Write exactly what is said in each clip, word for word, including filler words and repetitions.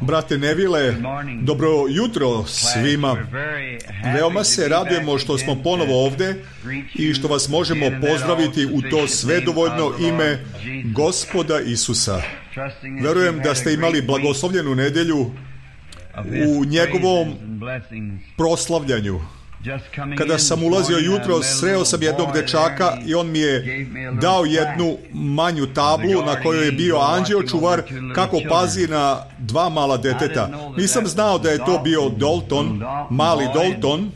Brate Nevile, dobro jutro svima. Veoma se radujemo što smo ponovo ovde i što vas možemo pozdraviti u to svedovoljno ime Gospoda Isusa. Verujem da ste imali blagoslovljenu nedelju u njegovom proslavljanju. Kada sam ulazio jutro, sreo sam jednog dečaka i on mi je dao jednu manju tablu na kojoj je bio anđeo čuvar kako pazi na dva mala deteta. Nisam znao da je to bio Dalton, mali Dalton.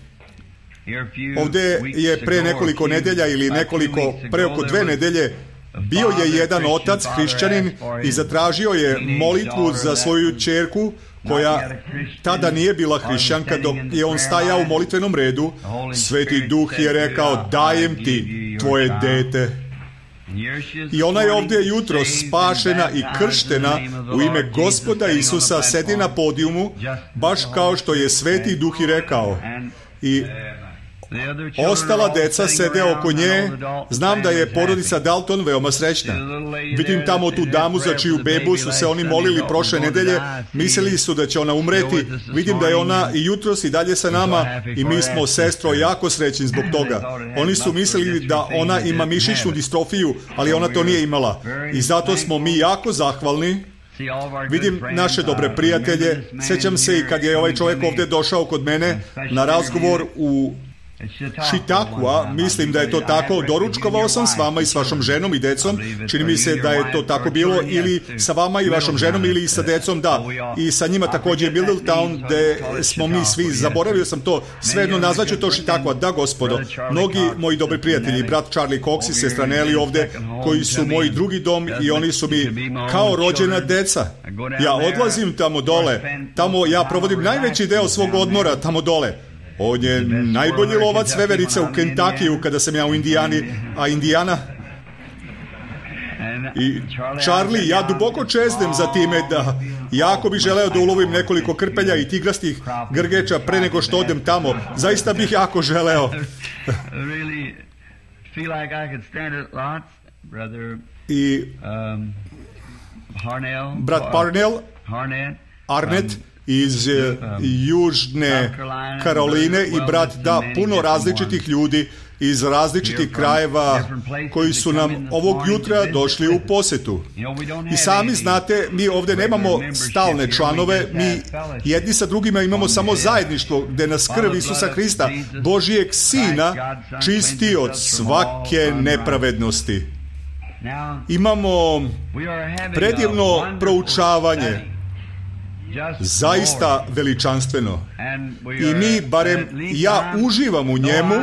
Ovde je pre nekoliko nedelja ili nekoliko, pre oko dve nedelje, bio je jedan otac, hrišćanin, i zatražio je molitvu za svoju ćerku koja tada nije bila hrišćanka. Dok je on stajao u molitvenom redu, Sveti Duh je rekao: dajem ti tvoje dete. I ona je ovdje jutro spašena i krštena u ime Gospoda Isusa, sedi na podijumu, baš kao što je Sveti Duh i rekao. I ostala deca sede oko nje. Znam da je porodica Dalton veoma srećna. Vidim tamo tu damu za čiju bebu su se oni molili prošle nedelje. Mislili su da će ona umreti. Vidim da je ona i jutros i dalje sa nama i mi smo, sestro, jako srećni zbog toga. Oni su mislili da ona ima mišićnu distrofiju, ali ona to nije imala. I zato smo mi jako zahvalni. Vidim naše dobre prijatelje. Sjećam se i kad je ovaj čovjek ovdje došao kod mene na razgovor u Chautauqua, mislim da je to tako, doručkovao sam s vama i s vašom ženom i decom, čini mi se da je to tako bilo, ili sa vama i vašom ženom ili sa decom, da, i sa njima također Middletown, gde smo mi svi, zaboravio sam to, svejedno nazvaću to Chautauqua, da gospodo, mnogi moji dobri prijatelji, brat Charlie Cox i sestra Nelly ovde, koji su moji drugi dom i oni su mi kao rođena deca. Ja odlazim tamo dole, tamo ja provodim najveći deo svog odmora tamo dole. On je najbolji lovac veverica u Kentuckiju kada sam ja u Indijani, a Indijana... I Charlie, ja duboko čeznem za time da jako bih želeo da ulovim nekoliko krpelja i tigrastih grgeća pre nego što odem tamo. Zaista bih jako želeo. I brat Parnell, Arnett, iz uh, Južne Karoline i brat, da, puno različitih ljudi iz različitih krajeva koji su nam ovog jutra došli u posetu. I sami znate, mi ovdje nemamo stalne članove, mi jedni sa drugima imamo samo zajedništvo gdje nas krv Isusa Hrista, Božijeg Sina, čisti od svake nepravednosti. Imamo predivno proučavanje, zaista veličanstveno. I mi, barem ja, uživam u njemu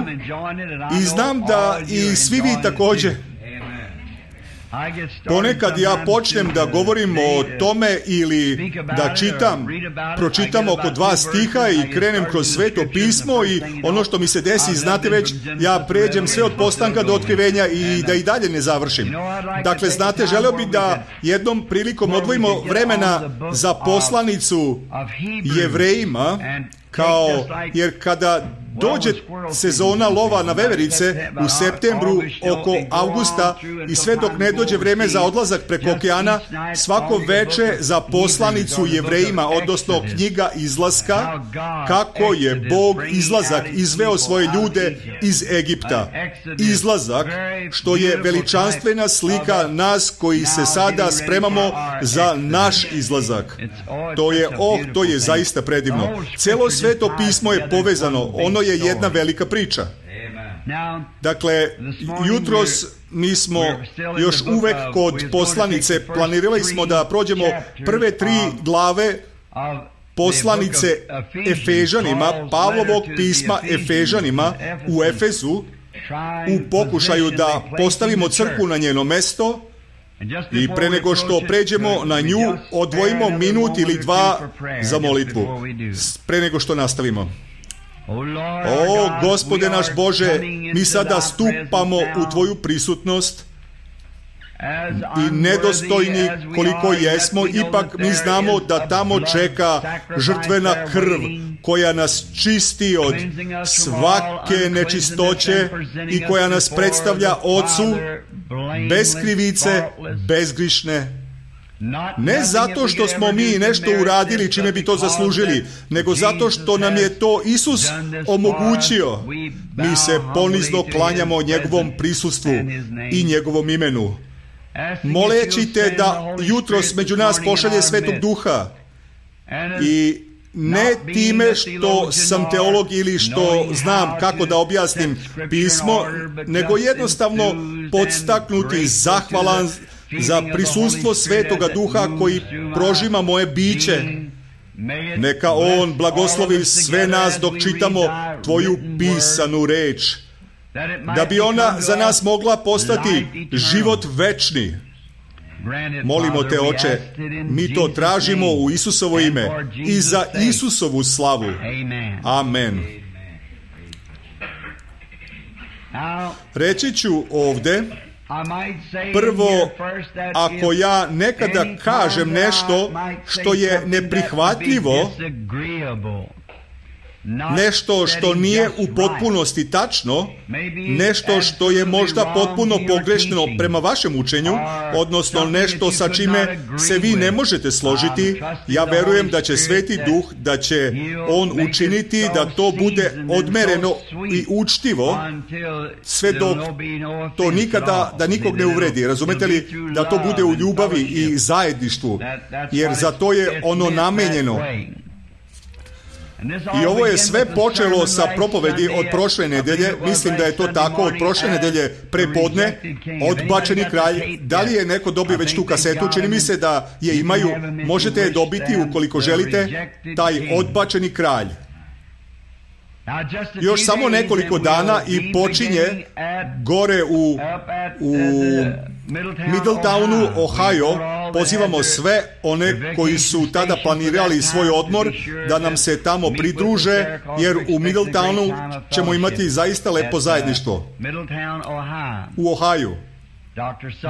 i znam da i svi vi također. Ponekad ja počnem da govorim o tome ili da čitam, pročitam oko dva stiha i krenem kroz Sveto pismo i ono što mi se desi, znate već, ja pređem sve od postanka do otkrivenja i da i dalje ne završim. Dakle, znate, želeo bih da jednom prilikom odvojimo vremena za poslanicu Jevrejima, kao, jer kada dođe sezona lova na veverice u septembru oko avgusta i sve dok ne dođe vreme za odlazak preko okeana, svako veče za poslanicu Jevrejima, odnosno knjiga izlaska, kako je Bog izlazak izveo svoje ljude iz Egipta. Izlazak, što je veličanstvena slika nas koji se sada spremamo za naš izlazak. To je, oh, to je zaista predivno. Celo Sveto pismo je povezano, ono je jedna velika priča. Dakle, jutros mi smo još uvek kod poslanice, planirali smo da prođemo prve tri glave poslanice Efežanima, Pavlovog pisma Efežanima u Efezu, u pokušaju da postavimo crkvu na njeno mesto. I pre nego što pređemo na nju, odvojimo minut ili dva za molitvu, pre nego što nastavimo. O, Gospode naš Bože, mi sada stupamo u Tvoju prisutnost i nedostojni koliko jesmo, ipak mi znamo da tamo čeka žrtvena krv koja nas čisti od svake nečistoće i koja nas predstavlja Ocu bez krivice, bezgrišne. Ne zato što smo mi nešto uradili čime bi to zaslužili, nego zato što nam je to Isus omogućio. Mi se ponizno klanjamo njegovom prisustvu i njegovom imenu, moleći te da jutros među nas pošalje Svetog Duha. I ne time što sam teolog ili što znam kako da objasnim pismo, nego jednostavno podstaknuti, zahvalan za prisustvo Svetoga Duha koji prožima moje biće. Neka On blagoslovi sve nas dok čitamo Tvoju pisanu reč, da bi ona za nas mogla postati život večni. Molimo te, Oče, mi to tražimo u Isusovo ime i za Isusovu slavu. Amen. Reći ću ovde, prvo, ako ja nekada kažem nešto što je neprihvatljivo, nešto što nije u potpunosti tačno, nešto što je možda potpuno pogrešno prema vašem učenju, odnosno nešto sa čime se vi ne možete složiti, ja verujem da će Sveti Duh, da će On učiniti da to bude odmereno i učtivo, sve dok to nikada, da nikog ne uvredi. Razumete li? Da to bude u ljubavi i zajedništvu, jer za to je ono namenjeno. I ovo je sve počelo sa propovedi od prošle nedelje, mislim da je to tako, od prošle nedelje prepodne, Odbačeni kralj. Da li je neko dobio već tu kasetu? Čini mi se da je imaju, možete je dobiti ukoliko želite, taj Odbačeni kralj. Još samo nekoliko dana i počinje gore u, u Middletownu, Ohio. Pozivamo sve one koji su tada planirali svoj odmor da nam se tamo pridruže, jer u Middletownu ćemo imati zaista lepo zajedništvo. U Ohio.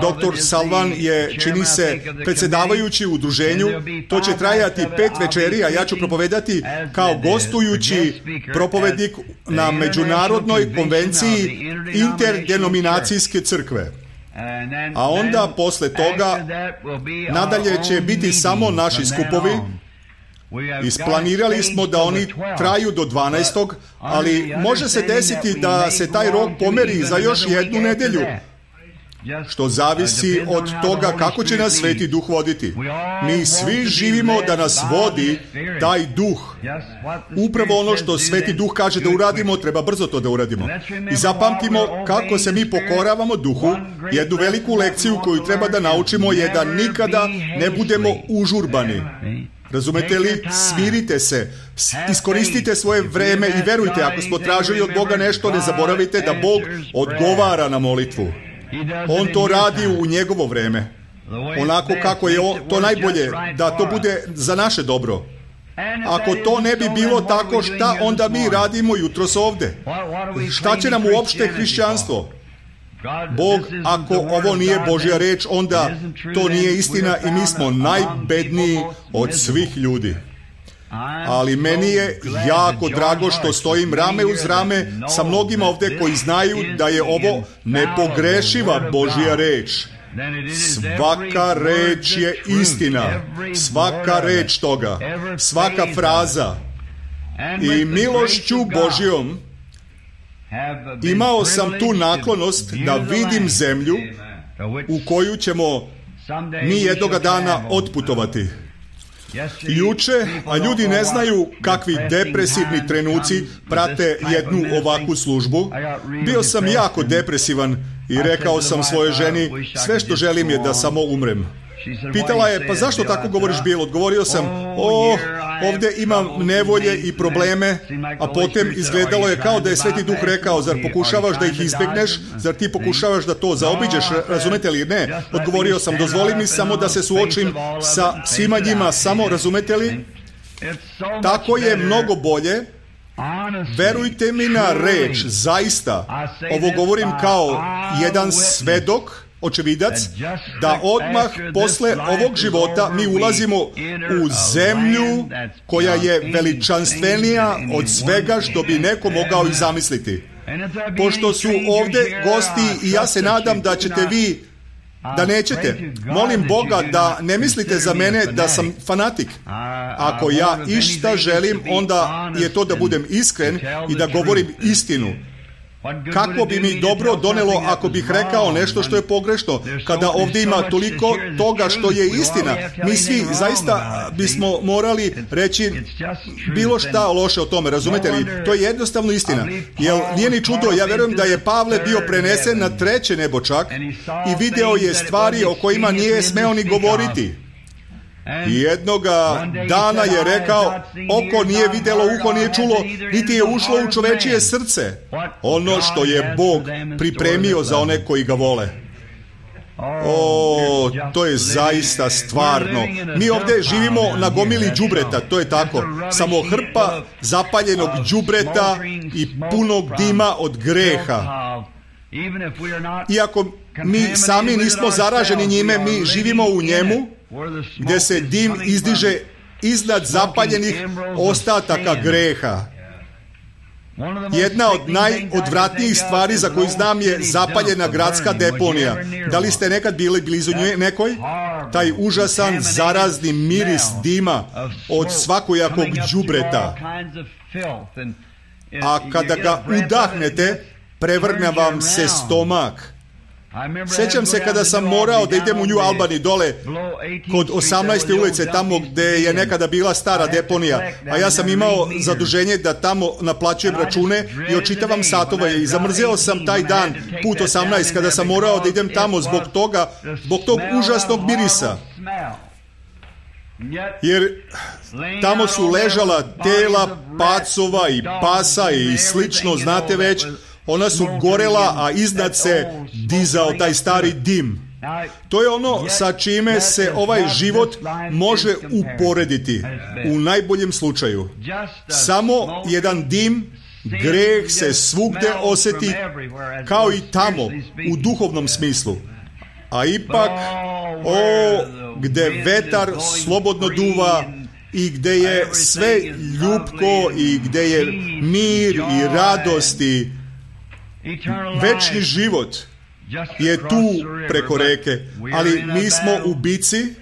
Doktor Salvan je, čini se, predsjedavajući u udruženju. To će trajati pet večeri, a ja ću propovedati kao gostujući propovednik na Međunarodnoj konvenciji interdenominacijske crkve. A onda, posle toga, nadalje će biti samo naši skupovi. Isplanirali smo da oni traju do dvanaestog, ali može se desiti da se taj rok pomeri za još jednu nedelju, što zavisi od toga kako će nas Sveti Duh voditi. Mi svi živimo da nas vodi taj Duh. Upravo ono što Sveti Duh kaže da uradimo, treba brzo to da uradimo. I zapamtimo kako se mi pokoravamo Duhu. Jednu veliku lekciju koju treba da naučimo je da nikada ne budemo užurbani. Razumete li? Smirite se, iskoristite svoje vreme i verujte, ako smo tražili od Boga nešto, ne zaboravite da Bog odgovara na molitvu. On to radi u njegovo vreme, onako kako je on, to najbolje, da to bude za naše dobro. Ako to ne bi bilo tako, šta onda mi radimo jutros ovde? Šta će nam uopšte hrišćanstvo? Bog, ako ovo nije Božja reč, onda to nije istina i mi smo najbedniji od svih ljudi. Ali meni je jako drago što stojim rame uz rame sa mnogima ovde koji znaju da je ovo nepogrešiva Božja reč. Svaka reč je istina, svaka reč toga, svaka fraza. I milošću Božjom imao sam tu naklonost da vidim zemlju u koju ćemo mi jednoga dana otputovati. Juče, a ljudi ne znaju kakvi depresivni trenuci prate jednu ovakvu službu, bio sam jako depresivan i rekao sam svojoj ženi, sve što želim je da samo umrem. Pitala je, pa zašto tako govoriš, Bill? Odgovorio sam, o, ovde imam nevolje i probleme, a potom izgledalo je kao da je Sveti Duh rekao, zar pokušavaš da ih izbegneš, zar ti pokušavaš da to zaobiđeš, razumete li? Ne, odgovorio sam, dozvoli mi samo da se suočim sa svima njima, samo, razumete li? Tako je mnogo bolje. Verujte mi na reč, zaista, ovo govorim kao jedan svedok, očevidac, da odmah posle ovog života mi ulazimo u zemlju koja je veličanstvenija od svega što bi neko mogao i zamisliti. Pošto su ovde gosti i ja se nadam da ćete vi da nećete. Molim Boga da ne mislite za mene da sam fanatik. Ako ja išta želim, onda je to da budem iskren i da govorim istinu. Kako bi mi dobro donelo ako bih rekao nešto što je pogrešno, kada ovdje ima toliko toga što je istina? Mi svi zaista bismo morali reći bilo šta loše o tome, razumete li? To je jednostavno istina. Jer nije ni čudo, ja vjerujem da je Pavle bio prenesen na treće nebo čak i video je stvari o kojima nije smeo ni govoriti. I jednoga dana je rekao, oko nije vidjelo, uho nije čulo, niti je ušlo u čovečije srce ono što je Bog pripremio za one koji ga vole. O, to je zaista stvarno. Mi ovdje živimo na gomili đubreta, to je tako. Samo hrpa zapaljenog đubreta i punog dima od greha. Iako mi sami nismo zaraženi njime, mi živimo u njemu, gdje se dim izdiže iznad zapaljenih ostataka greha. Jedna od najodvratnijih stvari za koju znam je zapaljena gradska deponija. Da li ste nekad bili blizu nje nekoj? Taj užasan zarazni miris dima od svakojakog đubreta. A kada ga udahnete, prevrne vam se stomak. Sjećam se kada sam morao da idem u New Albany dole kod osamnaeste ulice, tamo gdje je nekada bila stara deponija, a ja sam imao zaduženje da tamo naplaćujem račune i očitavam satove i zamrzeo sam taj dan put osamnaest kada sam morao da idem tamo zbog toga, zbog tog užasnog mirisa. Jer tamo su ležala tela pacova i pasa i slično, znate već. Ona su gorela, a iznad se dizao taj stari dim. To je ono sa čime se ovaj život može uporediti u najboljem slučaju. Samo jedan dim, greh se svugde osjeti kao i tamo u duhovnom smislu. A ipak, o, gde vetar slobodno duva i gde je sve ljubko i gde je mir i radost i večni život je tu preko reke, ali mi smo u bici,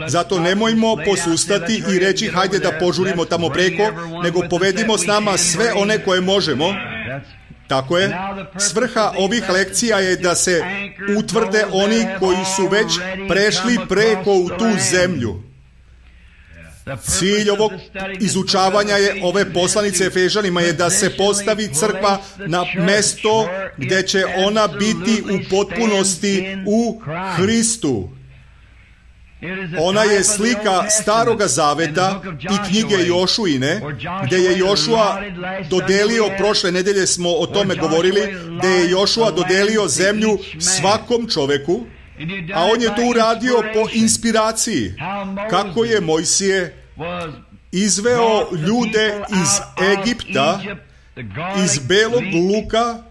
zato nemojmo posustati i reći hajde da požurimo tamo preko, nego povedimo s nama sve one koje možemo. Tako je. Svrha ovih lekcija je da se utvrde oni koji su već prešli preko u tu zemlju. Cilj ovog izučavanja je ove poslanice Efežanima je da se postavi crkva na mesto gdje će ona biti u potpunosti u Hristu. Ona je slika Staroga Zaveta i knjige Jošuine, gdje je Jošua dodelio, prošle nedelje smo o tome govorili, gdje je Jošua dodelio zemlju svakom čoveku, a on je to uradio po inspiraciji. Kako je Mojsije izveo ljude iz Egipta, iz belog luka,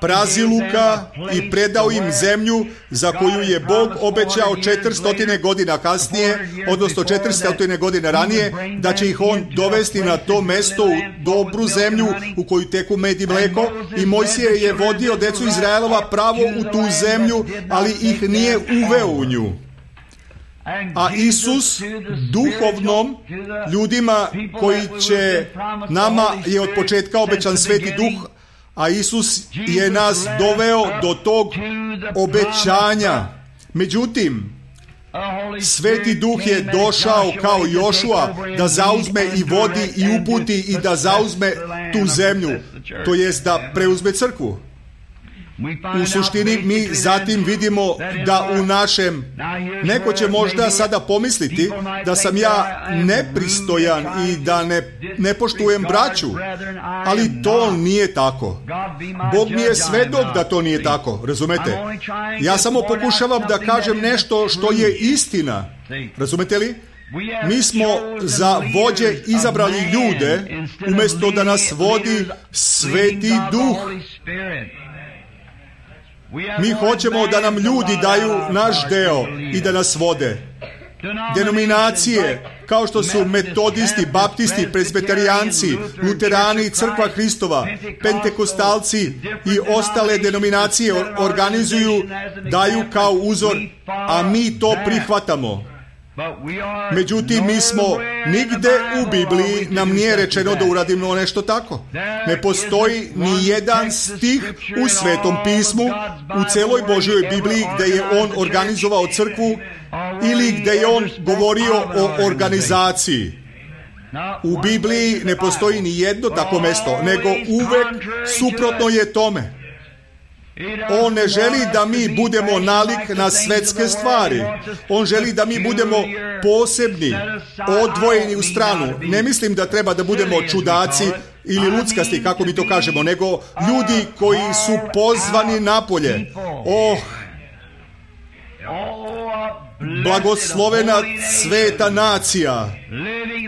praziluka i predao im zemlju za koju je Bog obećao četiristo godina kasnije, odnosno četiristo godina ranije, da će ih on dovesti na to mesto u dobru zemlju u koju teku med i mleko, i Mojsije je vodio decu Izraelova pravo u tu zemlju, ali ih nije uveo u nju. A Isus duhovnom ljudima koji će, nama je od početka obećan Sveti Duh, a Isus je nas doveo do tog obećanja. Međutim, Sveti Duh je došao kao Jošua da zauzme i vodi i uputi i da zauzme tu zemlju, to jest da preuzme crkvu. U suštini mi zatim vidimo da u našem, neko će možda sada pomisliti da sam ja nepristojan i da ne, ne poštujem braću, ali to nije tako. Bog mi je svedok da to nije tako, razumete? Ja samo pokušavam da kažem nešto što je istina, razumete li? Mi smo za vođe izabrali ljude umjesto da nas vodi Sveti Duh. Mi hoćemo da nam ljudi daju naš deo i da nas vode. denominacije, kao što su metodisti, baptisti, prezbeterijanci, luterani, crkva Hristova, pentekostalci i ostale denominacije organizuju, daju kao uzor, a mi to prihvatamo. Međutim, mi smo nigde u Bibliji nam nije rečeno da uradimo nešto tako. Ne postoji ni jedan stih u Svetom pismu, u celoj Božjoj Bibliji gde je on organizovao crkvu ili gde je on govorio o organizaciji. U Bibliji ne postoji ni jedno tako mesto, nego uvek suprotno je tome. On ne želi da mi budemo nalik na svetske stvari. On želi da mi budemo posebni, odvojeni u stranu. Ne mislim da treba da budemo čudaci ili luckasti, kako mi to kažemo, nego ljudi koji su pozvani napolje. Oh, blagoslovena sveta nacija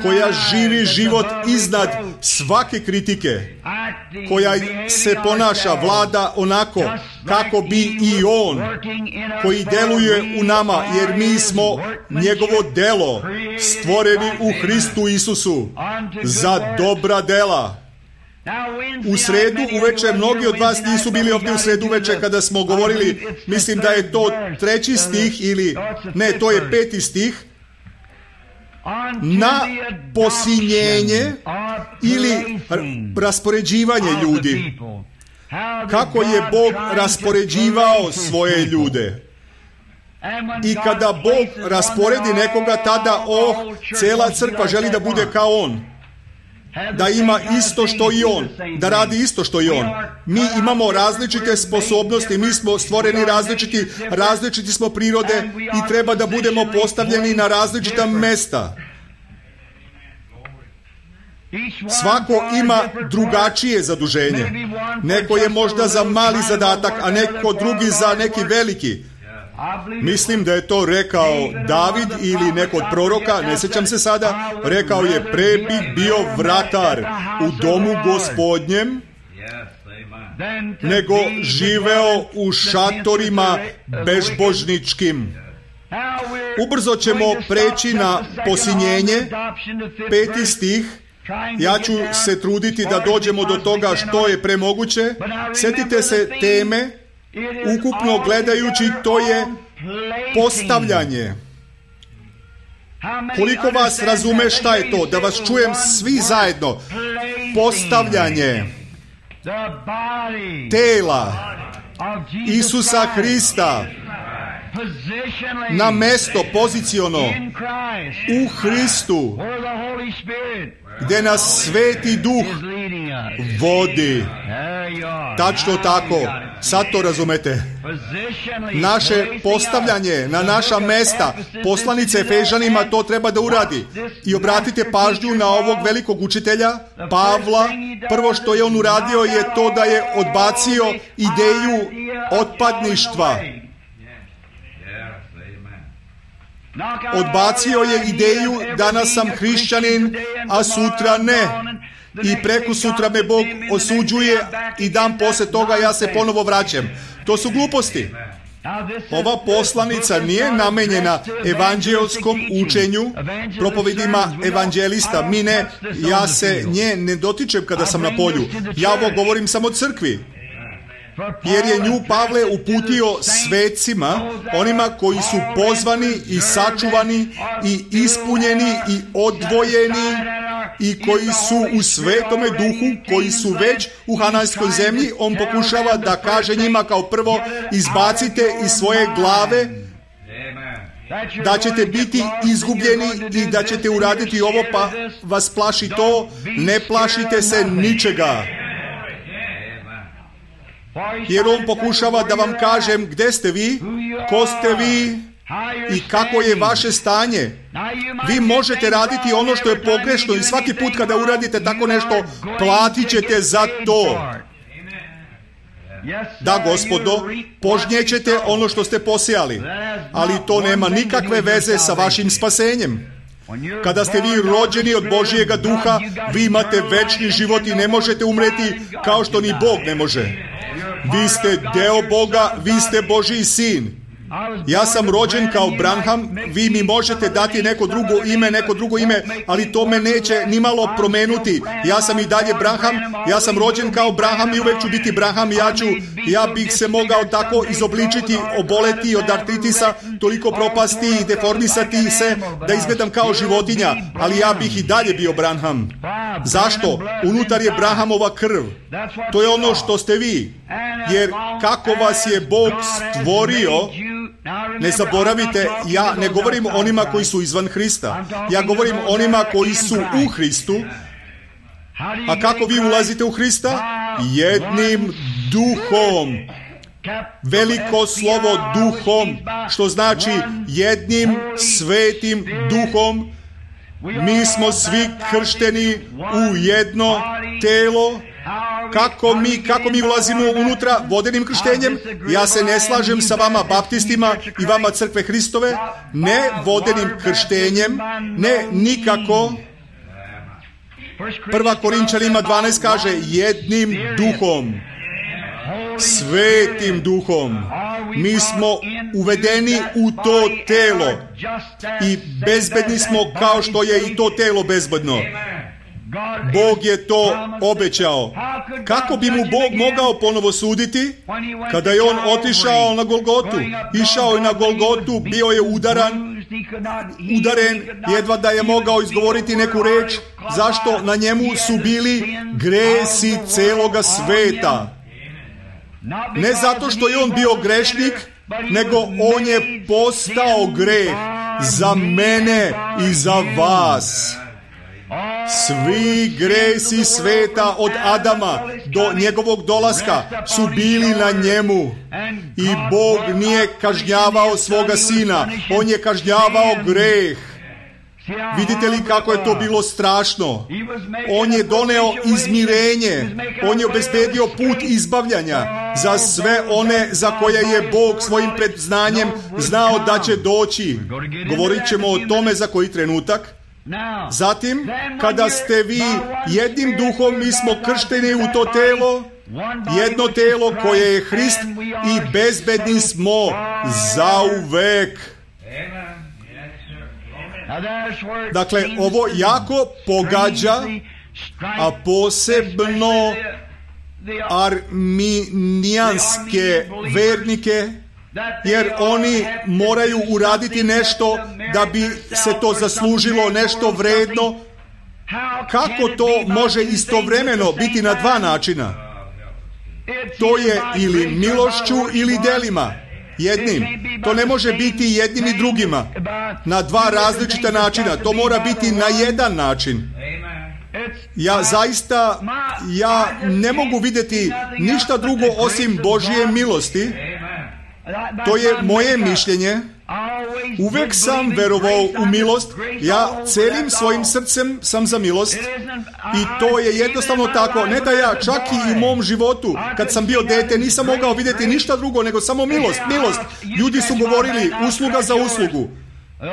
koja živi život iznad svake kritike, koja se ponaša, vlada onako kako bi i on, koji deluje u nama, jer mi smo njegovo delo, stvoreni u Hristu Isusu za dobra dela. U sredu uveče, mnogi od vas nisu bili ovdje u sredu uveče kada smo govorili, mislim da je to treći stih ili, ne, to je peti stih, na posinjenje ili raspoređivanje ljudi. Kako je Bog raspoređivao svoje ljude. I kada Bog rasporedi nekoga, tada, oh, cela crkva želi da bude kao on. Da ima isto što i on, da radi isto što i on. Mi imamo različite sposobnosti, mi smo stvoreni različiti, različiti smo prirode i treba da budemo postavljeni na različita mesta. Svako ima drugačije zaduženje. Neko je možda za mali zadatak, a neko drugi za neki veliki. Mislim da je to rekao David ili neko od proroka, ne sjećam se sada, rekao je: pre bih bio vratar u domu Gospodnjem, nego živeo u šatorima bezbožničkim. Ubrzo ćemo preći na posinjenje, peti stih. Ja ću se truditi da dođemo do toga što je premoguće. Sjetite se teme. Ukupno gledajući, to je postavljanje. Koliko vas razume šta je to? Da vas čujem svi zajedno. Postavljanje tela Isusa Hrista na mesto poziciono u Hristu, gdje nas Sveti Duh vodi. Tačno tako. Sad to razumete. Naše postavljanje na naša mesta, poslanice Efežanima to treba da uradi. I obratite pažnju na ovog velikog učitelja, Pavla. Prvo što je on uradio je to da je odbacio ideju otpadništva. Odbacio je ideju: danas sam hrišćanin, a sutra ne. I preko sutra me Bog osuđuje i dan poslije toga ja se ponovo vraćam. To su gluposti. Ova poslanica nije namenjena evanđelskom učenju, propovedima evanđelista. Mi ne, ja se nje ne dotičem kada sam na polju. Ja ovo govorim samo crkvi. Jer je nju Pavle uputio svecima, onima koji su pozvani i sačuvani i ispunjeni i odvojeni i koji su u Svetome Duhu, koji su već u Hananskoj zemlji. On pokušava da kaže njima kao prvo: izbacite iz svoje glave da ćete biti izgubljeni i da ćete uraditi ovo, pa vas plaši to. Ne plašite se ničega. Jer on pokušava da vam kažem gdje ste vi, ko ste vi i kako je vaše stanje. Vi možete raditi ono što je pogrešno i svaki put kada uradite tako nešto, platit ćete za to. Da, gospodo, požnjećete ono što ste posijali, ali to nema nikakve veze sa vašim spasenjem. Kada ste vi rođeni od Božjega duha, vi imate večni život i ne možete umreti kao što ni Bog ne može. Vi ste deo Boga, vi ste Božji sin. Ja sam rođen kao Branham, vi mi možete dati neko drugo ime, neko drugo ime, ali to me neće nimalo promenuti. Ja sam i dalje Branham, ja sam rođen kao Branham i uvek ću biti Branham. Ja ću, ja bih se mogao tako izobličiti, oboleti od artritisa, toliko propasti i deformisati se da izgledam kao životinja, ali ja bih i dalje bio Branham. Zašto? Unutar je Branhamova krv. To je ono što ste vi. Jer kako vas je Bog stvorio, ne zaboravite, ja ne govorim onima koji su izvan Hrista. Ja govorim onima koji su u Hristu. A kako vi ulazite u Hrista? Jednim duhom. Veliko slovo duhom, što znači jednim svetim duhom. Mi smo svi kršteni u jedno telo. Kako mi, kako mi ulazimo unutra vodenim krštenjem? Ja se ne slažem sa vama baptistima i vama crkve Hristove. Ne vodenim krštenjem, ne nikako. Prva Korinčanima dvanaest kaže jednim duhom, svetim duhom. Mi smo uvedeni u to telo i bezbedni smo kao što je i to telo bezbedno. Bog je to obećao. Kako bi mu Bog mogao ponovo suditi kada je on otišao na Golgotu? Išao je na Golgotu, bio je udaran, udaren, jedva da je mogao izgovoriti neku reč. Zašto? Na njemu su bili gresi celoga sveta. Ne zato što je on bio grešnik, nego on je postao greh za mene i za vas. Svi gresi sveta od Adama do njegovog dolaska su bili na njemu. I Bog nije kažnjavao svoga sina, on je kažnjavao greh. Vidite li kako je to bilo strašno? On je doneo izmirenje, on je obezbedio put izbavljanja za sve one za koje je Bog svojim predznanjem znao da će doći. Govorit ćemo o tome za koji trenutak. Zatim, kada ste vi jednim duhom, mi smo kršteni u to telo, jedno telo koje je Hrist i bezbedni smo zauvek. Dakle, ovo jako pogađa, a posebno arminijanske vernike, jer oni moraju uraditi nešto da bi se to zaslužilo, nešto vredno. Kako to može istovremeno biti na dva načina? To je ili milošću ili delima. Jednim. To ne može biti jednim i drugima. Na dva različita načina. To mora biti na jedan način. Ja zaista, ja ne mogu vidjeti ništa drugo osim Božje milosti. To je moje mišljenje. Uvek sam verovao u milost. Ja celim svojim srcem sam za milost. I to je jednostavno tako. Ne da ja čak i u mom životu, kad sam bio dete, nisam mogao vidjeti ništa drugo nego samo milost. Milost. Ljudi su govorili usluga za uslugu.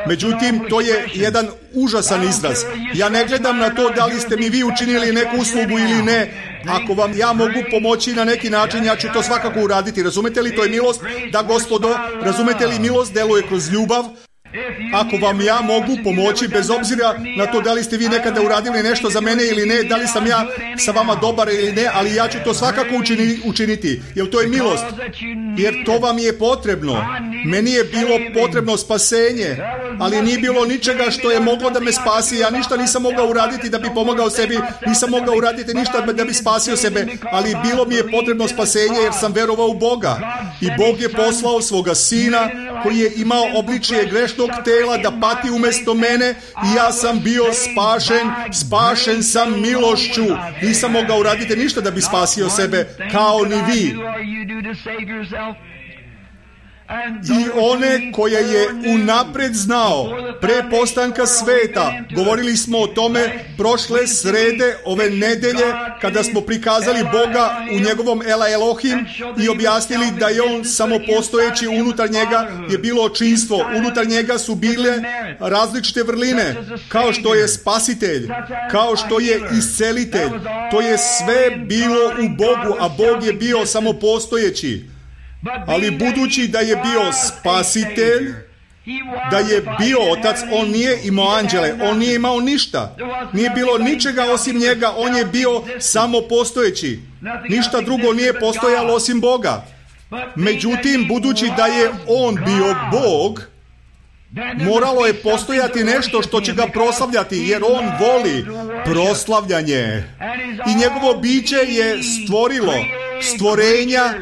Međutim, to je jedan užasan izraz. Ja ne gledam na to da li ste mi vi učinili neku uslugu ili ne. Ako vam ja mogu pomoći na neki način, ja ću to svakako uraditi. Razumete li, to je milost? Da, Gospodo, razumete li, milost deluje kroz ljubav? Ako vam ja mogu pomoći, bez obzira na to da li ste vi nekada uradili nešto za mene ili ne, da li sam ja sa vama dobar ili ne, ali ja ću to svakako učini, učiniti, jer to je milost. Jer to vam je potrebno. Meni je bilo potrebno spasenje, ali nije bilo ničega što je moglo da me spasi. Ja ništa nisam mogao uraditi da bi pomogao sebi, nisam mogao uraditi ništa da bi spasio sebe, ali bilo mi je potrebno spasenje jer sam verovao u Boga. I Bog je poslao svoga sina koji je imao obličje grešnog tela da pati umjesto mene i ja sam bio spašen, spašen sam milošću. Nisam mogao uraditi ništa da bi spasio sebe, kao ni vi. I one koje je unapred znao pre postanka sveta. Govorili smo o tome prošle srede ove nedelje kada smo prikazali Boga u njegovom Ela Elohim i objasnili da je on samopostojeći, unutar njega je bilo očinstvo, unutar njega su bile različite vrline, kao što je spasitelj, kao što je iscelitelj. To je sve bilo u Bogu, a Bog je bio samopostojeći. Ali budući da je bio spasitelj, da je bio otac, on nije imao anđele, on nije imao ništa. Nije bilo ničega osim njega, on je bio samo postojeći. Ništa drugo nije postojalo osim Boga. Međutim, budući da je on bio Bog, moralo je postojati nešto što će ga proslavljati, jer on voli proslavljanje. I njegovo biće je stvorilo stvorenja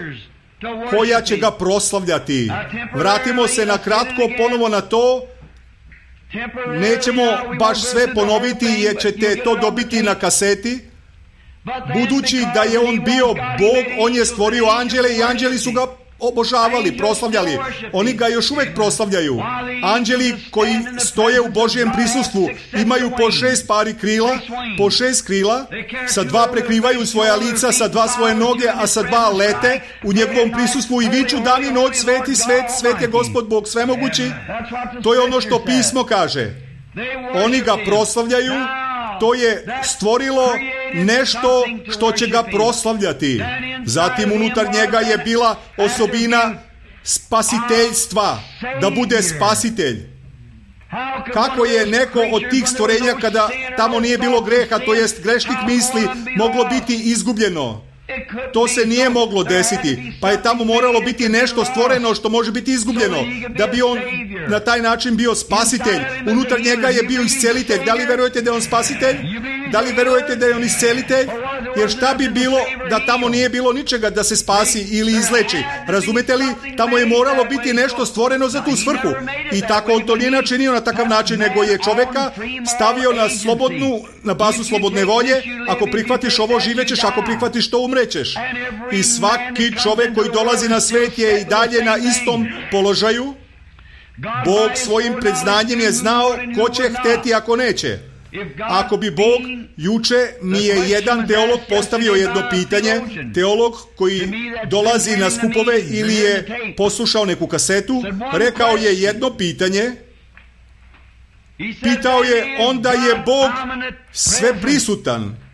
koja će ga proslavljati. Vratimo se na kratko ponovo na to. Nećemo baš sve ponoviti jer ćete to dobiti na kaseti. Budući da je on bio Bog, on je stvorio anđele i anđeli su ga obožavali, proslavljali. Oni ga još uvijek proslavljaju. Anđeli koji stoje u Božjem prisustvu imaju po šest pari krila, po šest krila, sa dva prekrivaju svoja lica, sa dva svoje noge, a sa dva lete u njegovom prisustvu i viču dan i noć, sveti, svet, svet je Gospod Bog svemogući. To je ono što pismo kaže. Oni ga proslavljaju. To je stvorilo nešto što će ga proslavljati. Zatim unutar njega je bila osobina spasiteljstva, da bude spasitelj. Kako je neko od tih stvorenja, kada tamo nije bilo greha, to jest grešnih misli, moglo biti izgubljeno? To se nije moglo desiti, pa je tamo moralo biti nešto stvoreno što može biti izgubljeno, da bi on na taj način bio spasitelj. Unutar njega je bio iscelitelj. Da li verujete da je on spasitelj? Da li verujete da je on iscelitelj? Jer šta bi bilo da tamo nije bilo ničega da se spasi ili izleči? Razumete li? Tamo je moralo biti nešto stvoreno za tu svrhu. I tako on to nije načinio na takav način, nego je čoveka stavio na slobodnu, na bazu slobodne volje. Ako prihvatiš ovo, živećeš, ako prihvatiš to, umrećeš. I svaki čovjek koji dolazi na svijet je i dalje na istom položaju. Bog svojim predznanjem je znao ko će hteti ako neće. Ako bi Bog, juče mi je jedan teolog postavio jedno pitanje, teolog koji dolazi na skupove ili je poslušao neku kasetu, rekao je jedno pitanje, pitao je, onda je Bog sve prisutan.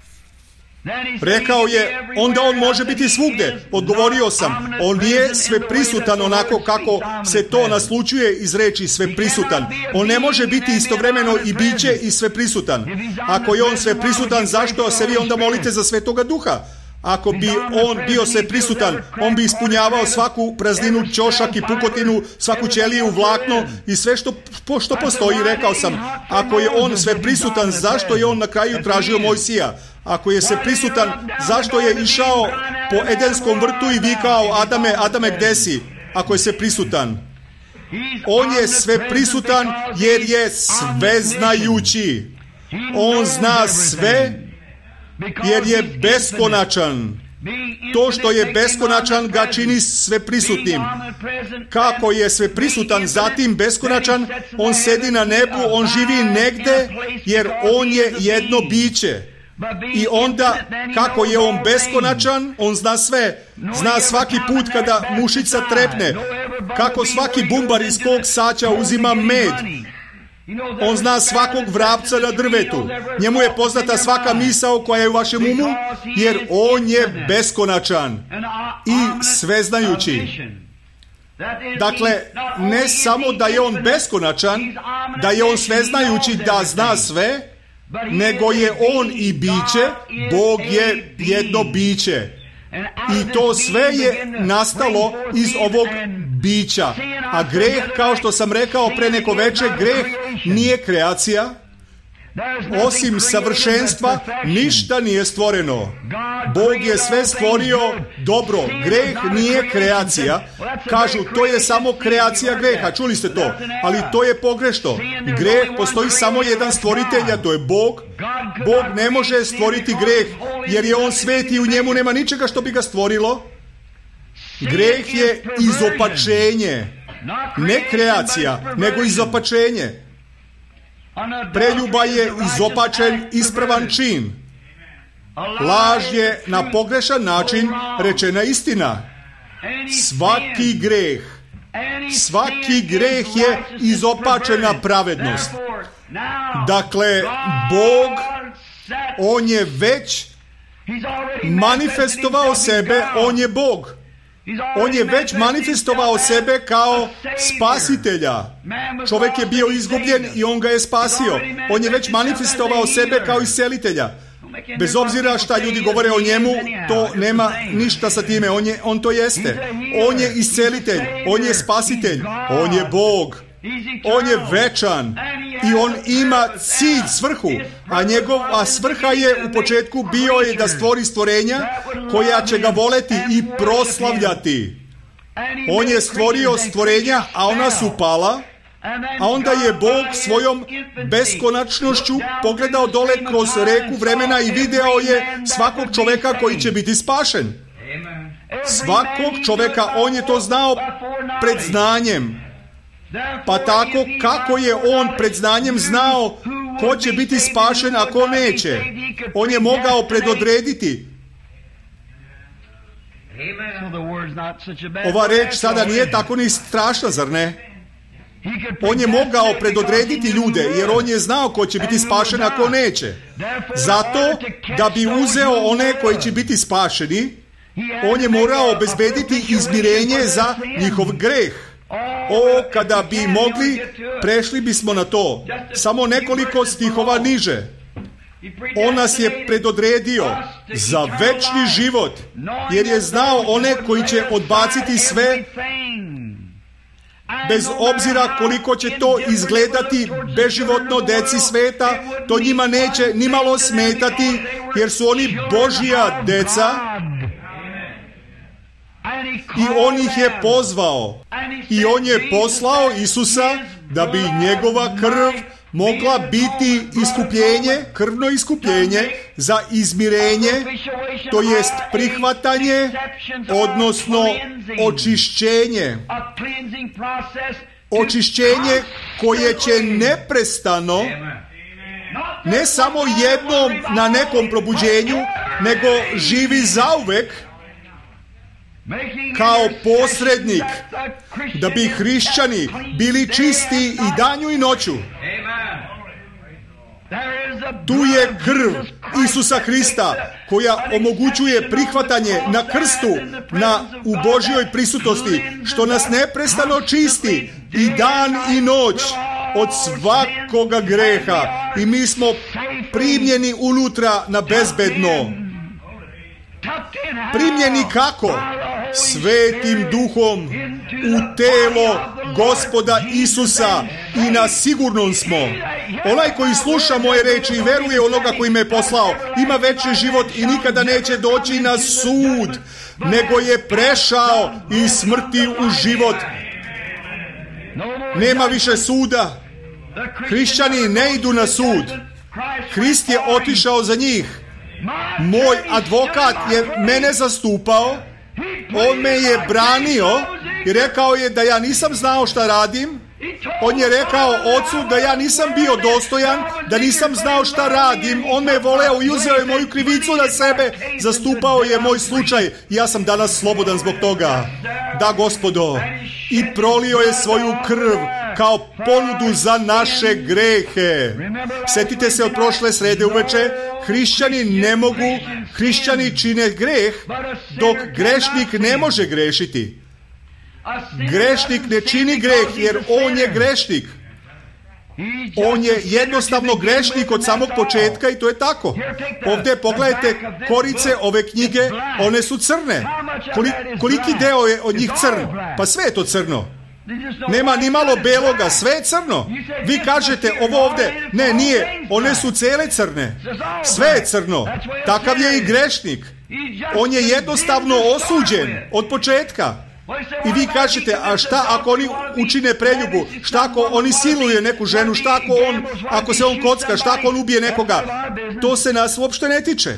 Rekao je, onda on može biti svugdje. Odgovorio sam, on nije sve prisutan onako kako se to naslučuje iz reči sve prisutan. On ne može biti istovremeno i biće i sve prisutan. Ako je on sve prisutan, zašto se vi onda molite za Svetoga Duha? Ako bi on bio sve prisutan, on bi ispunjavao svaku prazninu, ćošak i pukotinu, svaku ćeliju, vlakno i sve što, što postoji. Rekao sam, ako je on sve prisutan, zašto je on na kraju tražio Mojsija? Ako je sve prisutan, zašto je išao po Edenskom vrtu i vikao, Adame, Adame, gde si? Ako je sve prisutan. On je sve prisutan jer je sveznajući. On zna sve jer je beskonačan. To što je beskonačan ga čini sve prisutnim. Kako je sve prisutan, zatim beskonačan, on sedi na nebu, on živi negde jer on je jedno biće. I onda, kako je on beskonačan, on zna sve. Zna svaki put kada mušica trepne. Kako svaki bumbar iz kog saća uzima med. On zna svakog vrapca na drvetu. Njemu je poznata svaka misao koja je u vašem umu, jer on je beskonačan i sveznajući. Dakle, ne samo da je on beskonačan, da je on sveznajući, da zna sve, nego je on i biće. Bog je jedno biće. I to sve je nastalo iz ovog bića. A greh, kao što sam rekao pre neko veče, greh nije kreacija. Osim savršenstva, ništa nije stvoreno. Bog je sve stvorio dobro. Greh nije kreacija. Kažu, to je samo kreacija greha. Čuli ste to? Ali to je pogrešno. Greh, postoji samo jedan stvoritelj, a to je Bog. Bog ne može stvoriti greh, jer je on svet i u njemu nema ničega što bi ga stvorilo. Greh je izopačenje. Ne kreacija, nego izopačenje. Preljuba je izopačen ispravan čin. Laž je na pogrešan način rečena istina. Svaki greh, svaki greh je izopačena pravednost. Dakle, Bog, on je već manifestovao sebe, on je Bog. On je već manifestovao sebe kao spasitelja. Čovjek je bio izgubljen i on ga je spasio. On je već manifestovao sebe kao iscelitelja. Bez obzira šta ljudi govore o njemu, to nema ništa sa time. On, je, on to jeste. On je iscelitelj, on je spasitelj, on je Bog. On je večan i on ima cilj, svrhu, a njegova svrha je u početku bio je da stvori stvorenja koja će ga voleti i proslavljati. On je stvorio stvorenja, a ona su pala, a onda je Bog svojom beskonačnošću pogledao dole kroz reku vremena i video je svakog čovjeka koji će biti spašen. Svakog čovjeka, on je to znao pred znanjem. Pa tako kako je on pred znanjem znao ko će biti spašen, a ko neće. On je mogao predodrediti. Ova reč sada nije tako ni strašna, zar ne? On je mogao predodrediti ljude, jer on je znao ko će biti spašen, a ko neće. Zato, da bi uzeo one koji će biti spašeni, on je morao obezbediti izmirenje za njihov greh. O, kada bi mogli, prešli bismo na to. Samo nekoliko stihova niže. On nas je predodredio za večni život, jer je znao one koji će odbaciti sve, bez obzira koliko će to izgledati beživotno deci sveta, to njima neće nimalo smetati, jer su oni Božja deca. I on ih je pozvao i on je poslao Isusa da bi njegova krv mogla biti iskupljenje, krvno iskupljenje za izmirenje, to jest prihvatanje, odnosno očišćenje. Očišćenje koje će neprestano, ne samo jednom na nekom probuđenju, nego živi zauvek, kao posrednik, da bi hrišćani bili čisti i danju i noću. Tu je krv Isusa Hrista koja omogućuje prihvatanje na krstu, na, u Božjoj prisutnosti, što nas neprestano čisti i dan i noć od svakoga greha. I mi smo primljeni unutra na bezbedno. Primljeni kako? Svetim duhom u telo Gospoda Isusa i na sigurnom smo. Onaj koji sluša moje reči i veruje onoga koji me je poslao, ima večni život i nikada neće doći na sud, nego je prešao iz smrti u život. Nema više suda. Hrišćani ne idu na sud. Hrist je otišao za njih. Moj advokat je mene zastupao, on me je branio i rekao je da ja nisam znao šta radim. On je rekao ocu da ja nisam bio dostojan, da nisam znao šta radim. On me je voleo i uzeo je moju krivicu na sebe, zastupao je moj slučaj. Ja sam danas slobodan zbog toga. Da, Gospodo, i prolio je svoju krv kao ponudu za naše grehe. Sjetite se od prošle srede uveče, hrišćani ne mogu, hrišćani čine greh, dok grešnik ne može grešiti. Grešnik ne čini greh, jer on je grešnik. On je jednostavno grešnik od samog početka i to je tako. Ovdje pogledajte korice ove knjige, one su crne. Koli, koliki deo je od njih crn? Pa sve je to crno. Nema ni malo beloga, sve je crno. Vi kažete ovo ovdje, ne, nije, one su cele crne. Sve je crno. Takav je i grešnik. On je jednostavno osuđen od početka. I vi kažete, a šta ako oni učine preljubu? Šta ako oni siluje neku ženu? Šta ako on, ako se on kocka? Šta ako on ubije nekoga? To se nas uopšte ne tiče.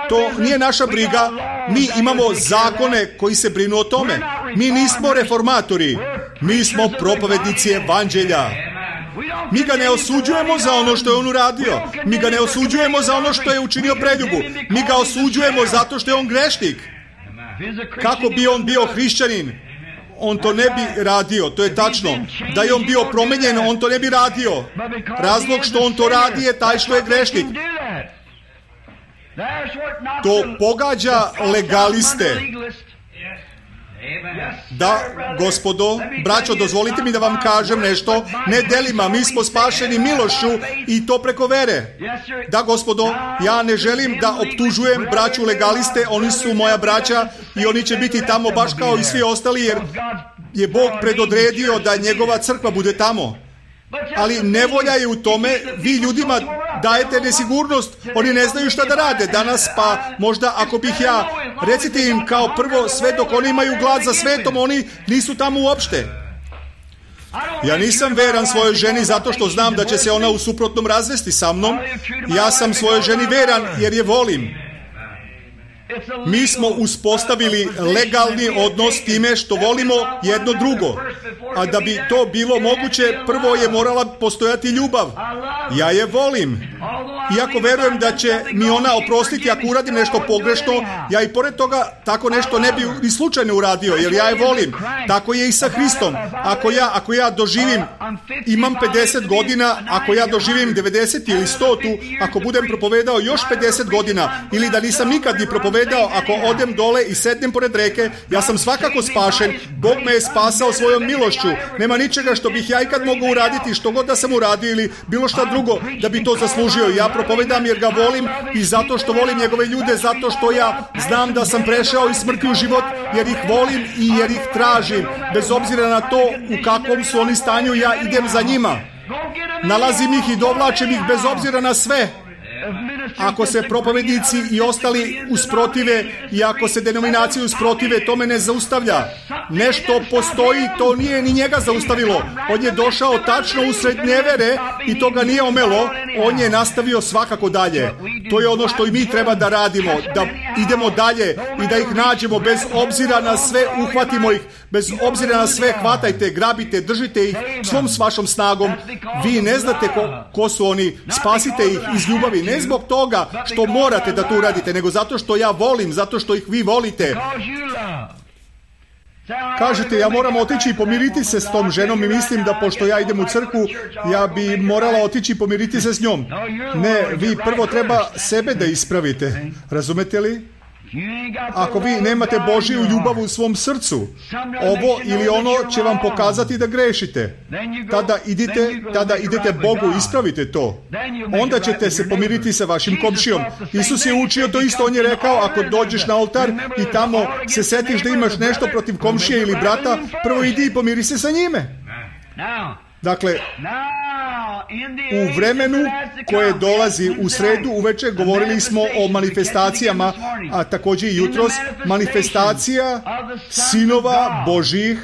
To nije naša briga. Mi imamo zakone koji se brinu o tome. Mi nismo reformatori. Mi smo propovednici evanđelja. Mi ga ne osuđujemo za ono što je on uradio. Mi ga ne osuđujemo za ono što je učinio preljubu. Mi ga osuđujemo zato što je on grešnik. Kako bi on bio hrišćanin, on to ne bi radio, to je tačno. Da je on bio promenjen, on to ne bi radio. Razlog što on to radi je taj što je grešnik. To pogađa legaliste. Da, gospodo, braćo, dozvolite mi da vam kažem nešto, ne delima, mi smo spašeni milošću i to preko vere. Da, gospodo, ja ne želim da optužujem braću legaliste, oni su moja braća i oni će biti tamo baš kao i svi ostali, jer je Bog predodredio da njegova crkva bude tamo. Ali nevolja je u tome, vi ljudima dajete nesigurnost, oni ne znaju šta da rade danas, pa možda ako bih ja, recite im kao prvo, sve dok oni imaju glad za svetom, oni nisu tamo uopšte. Ja nisam veran svojoj ženi zato što znam da će se ona u suprotnom razvesti sa mnom. Ja sam svojoj ženi veran jer je volim. Mi smo uspostavili legalni odnos time što volimo jedno drugo. A da bi to bilo moguće, prvo je morala postojati ljubav. Ja je volim. Iako verujem da će mi ona oprostiti ako uradim nešto pogrešno, ja i pored toga tako nešto ne bi ni slučajno uradio, jer ja je volim. Tako je i sa Hristom. Ako ja, ako ja doživim, imam pedeset godina, ako ja doživim devedeset ili sto, ako budem propovedao još pedeset godina, ili da nisam nikad ni propovedao, ako odem dole i sednem pored reke, ja sam svakako spašen. Bog me je spasao svojom milošću. Nema ničega što bih ja ikad mogao uraditi, što god da sam uradio ili bilo šta drugo da bi to zaslužio. Ja propovedam jer ga volim i zato što volim njegove ljude, zato što ja znam da sam prešao iz smrti u život, jer ih volim i jer ih tražim. Bez obzira na to u kakvom su oni stanju, ja idem za njima. Nalazim ih i dovlačim ih bez obzira na sve. Ako se propovednici i ostali usprotive i ako se denominacije usprotive, to me ne zaustavlja. Nešto postoji, to nije ni njega zaustavilo. On je došao tačno usred nevere i to ga nije omelo. On je nastavio svakako dalje. To je ono što i mi treba da radimo, da idemo dalje i da ih nađemo bez obzira na sve, uhvatimo ih, bez obzira na sve, hvatajte, grabite, držite ih svom s vašom snagom. Vi ne znate ko, ko su oni, spasite ih iz ljubavi, ne zbog toga što morate da to uradite, nego zato što ja volim, zato što ih vi volite. Kažete, ja moram otići i pomiriti se s tom ženom i mislim da pošto ja idem u crkvu, ja bi morala otići i pomiriti se s njom. Ne, vi prvo treba sebe da ispravite. Razumete li? Ako vi nemate Božiju ljubav u svom srcu, ovo ili ono će vam pokazati da grešite. Tada idite, tada idete Bogu, ispravite to. Onda ćete se pomiriti sa vašim komšijom. Isus je učio to isto, on je rekao, ako dođeš na oltar i tamo se setiš da imaš nešto protiv komšije ili brata, prvo idi i pomiri se sa njime. Dakle, u vremenu koje dolazi u sredu uveče govorili smo o manifestacijama, a također i jutros, manifestacija sinova Božih,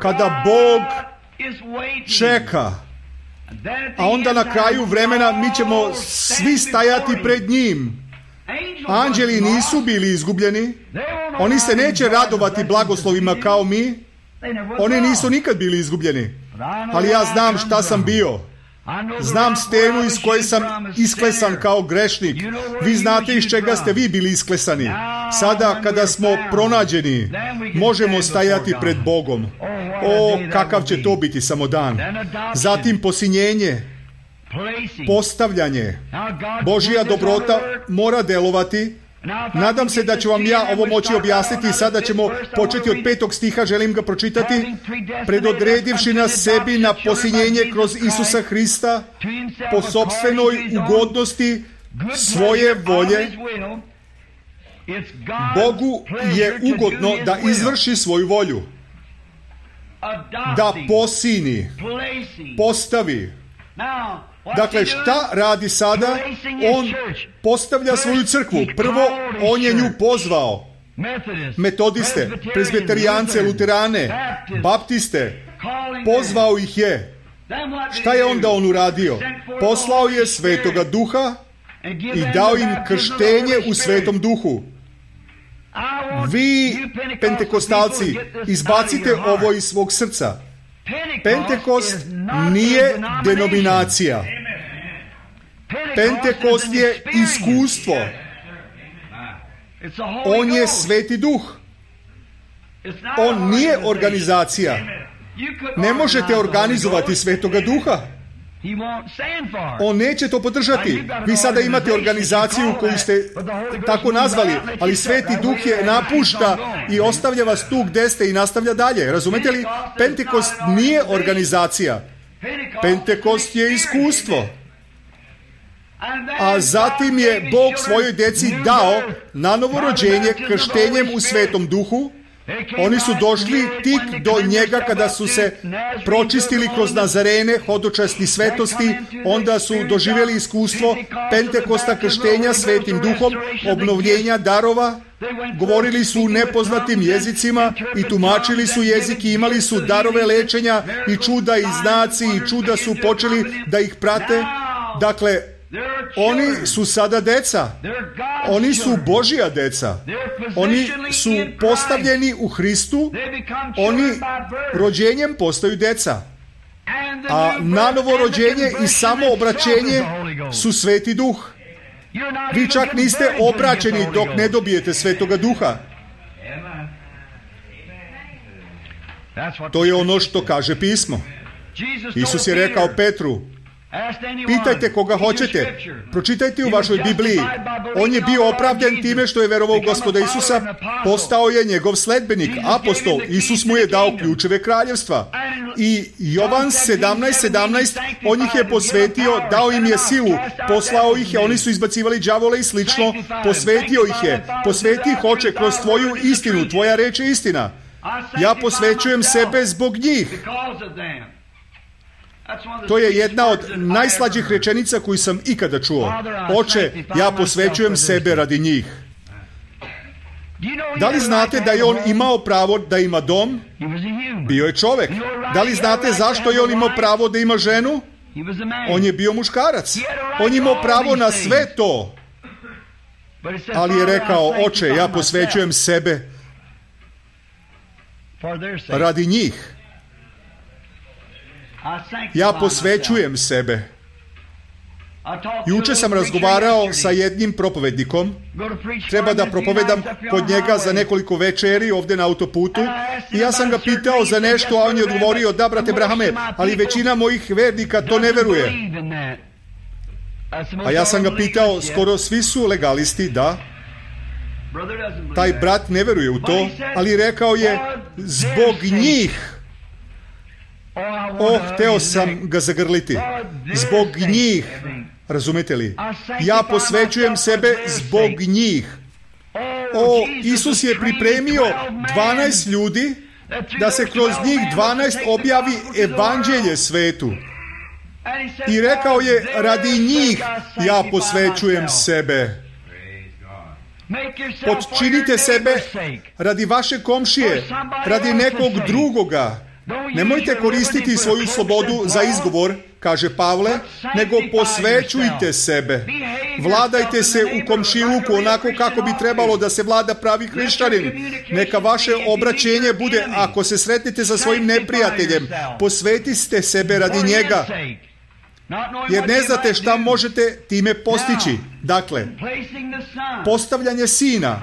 kada Bog čeka, a onda na kraju vremena mi ćemo svi stajati pred njim. Anđeli nisu bili izgubljeni, oni se neće radovati blagoslovima kao mi, oni nisu nikad bili izgubljeni. Ali ja znam šta sam bio. Znam stenu iz koje sam isklesan kao grešnik. Vi znate iz čega ste vi bili isklesani. Sada kada smo pronađeni, možemo stajati pred Bogom. O, kakav će to biti samo dan. Zatim posinjenje, postavljanje. Božja dobrota mora delovati. Nadam se da ću vam ja ovo moći objasniti. Sada ćemo početi od petog stiha, želim ga pročitati. Predodredivši nas sebi na posinjenje kroz Isusa Hrista po sopstvenoj ugodnosti svoje volje, Bogu je ugodno da izvrši svoju volju, da posini, postavi. Dakle, šta radi sada? On postavlja svoju crkvu. Prvo, on je nju pozvao. Metodiste, prezbiterijance, luterane, baptiste. Pozvao ih je. Šta je onda on uradio? Poslao je Svetoga Duha i dao im krštenje u Svetom Duhu. Vi, pentekostalci, izbacite ovo iz svog srca. Pentekost nije denominacija. Pentekost je iskustvo. On je Sveti Duh. On nije organizacija. Ne možete organizovati Svetoga Duha. On neće to podržati. Vi sada imate organizaciju koju ste tako nazvali, ali Sveti Duh je napušta i ostavlja vas tu gde ste i nastavlja dalje. Razumete li? Pentekost nije organizacija. Pentekost je iskustvo. A zatim je Bog svojoj djeci dao na novorođenje krštenjem u Svetom Duhu. Oni su došli tik do njega kada su se pročistili kroz Nazarene, hodočasti svetosti, onda su doživjeli iskustvo Pentekosta, krštenja Svetim Duhom, obnovljenja darova, govorili su u nepoznatim jezicima i tumačili su jezik i imali su darove lečenja i čuda i znaci i čuda su počeli da ih prate. Dakle, oni su sada deca. Oni su Božja deca. Oni su postavljeni u Hristu. Oni rođenjem postaju deca. A nanovo rođenje i samoobraćenje su Sveti Duh. Vi čak niste obraćeni dok ne dobijete Svetoga Duha. To je ono što kaže pismo. Isus je rekao Petru, pitajte koga hoćete, pročitajte u vašoj Bibliji. On je bio opravdan time što je verovao u Gospoda Isusa, postao je njegov sledbenik, apostol. Isus mu je dao ključeve kraljevstva. I Jovan sedamnaest sedamnaest, on ih je posvetio, dao im je silu, poslao ih je, oni su izbacivali đavole i slično, posvetio ih je, posveti ih hoće kroz tvoju istinu, tvoja reč je istina. Ja posvećujem sebe zbog njih. To je jedna od najslađih rečenica koju sam ikada čuo. Oče, ja posvećujem sebe radi njih. Da li znate da je on imao pravo da ima dom? Bio je čovek. Da li znate zašto je on imao pravo da ima ženu? On je bio muškarac. On je imao pravo na sve to. Ali je rekao, oče, ja posvećujem sebe radi njih. Ja posvećujem sebe. Juče sam razgovarao sa jednim propovednikom. Treba da propovedam kod njega za nekoliko večeri ovdje na autoputu. I ja sam ga pitao za nešto, a on je odgovorio, da, brate Brahame, ali većina mojih vernika to ne veruje. A ja sam ga pitao, skoro svi su legalisti, da. Taj brat ne veruje u to, ali rekao je, zbog njih. Oh, hteo sam ga zagrliti. Zbog njih. Razumete li? Ja posvećujem sebe zbog njih. O, Isus je pripremio dvanaest ljudi da se kroz njih dvanaest objavi evanđelje svetu. I rekao je, radi njih ja posvećujem sebe. Podčinite sebe radi vaše komšije, radi nekog drugoga. Nemojte koristiti svoju slobodu za izgovor, kaže Pavle, nego posvećujte sebe. Vladajte se u komšiluku onako kako bi trebalo da se vlada pravi hrišćanin. Neka vaše obraćenje bude, ako se sretnete sa svojim neprijateljem, posvetite sebe radi njega. Jer ne znate šta možete time postići. Dakle, postavljanje sina.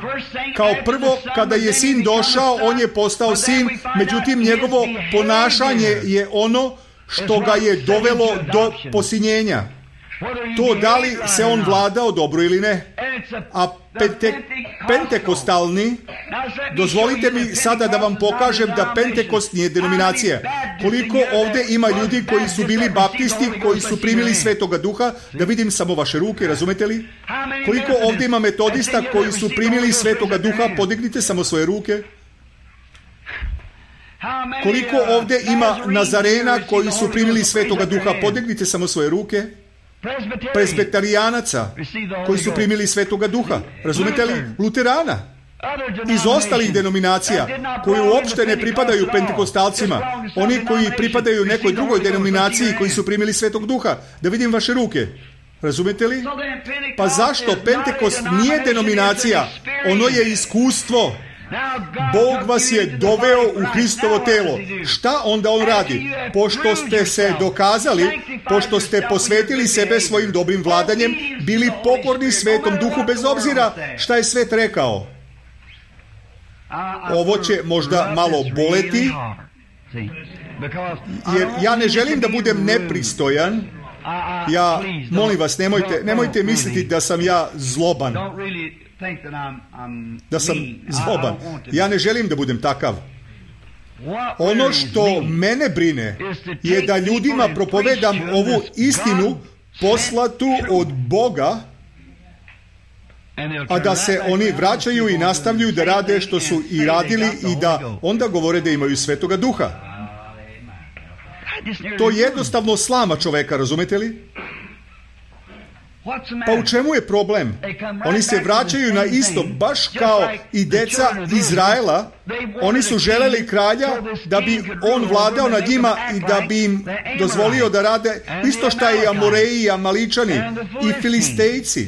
Kao prvo, kada je sin došao, on je postao sin, međutim njegovo ponašanje je ono što ga je dovelo do posinjenja. To da li se on vladao dobro ili ne. A pente, pentekostalni, dozvolite mi sada da vam pokažem da Pentekost nije denominacija. Koliko ovdje ima ljudi koji su bili baptisti, koji su primili Svetoga Duha, da vidim samo vaše ruke, razumete li? Koliko ovdje ima metodista koji su primili Svetoga Duha, podignite samo svoje ruke. Koliko ovdje ima Nazarena koji su primili Svetoga Duha, podignite samo svoje ruke. Presbitarijanaca koji su primili Svetoga Duha, razumete li? Luterana, iz ostalih denominacija koji uopšte ne pripadaju pentekostalcima, oni koji pripadaju nekoj drugoj denominaciji koji su primili Svetog Duha, da vidim vaše ruke, razumete li? Pa zašto Pentekost nije denominacija, ono je iskustvo. Bog vas je doveo u Hristovo telo. Šta onda on radi? Pošto ste se dokazali, pošto ste posvetili sebe svojim dobrim vladanjem, bili pokorni Svetom Duhu bez obzira šta je svet rekao. Ovo će možda malo boleti, jer ja ne želim da budem nepristojan, Ja, molim vas, nemojte, nemojte misliti da sam ja zloban. Da sam zloban. Ja ne želim da budem takav. Ono što mene brine je da ljudima propovedam ovu istinu poslatu od Boga, a da se oni vraćaju i nastavljaju da rade što su i radili i da onda govore da imaju Svetoga Duha. To jednostavno slama čoveka, razumete li? Pa u čemu je problem? Oni se vraćaju na isto, baš kao i deca Izraela. Oni su želeli kralja da bi on vladao nad njima i da bi im dozvolio da rade isto što i Amoreji, i Amaličani, i Filistejci.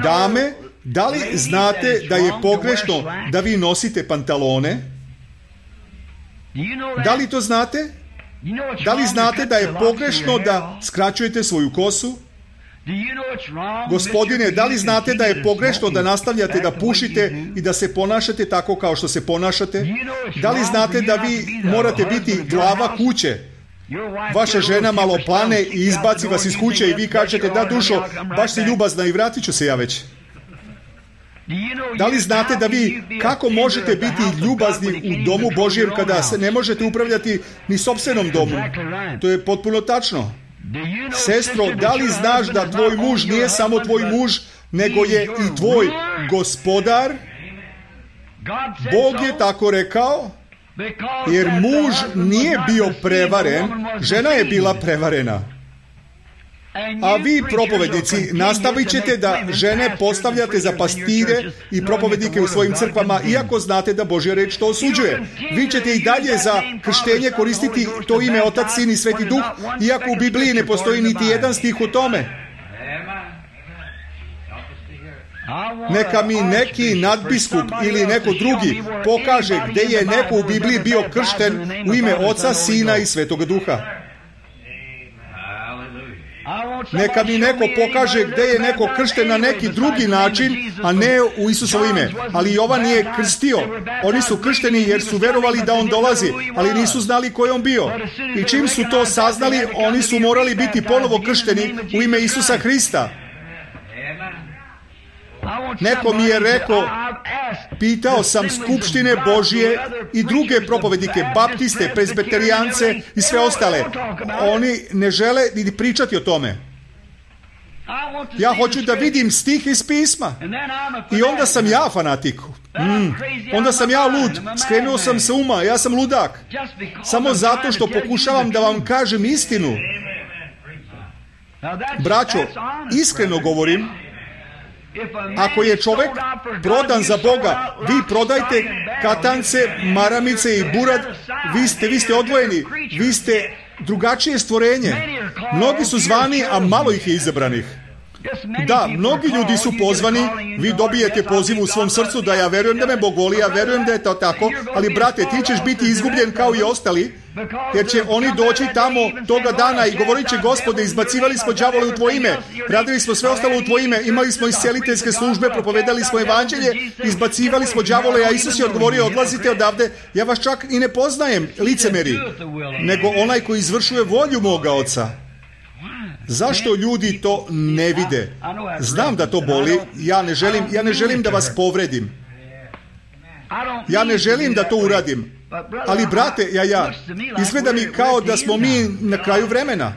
Dame, da li znate da je pogrešno da vi nosite pantalone? Da li to znate? Da li znate da je pogrešno da skraćujete svoju kosu? Gospodine, da li znate da je pogrešno da nastavljate da pušite i da se ponašate tako kao što se ponašate? Da li znate da vi morate biti glava kuće? Vaša žena malo plane i izbaci vas iz kuće i vi kažete, da dušo, baš si ljubazna i vratit ću se ja već. Da li znate da vi kako možete biti ljubazni u domu Božjem kada se ne možete upravljati ni sopstvenom domu? To je potpuno tačno. Sestro, da li znaš da tvoj muž nije samo tvoj muž, nego je i tvoj gospodar? Bog je tako rekao, jer muž nije bio prevaren, žena je bila prevarena. A vi, propovednici, nastavit ćete da žene postavljate za pastire i propovednike u svojim crkvama, iako znate da Božja reč to osuđuje. Vi ćete i dalje za krštenje koristiti to ime Otac, Sin i Sveti Duh, iako u Bibliji ne postoji niti jedan stih o tome. Neka mi neki nadbiskup ili neko drugi pokaže gde je neko u Bibliji bio kršten u ime Oca, Sina i Svetoga Duha. Neka mi neko pokaže gde je neko kršten na neki drugi način, a ne u Isusovo ime. Ali Jovan nije krstio. Oni su kršteni jer su verovali da on dolazi, ali nisu znali ko je on bio. I čim su to saznali, oni su morali biti ponovo kršteni u ime Isusa Hrista. Neko mi je rekao, pitao sam skupštine Božije i druge propovednike, baptiste, prezbeterijance i sve ostale. Oni ne žele ni pričati o tome. Ja hoću da vidim stih iz pisma. I onda sam ja fanatik. Mm. Onda sam ja lud. Skrenuo sam se uma. Ja sam ludak. Samo zato što pokušavam da vam kažem istinu. Braćo, iskreno govorim, ako je čovek prodan za Boga, vi prodajte katance, maramice i burad, vi ste, vi ste odvojeni, vi ste drugačije stvorenje. Mnogi su zvani, a malo ih je izabranih. Da, mnogi ljudi su pozvani, vi dobijete poziv u svom srcu da ja verujem da me Bog voli, ja verujem da je to tako, ali brate, ti ćeš biti izgubljen kao i ostali, jer će oni doći tamo toga dana i govorit će, Gospode, izbacivali smo đavole u tvoje ime, radili smo sve ostalo u tvoje ime, imali smo isceliteljske službe, propovedali smo evanđelje, izbacivali smo đavole, a Isus je odgovorio, odlazite odavde, ja vas čak i ne poznajem, licemeri, nego onaj koji izvršuje volju moga Oca. Zašto ljudi to ne vide? Znam da to boli, ja ne želim, ja ne želim da vas povredim. Ja ne želim da to uradim. Ali, brate, ja, ja, izgleda mi kao da smo mi na kraju vremena.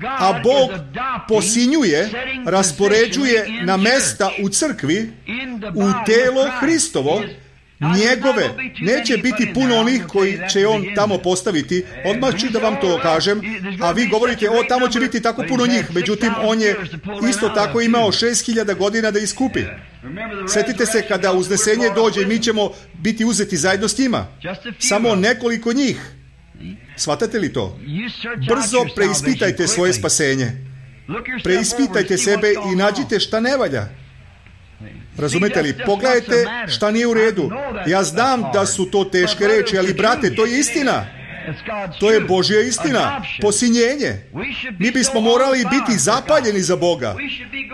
A Bog posinjuje, raspoređuje na mesta u crkvi, u telo Hristovo, njegove. Neće biti puno onih koji će on tamo postaviti. Odmah ću da vam to kažem. A vi govorite, o, tamo će biti tako puno njih. Međutim, on je isto tako imao šest hiljada godina da iskupi. Sjetite se kada uznesenje dođe, mi ćemo biti uzeti zajedno s njima. Samo nekoliko njih. Shvatate li to? Brzo preispitajte svoje spasenje. Preispitajte sebe i nađite šta ne valja. Razumete li? Pogledajte šta nije u redu. Ja znam da su to teške reči, ali brate, to je istina. To je Božja istina. Posinjenje. Mi bismo morali biti zapaljeni za Boga.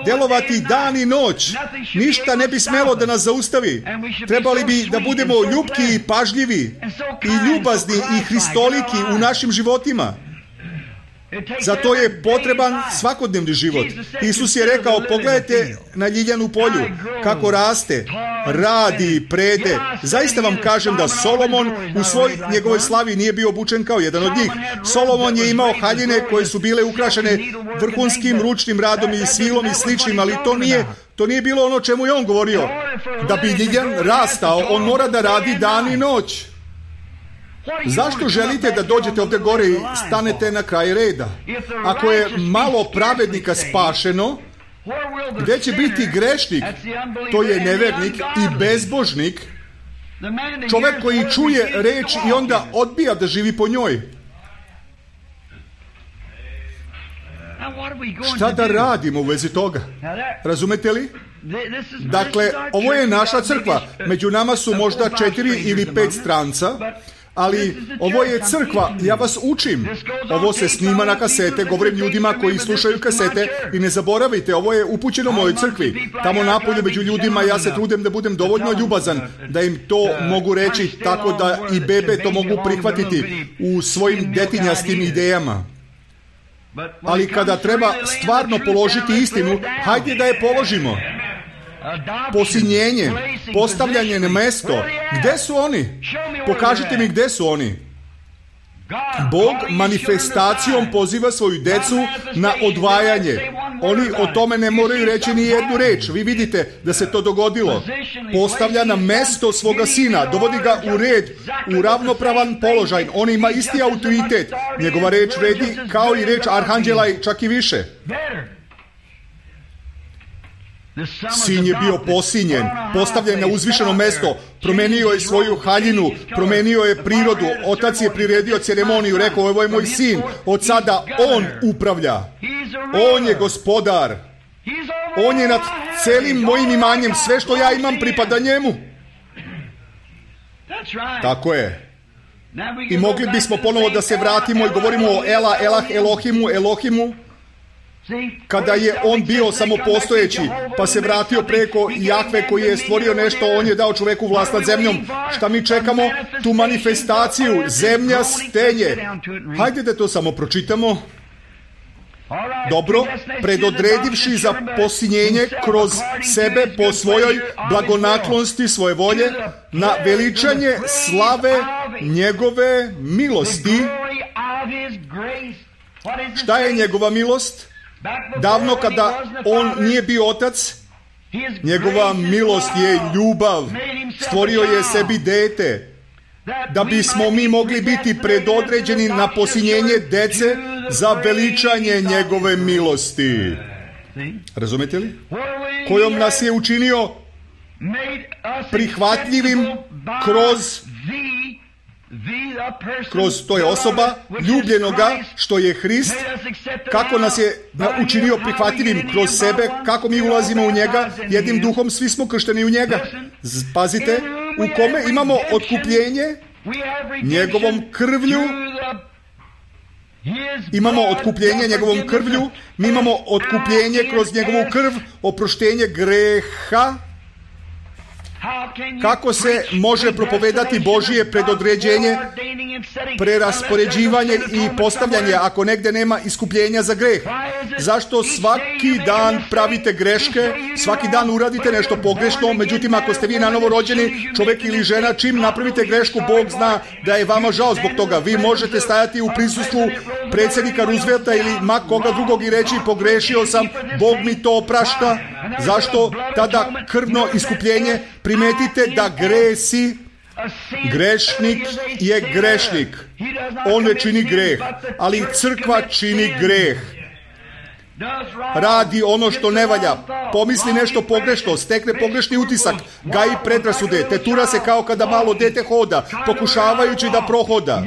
Delovati dan i noć. Ništa ne bi smelo da nas zaustavi. Trebali bi da budemo ljubki i pažljivi i ljubazni i hristoliki u našim životima. Za to je potreban svakodnevni život. Isus je rekao, pogledajte na ljiljanu polju, kako raste, radi, prede. Zaista vam kažem da Solomon u svoj njegovoj slavi nije bio obučen kao jedan od njih. Solomon je imao haljine koje su bile ukrašene vrhunskim ručnim radom i svilom i sličnim, ali to nije, to nije bilo ono čemu je on govorio. Da bi ljiljan rastao, on mora da radi dan i noć. Zašto želite da dođete ovdje gore i stanete na kraj reda? Ako je malo pravednika spašeno, gdje će biti grešnik? To je nevernik i bezbožnik, čovjek koji čuje reč i onda odbija da živi po njoj. Šta da radimo u vezi toga? Razumete li? Dakle, ovo je naša crkva. Među nama su možda četiri ili pet stranca, ali ovo je crkva, ja vas učim. Ovo se snima na kasete, govorim ljudima koji slušaju kasete i ne zaboravite, ovo je upućeno mojoj crkvi. Tamo napolju među ljudima ja se trudim da budem dovoljno ljubazan, da im to mogu reći tako da i bebe to mogu prihvatiti u svojim detinjastim idejama. Ali kada treba stvarno položiti istinu, hajde da je položimo. Posinjenje, postavljanje na mesto. Gde su oni? Pokažite mi gde su oni. Bog manifestacijom poziva svoju decu na odvajanje. Oni o tome ne moraju reći ni jednu reč. Vi vidite da se to dogodilo. Postavlja na mesto svoga sina, dovodi ga u red, u ravnopravan položaj. On ima isti autoritet. Njegova reč vredi kao i reč arhanđela i čak i više. Sin je bio posinjen, postavljen na uzvišeno mesto, promenio je svoju haljinu, promenio je prirodu, otac je priredio ceremoniju, rekao, ovo je moj sin, od sada on upravlja, on je gospodar, on je nad celim mojim imanjem, sve što ja imam pripada njemu. Tako je. I mogli bismo ponovo da se vratimo i govorimo o Ela, Elah, Elohimu, Elohimu, kada je on bio samopostojeći, pa se vratio preko Jahve koji je stvorio nešto, on je dao čoveku vlast nad zemljom. Šta mi čekamo? Tu manifestaciju, zemlja stenje. Hajde da to samo pročitamo. Dobro, predodredivši za posinjenje kroz sebe po svojoj blagonaklonsti svoje volje, na veličanje slave njegove milosti. Šta je njegova milost? Davno kada on nije bio otac, njegova milost je ljubav. Stvorio je sebi dete, da bismo mi mogli biti predodređeni na posinjenje dece za veličanje njegove milosti. Razumete li? Kojom nas je učinio prihvatljivim kroz kroz to je osoba ljubljenoga što je Hrist, kako nas je učinio prihvatljivim kroz sebe, kako mi ulazimo u njega, jednim duhom svi smo kršteni u njega. Pazite, u kome imamo otkupljenje njegovom krvlju. Imamo otkupljenje njegovom krvlju, mi imamo otkupljenje kroz njegovu krv, oproštenje greha. Kako se može propovedati Božije predodređenje, preraspoređivanje i postavljanje ako negde nema iskupljenja za greh? Zašto svaki dan pravite greške, svaki dan uradite nešto pogrešno, međutim ako ste vi nanovo rođeni čovjek ili žena, čim napravite grešku, Bog zna da je vama žao zbog toga. Vi možete stajati u prisustvu predsjednika Roosevelta ili ma koga drugog i reći pogrešio sam, Bog mi to oprašta. Zašto? Tada krvno iskupljenje. Primetite da gresi, grešnik je grešnik. On ne čini greh, ali crkva čini greh. Radi ono što ne valja, pomisli nešto pogrešno, stekne pogrešni utisak, gaji predrasude, tetura se kao kada malo dete hoda, pokušavajući da prohoda.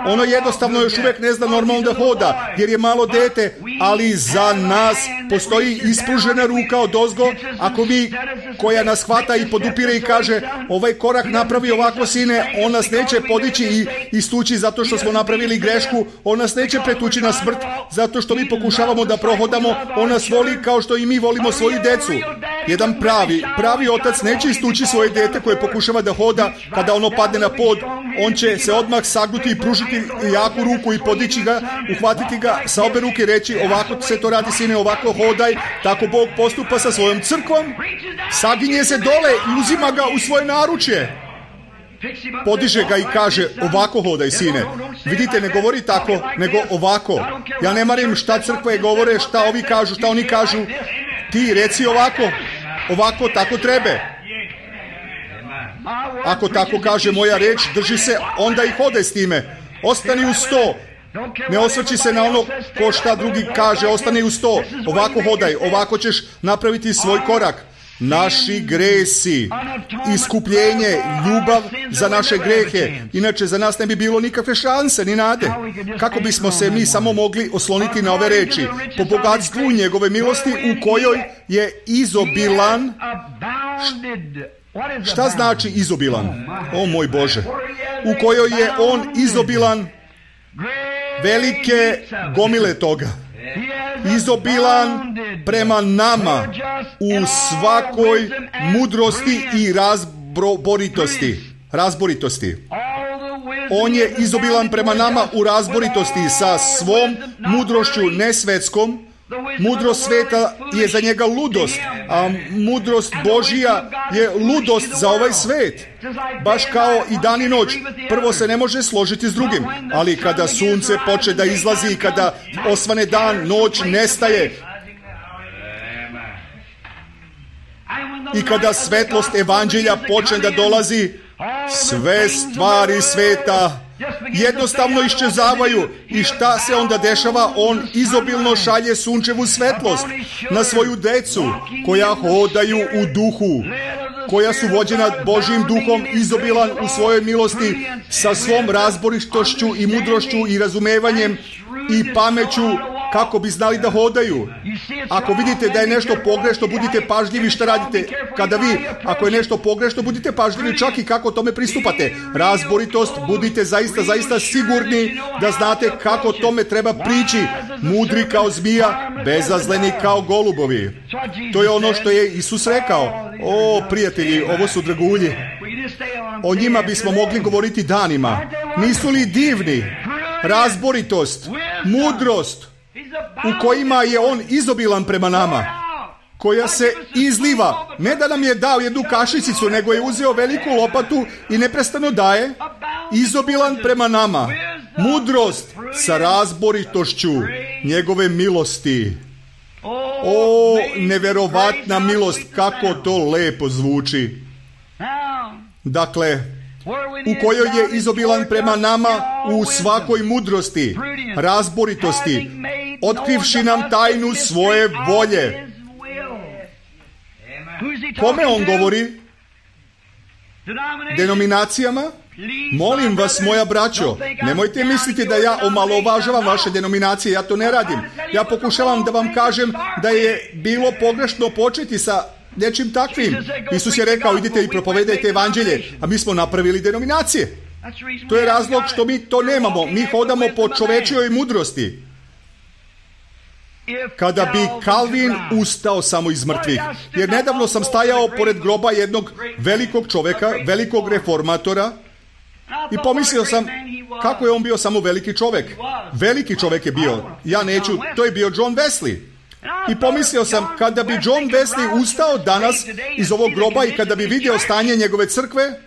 Ono jednostavno još uvijek ne zna normalno da hoda, jer je malo dete, ali za nas postoji ispružena ruka od ozgo, ako mi, koja nas hvata i podupire i kaže, ovaj korak napravi ovako sine, on nas neće podići i istući zato što smo napravili grešku, on nas neće pretući na smrt, zato što mi pokušavamo da prohoda napadamo, on nas voli kao što i mi volimo svoju decu. Jedan pravi, pravi otac neće istući svoje dete koje pokušava da hoda, kada ono padne na pod, on će se odmah sagnuti i pružiti jaku ruku i podići ga, uhvatiti ga sa obe ruke i reći, ovako se to radi, sine, ovako hodaj. Tako Bog postupa sa svojom crkvom, saginje se dole i uzima ga u svoje naručje. Podiže ga i kaže, ovako hodaj, sine. Vidite, ne govori tako, nego ovako. Ja ne marim šta crkve govore, šta ovi kažu, šta oni kažu. Ti reci ovako, ovako, tako trebe. Ako tako kaže moja reč, drži se, onda i hodaj s time. Ostani uz to. Ne osvrći se na ono ko šta drugi kaže, ostani uz to. Ovako hodaj, ovako ćeš napraviti svoj korak. Naši gresi, iskupljenje, ljubav za naše grehe. Inače, za nas ne bi bilo nikakve šanse, ni nade. Kako bismo se mi samo mogli osloniti na ove reči? Po bogatstvu njegove milosti u kojoj je izobilan. Šta znači izobilan? O moj Bože. U kojoj je on izobilan velike gomile toga. Izobilan prema nama u svakoj mudrosti i razboritosti. Razboritosti. On je izobilan prema nama u razboritosti sa svom mudrošću nesvetskom. Mudrost sveta je za njega ludost, a mudrost Božija je ludost za ovaj svet. Baš kao i dan i noć. Prvo se ne može složiti s drugim, ali kada sunce počne da izlazi i kada osvane dan, noć nestaje. I kada svetlost evanđelja počne da dolazi, sve stvari sveta jednostavno iščezavaju. I šta se onda dešava? On izobilno šalje sunčevu svetlost na svoju decu koja hodaju u duhu, koja su vođena Božjim duhom, izobilan u svojoj milosti sa svom razboritošću i mudrošću i razumevanjem i pameću kako bi znali da hodaju. Ako vidite da je nešto pogrešno, budite pažljivi šta radite. Kada vi, ako je nešto pogrešno, budite pažljivi čak i kako tome pristupate. Razboritost, budite zaista, zaista sigurni da znate kako tome treba prići. Mudri kao zmija, bezazleni kao golubovi. To je ono što je Isus rekao. O, prijatelji, ovo su dragulji. O njima bismo mogli govoriti danima. Nisu li divni? Razboritost, mudrost, u kojima je on izobilan prema nama, koja se izliva. Ne da nam je dao jednu kašičicu, nego je uzeo veliku lopatu i neprestano daje. Izobilan prema nama. Mudrost sa razboritošću njegove milosti. O, neverovatna milost, kako to lepo zvuči. Dakle, u kojoj je izobilan prema nama u svakoj mudrosti, razboritosti, otkrivši nam tajnu svoje volje. Kome on govori? Denominacijama? Molim vas, moja braćo, nemojte misliti da ja omalovažavam vaše denominacije, ja to ne radim. Ja pokušavam da vam kažem da je bilo pogrešno početi sa nečim takvim. Isus je rekao, idite i propovedajte evanđelje, a mi smo napravili denominacije. To je razlog što mi to nemamo. Mi hodamo po čovečijoj mudrosti. Kada bi Kalvin ustao samo iz mrtvih, jer nedavno sam stajao pored groba jednog velikog čoveka, velikog reformatora, i pomislio sam kako je on bio samo veliki čovek. Veliki čovek je bio. Ja neću, to je bio John Wesley. I pomislio sam, kada bi John Wesley ustao danas iz ovog groba i kada bi vidio stanje njegove crkve,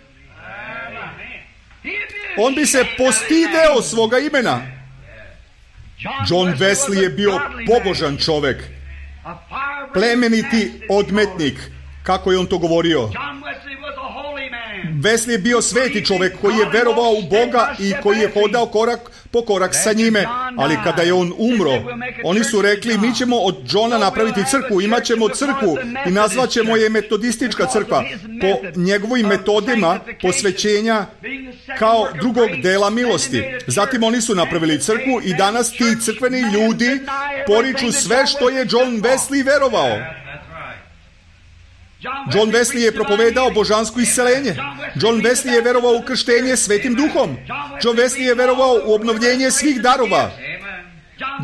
on bi se postideo svoga imena. John Wesley je bio pobožan čovek, plemeniti odmetnik, kako je on to govorio. Wesley je bio sveti čovek koji je verovao u Boga i koji je hodao korak po korak sa njime, ali kada je on umro, oni su rekli, mi ćemo od Johna napraviti crkvu, imat ćemo crkvu i nazvat ćemo je metodistička crkva po njegovim metodima posvećenja kao drugog dela milosti. Zatim oni su napravili crkvu i danas ti crkveni ljudi poriču sve što je John Wesley verovao. John Wesley je propovedao božansko isceljenje. John Wesley je verovao u krštenje svetim duhom. John Wesley je verovao u obnovljenje svih darova.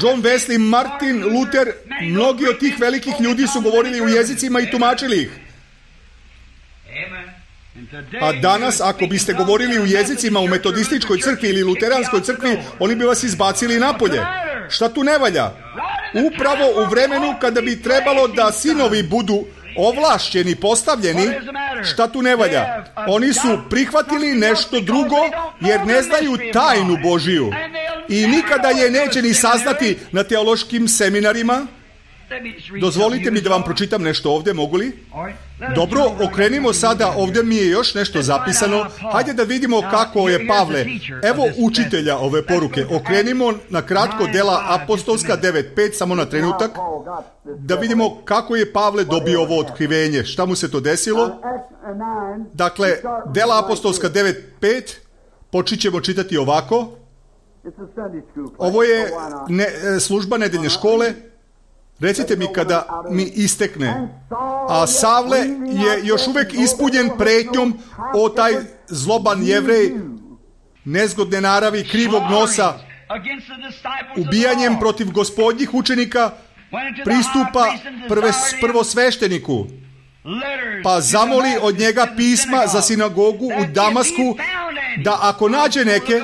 John Wesley, Martin Luther, mnogi od tih velikih ljudi su govorili u jezicima i tumačili ih. A danas, ako biste govorili u jezicima u metodističkoj crkvi ili luteranskoj crkvi, oni bi vas izbacili napolje. Šta tu ne valja? Upravo u vremenu kada bi trebalo da sinovi budu ovlašćeni, postavljeni, šta tu ne valja? Oni su prihvatili nešto drugo jer ne znaju tajnu Božiju i nikada je neće ni saznati na teološkim seminarima. Dozvolite mi da vam pročitam nešto ovdje, mogu li? Dobro, okrenimo sada, ovdje mi je još nešto zapisano. Hajde da vidimo kako je Pavle. Evo učitelja ove poruke. Okrenimo na kratko Dela apostolska devet pet, samo na trenutak, da vidimo kako je Pavle dobio ovo otkrivenje. Šta mu se to desilo? Dakle, Dela apostolska devet pet, počet ćemo čitati ovako. Ovo je ne, služba nedeljne škole. Recite mi kada mi istekne. A Savle je još uvijek ispunjen pretnjom o taj zloban Jevrej, nezgodne naravi, krivog nosa, ubijanjem protiv gospodnjih učenika, pristupa prve, prvosvešteniku, pa zamoli od njega pisma za sinagogu u Damasku, da ako nađe neke,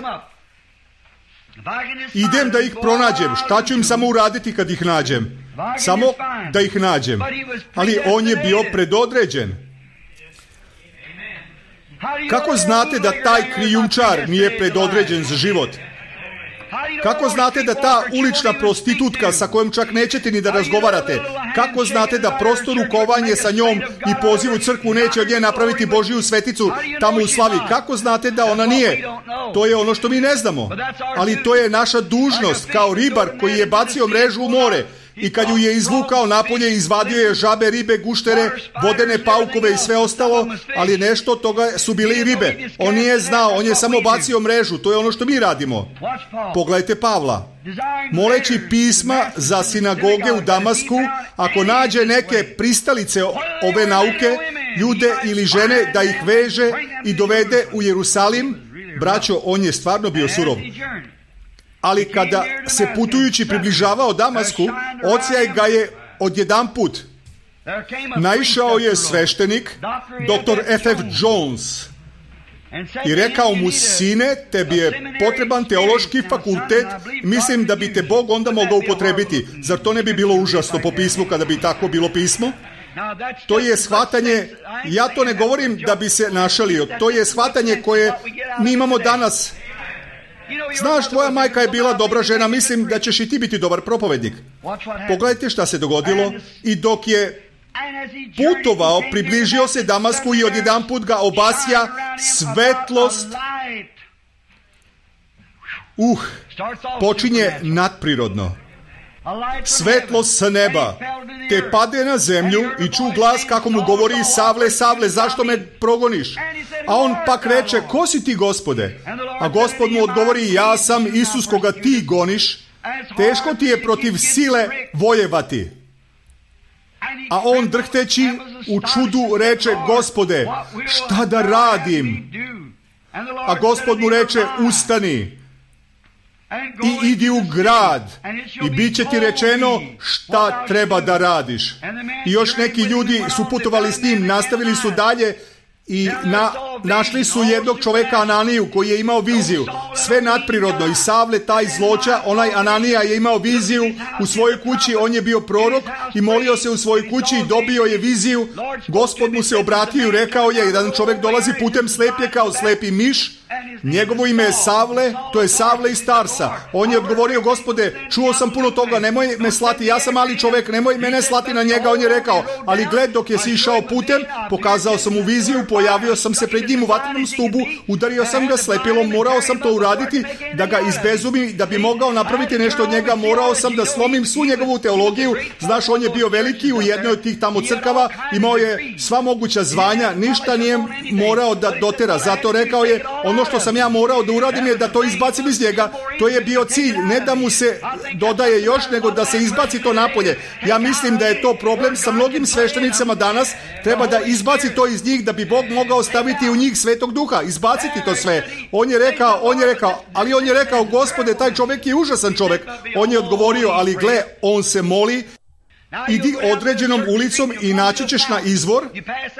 idem da ih pronađem. Šta ću im samo uraditi kad ih nađem? Samo da ih nađem. Ali on je bio predodređen. Kako znate da taj krijumčar nije predodređen za život? Kako znate da ta ulična prostitutka sa kojom čak nećete ni da razgovarate, kako znate da prosto rukovanje sa njom i poziv u crkvu neće od nje napraviti Božiju sveticu tamo u slavi? Kako znate da ona nije? To je ono što mi ne znamo. Ali to je naša dužnost kao ribar koji je bacio mrežu u more i kad ju je izvukao napolje, izvadio je žabe, ribe, guštere, vodene paukove i sve ostalo, ali nešto od toga su bile i ribe. On nije znao, on je samo bacio mrežu. To je ono što mi radimo. Pogledajte Pavla. Moleći pisma za sinagoge u Damasku, ako nađe neke pristalice ove nauke, ljude ili žene, da ih veže i dovede u Jerusalim. Braćo, on je stvarno bio surov. Ali kada se putujući približavao Damasku, odsjaj ga je odjedanput. Naišao je sveštenik, doktor F F Jones, i rekao mu: sine, tebi je potreban teološki fakultet, mislim da bi te Bog onda mogao upotrebiti. Zar to ne bi bilo užasno po pismu kada bi tako bilo pismo? To je shvatanje, ja to ne govorim da bi se našalio, to je shvatanje koje mi imamo danas. Znaš, tvoja majka je bila dobra žena, mislim da ćeš i ti biti dobar propovednik. Pogledajte šta se dogodilo. I dok je putovao, približio se Damasku i odjedanput ga obasja svetlost. Uh, počinje nadprirodno. Svetlost sa neba te pade na zemlju i ču glas kako mu govori: Savle, Savle, zašto me progoniš? A on pak reče: ko si ti, Gospode? A Gospod mu odgovori: ja sam Isus koga ti goniš, teško ti je protiv sile vojevati. A on drhteći u čudu reče: Gospode, šta da radim? A Gospod mu reče: ustani i idi u grad i bit će ti rečeno šta treba da radiš. I još neki ljudi su putovali s njim, nastavili su dalje i na, našli su jednog čoveka, Ananiju, koji je imao viziju. Sve nadprirodno. I Savle, taj zloča, onaj Ananija je imao viziju u svojoj kući, on je bio prorok i molio se u svojoj kući i dobio je viziju. Gospod mu se obratio i rekao je: jedan čovjek dolazi putem, slep je kao slepi miš, njegovo ime je Savle, to je Savle iz Tarsa. On je odgovorio: Gospode, čuo sam puno toga, nemoj me slati, ja sam mali čovjek, nemoj mene slati na njega. On je rekao: ali gled, dok je si išao putem, pokazao sam mu viziju, pojavio sam se pred njim u vatrenom stubu, udario sam ga slepilom, morao sam to uraditi da ga izbezumi, da bi mogao napraviti nešto od njega, morao sam da slomim svu njegovu teologiju. Znaš, on je bio veliki u jednoj od tih tamo crkava, imao je sva moguća zvanja, ništa nije morao da dotera. Zato rekao je: ono što što sam ja morao da uradim je da to izbacim iz njega. To je bio cilj, ne da mu se dodaje još, nego da se izbaci to napolje. Ja mislim da je to problem sa mnogim sveštenicama danas. Treba da izbaci to iz njih da bi Bog mogao staviti u njih Svetog Duha, izbaciti to sve. On je rekao, on je rekao, ali on je rekao, Gospode, taj čovjek je užasan čovjek. On je odgovorio, ali gle, on se moli. Idi određenom ulicom i naći ćeš na izvor.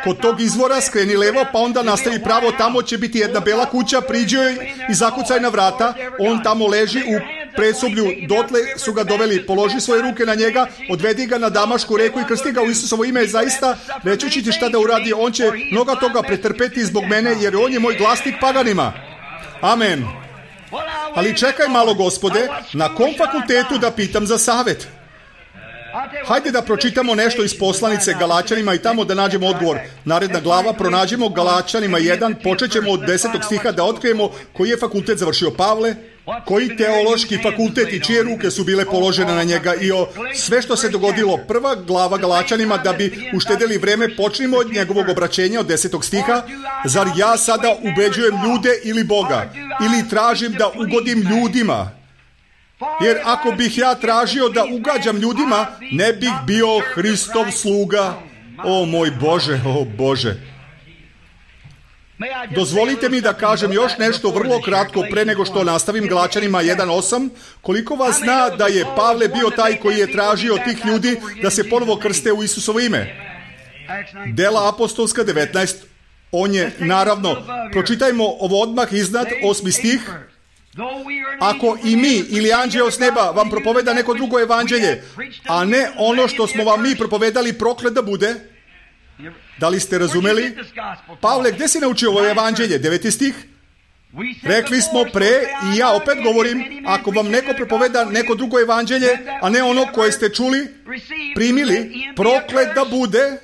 Kod tog izvora skreni levo, pa onda nastavi pravo. Tamo će biti jedna bela kuća, priđi joj i zakucaj na vrata. On tamo leži u predsoblju. Dotle su ga doveli. Položi svoje ruke na njega, odvedi ga na Damašku reku i krsti ga u Isusovo ime. Zaista, reći ću ti šta da uradi. On će mnoga toga pretrpeti zbog mene, jer on je moj glasnik paganima. Amen. Ali čekaj malo, Gospode, na kom fakultetu da pitam za savjet? Hajde da pročitamo nešto iz poslanice Galačanima i tamo da nađemo odgovor. Naredna glava, pronađemo Galačanima jedan, počet ćemo od desetog stiha da otkrijemo koji je fakultet završio Pavle, koji teološki fakultet i čije ruke su bile položene na njega i o sve što se dogodilo. Prva glava Galačanima, da bi uštedeli vreme, počnimo od njegovog obraćenja od desetog stiha. Zar ja sada ubeđujem ljude ili Boga? Ili tražim da ugodim ljudima? Jer ako bih ja tražio da ugađam ljudima, ne bih bio Hristov sluga. O moj Bože, o Bože. Dozvolite mi da kažem još nešto vrlo kratko pre nego što nastavim Galačanima jedan osam. Koliko vas zna da je Pavle bio taj koji je tražio tih ljudi da se ponovo krste u Isusovo ime? Dela apostolska devetnaest. On je, naravno, pročitajmo ovo odmah iznad, osmi stih. Ako i mi ili anđeo s neba vam propoveda neko drugo evanđelje, a ne ono što smo vam mi propovedali, proklet da bude. Da li ste razumeli? Pavle, gdje si naučio ovo evanđelje? Deveti stih. Rekli smo pre, i ja opet govorim, ako vam neko propoveda neko drugo evanđelje, a ne ono koje ste čuli, primili, proklet da bude.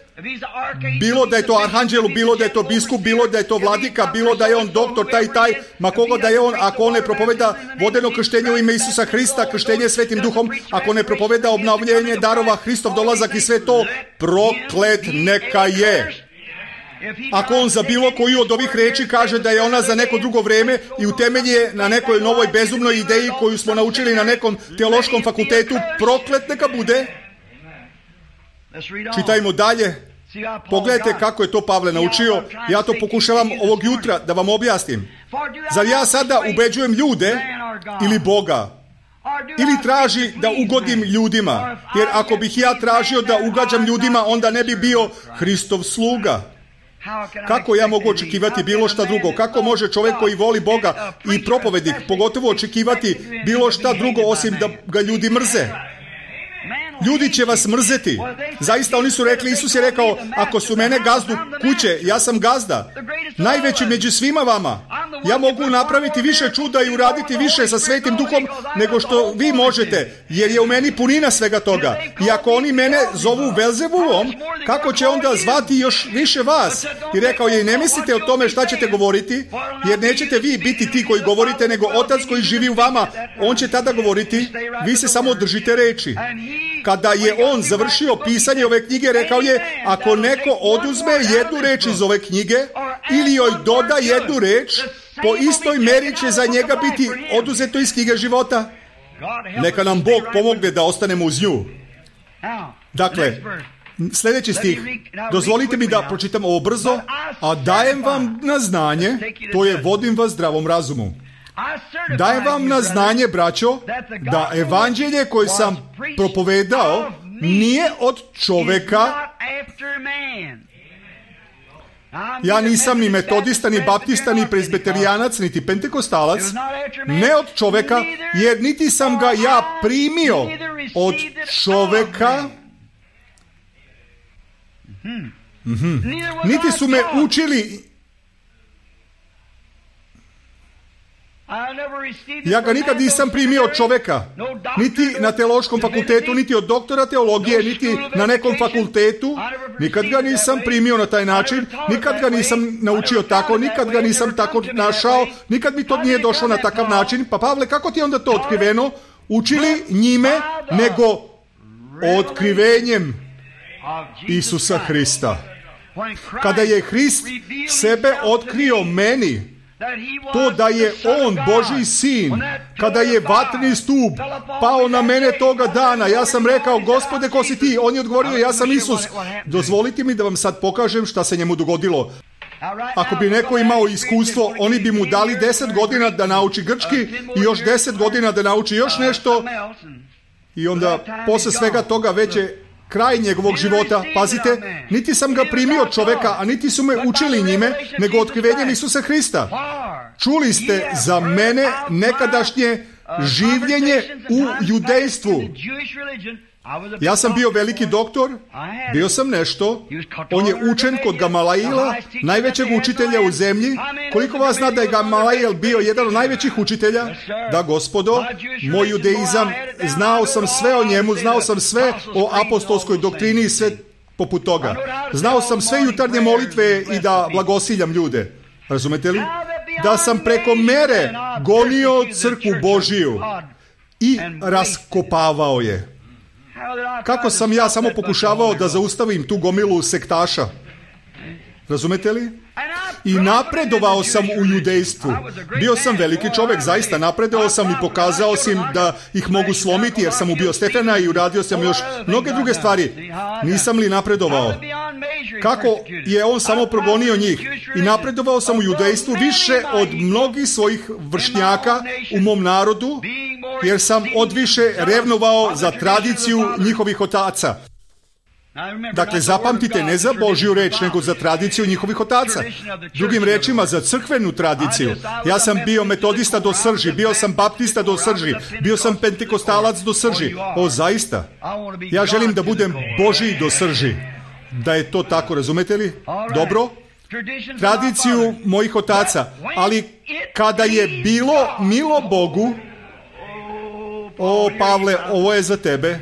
Bilo da je to arhanđelu, bilo da je to biskup, bilo da je to vladika, bilo da je on doktor taj i taj, ma kogo da je on, ako on ne propoveda vodeno krštenje u ime Isusa Hrista, krštenje Svetim Duhom, ako ne propoveda obnavljanje darova, Hristov dolazak i sve to, proklet neka je. Ako on za bilo koju od ovih reči kaže da je ona za neko drugo vreme i utemelji je na nekoj novoj bezumnoj ideji koju smo naučili na nekom teološkom fakultetu, proklet neka bude. Čitajmo dalje. Pogledajte kako je to Pavle naučio. Ja to pokušavam ovog jutra da vam objasnim. Zar ja sada ubeđujem ljude ili Boga? Ili traži da ugodim ljudima? Jer ako bih ja tražio da ugađam ljudima, onda ne bi bio Hristov sluga. Kako ja mogu očekivati bilo šta drugo? Kako može čovjek koji voli Boga i propovednik pogotovo očekivati bilo šta drugo osim da ga ljudi mrze? Ljudi će vas mrzeti. Zaista oni su rekli, Isus je rekao, ako su mene gazdu kuće, ja sam gazda. Najveći među svima vama. Ja mogu napraviti više čuda i uraditi više sa Svetim Duhom nego što vi možete, jer je u meni punina svega toga. I ako oni mene zovu Belzebuvom, kako će onda zvati još više vas? I rekao je, ne mislite o tome šta ćete govoriti, jer nećete vi biti ti koji govorite, nego Otac koji živi u vama. On će tada govoriti, vi se samo držite reči. Kada je on završio pisanje ove knjige, rekao je, ako neko oduzme jednu reč iz ove knjige ili joj doda jednu reč, po istoj meri će za njega biti oduzeto iz knjige života. Neka nam Bog pomogne da ostanemo uz nju. Dakle, sljedeći stih. Dozvolite mi da pročitam ovo brzo, a dajem vam na znanje, to je vodim vas zdravom razumu. Dajem vam na znanje, braćo, da evanđelje koje sam propovedao nije od čoveka. Ja nisam ni metodista, ni baptista, ni prezbeterijanac, niti pentekostalac, ne od čoveka, jer niti sam ga ja primio od čoveka, mm-hmm. niti su me učili. Ja ga nikad nisam primio od čoveka, niti na teološkom fakultetu, niti od doktora teologije, niti na nekom fakultetu. Nikad ga nisam primio na taj način, nikad ga nisam naučio tako, nikad ga nisam tako našao, nikad mi to nije došlo na takav način. Pa Pavle, kako ti je onda to otkriveno? Učili njime, nego otkrivenjem Isusa Hrista. Kada je Hrist sebe otkrio meni, to da je on Božji sin, kada je vatreni stup pao na mene toga dana, ja sam rekao, Gospode, ko si ti? On je odgovorio, ja sam Isus. Dozvolite mi da vam sad pokažem šta se njemu dogodilo. Ako bi neko imao iskustvo, oni bi mu dali deset godina da nauči grčki i još deset godina da nauči još nešto i onda posle svega toga već je kraj njegovog života. Pazite, niti sam ga primio od čoveka, a niti su me učili njime, nego otkrivenjem Isusa Hrista. Čuli ste za mene nekadašnje življenje u judejstvu. Ja sam bio veliki doktor, bio sam nešto, on je učen kod Gamalaila, najvećeg učitelja u zemlji. Koliko vas zna da je Gamalail bio jedan od najvećih učitelja? Da, gospodo, moj judeizam, znao sam sve o njemu, znao sam sve o apostolskoj doktrini i sve poput toga. Znao sam sve jutarnje molitve i da blagosiljam ljude. Razumete li? Da sam preko mere gonio crkvu Božiju i raskopavao je. Kako sam ja samo pokušavao da zaustavim tu gomilu sektaša? Razumete li? I napredovao sam u judejstvu. Bio sam veliki čovjek, zaista napredovao sam i pokazao sam da ih mogu slomiti, jer sam ubio Stefana i uradio sam još mnoge druge stvari. Nisam li napredovao? Kako je on samo progonio njih? I napredovao sam u judejstvu više od mnogih svojih vršnjaka u mom narodu, jer sam odviše revnovao za tradiciju njihovih otaca. Dakle, zapamtite, ne za Božju reč, nego za tradiciju njihovih otaca. Drugim rečima, za crkvenu tradiciju. Ja sam bio metodista do srži, bio sam baptista do srži, bio sam pentekostalac do srži. O, zaista. Ja želim da budem Božji do srži. Da je to tako, razumete li? Dobro? Tradiciju mojih otaca. Ali kada je bilo milo Bogu, o, Pavle, ovo je za tebe,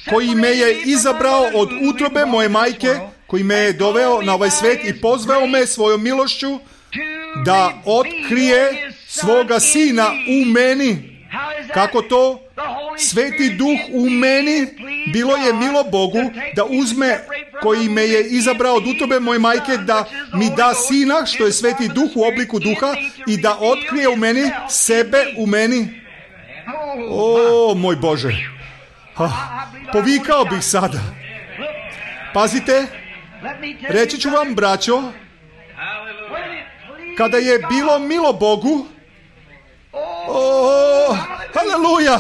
koji me je izabrao od utrobe moje majke, koji me je doveo na ovaj svet i pozvao me svojom milošću da otkrije svoga sina u meni. Kako to? Sveti duh u meni, bilo je milo Bogu da uzme, koji me je izabrao od utrobe moje majke, da mi da sina, što je sveti duh u obliku duha, i da otkrije u meni sebe u meni. O, moj Bože! Ah, povikao bih sada. Pazite, reći ću vam, braćo, kada je bilo milo Bogu, o, haleluja,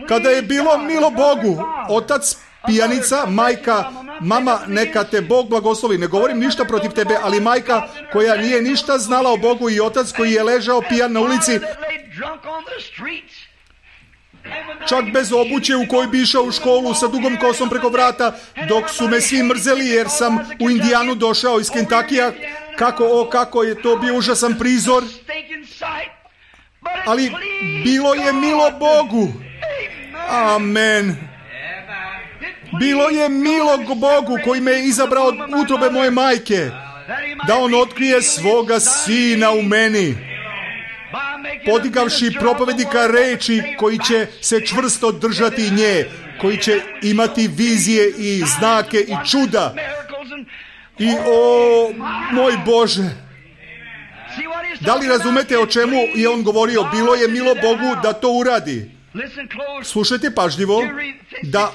kada je bilo milo Bogu, otac pijanica, majka, mama, neka te Bog blagoslovi, ne govorim ništa protiv tebe, ali majka koja nije ništa znala o Bogu i otac koji je ležao pijan na ulici, čak bez obuće u kojoj bi išao u školu sa dugom kosom preko vrata, dok su me svi mrzeli jer sam u Indijanu došao iz Kentakija. Kako, o, kako je to bio užasan prizor. Ali bilo je milo Bogu. Amen. Bilo je milo Bogu koji me je izabrao od utrobe moje majke, da on otkrije svoga sina u meni, podigavši propovednika reči koji će se čvrsto držati nje, koji će imati vizije i znake i čuda. I o, moj Bože, da li razumete o čemu je on govorio? Bilo je milo Bogu da to uradi. Slušajte pažljivo, da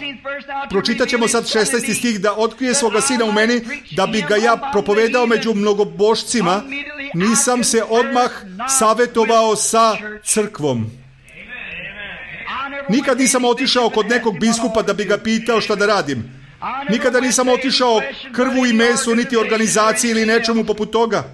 pročitat ćemo sad šesnaesti stih, da otkrije svoga sina u meni, da bi ga ja propovedao među mnogobošcima. Nisam se odmah savjetovao sa crkvom. Nikad nisam otišao kod nekog biskupa da bi ga pitao šta da radim. Nikada nisam otišao krvu i mesu, niti organizaciji ili nečemu poput toga.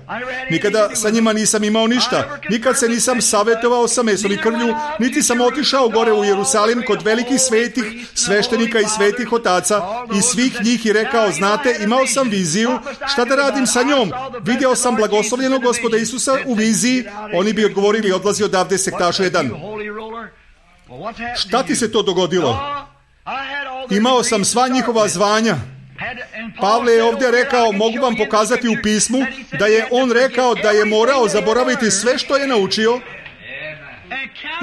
Nikada sa njima nisam imao ništa. Nikad se nisam savjetovao sa mesom i krvlju, niti sam otišao gore u Jerusalim kod velikih svetih sveštenika i svetih otaca i svih njih i rekao, znate, imao sam viziju, šta da radim sa njom? Vidio sam blagoslovljenog Gospoda Isusa u viziji. Oni bi odgovorili, odlazi odavde sektašu jedan. Šta ti se to dogodilo? Imao sam sva njihova zvanja. Pavle je ovdje rekao, mogu vam pokazati u pismu, da je on rekao da je morao zaboraviti sve što je naučio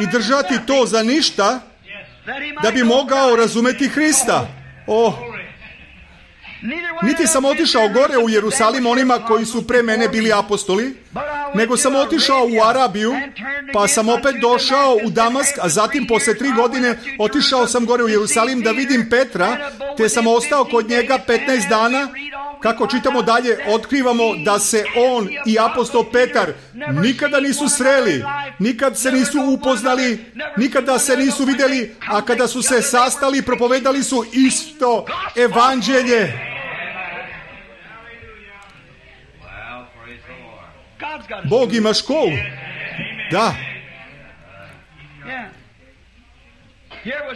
i držati to za ništa, da bi mogao razumeti Hrista. Oh. Niti sam otišao gore u Jerusalim onima koji su pre mene bili apostoli, nego sam otišao u Arabiju, pa sam opet došao u Damask, a zatim posle tri godine otišao sam gore u Jerusalim da vidim Petra, te sam ostao kod njega petnaest dana. Kako čitamo dalje, otkrivamo da se on i apostol Petar nikada nisu sreli, nikad se nisu upoznali, nikada se nisu vidjeli, a kada su se sastali, propovedali su isto evanđelje. Bog ima školu. Da.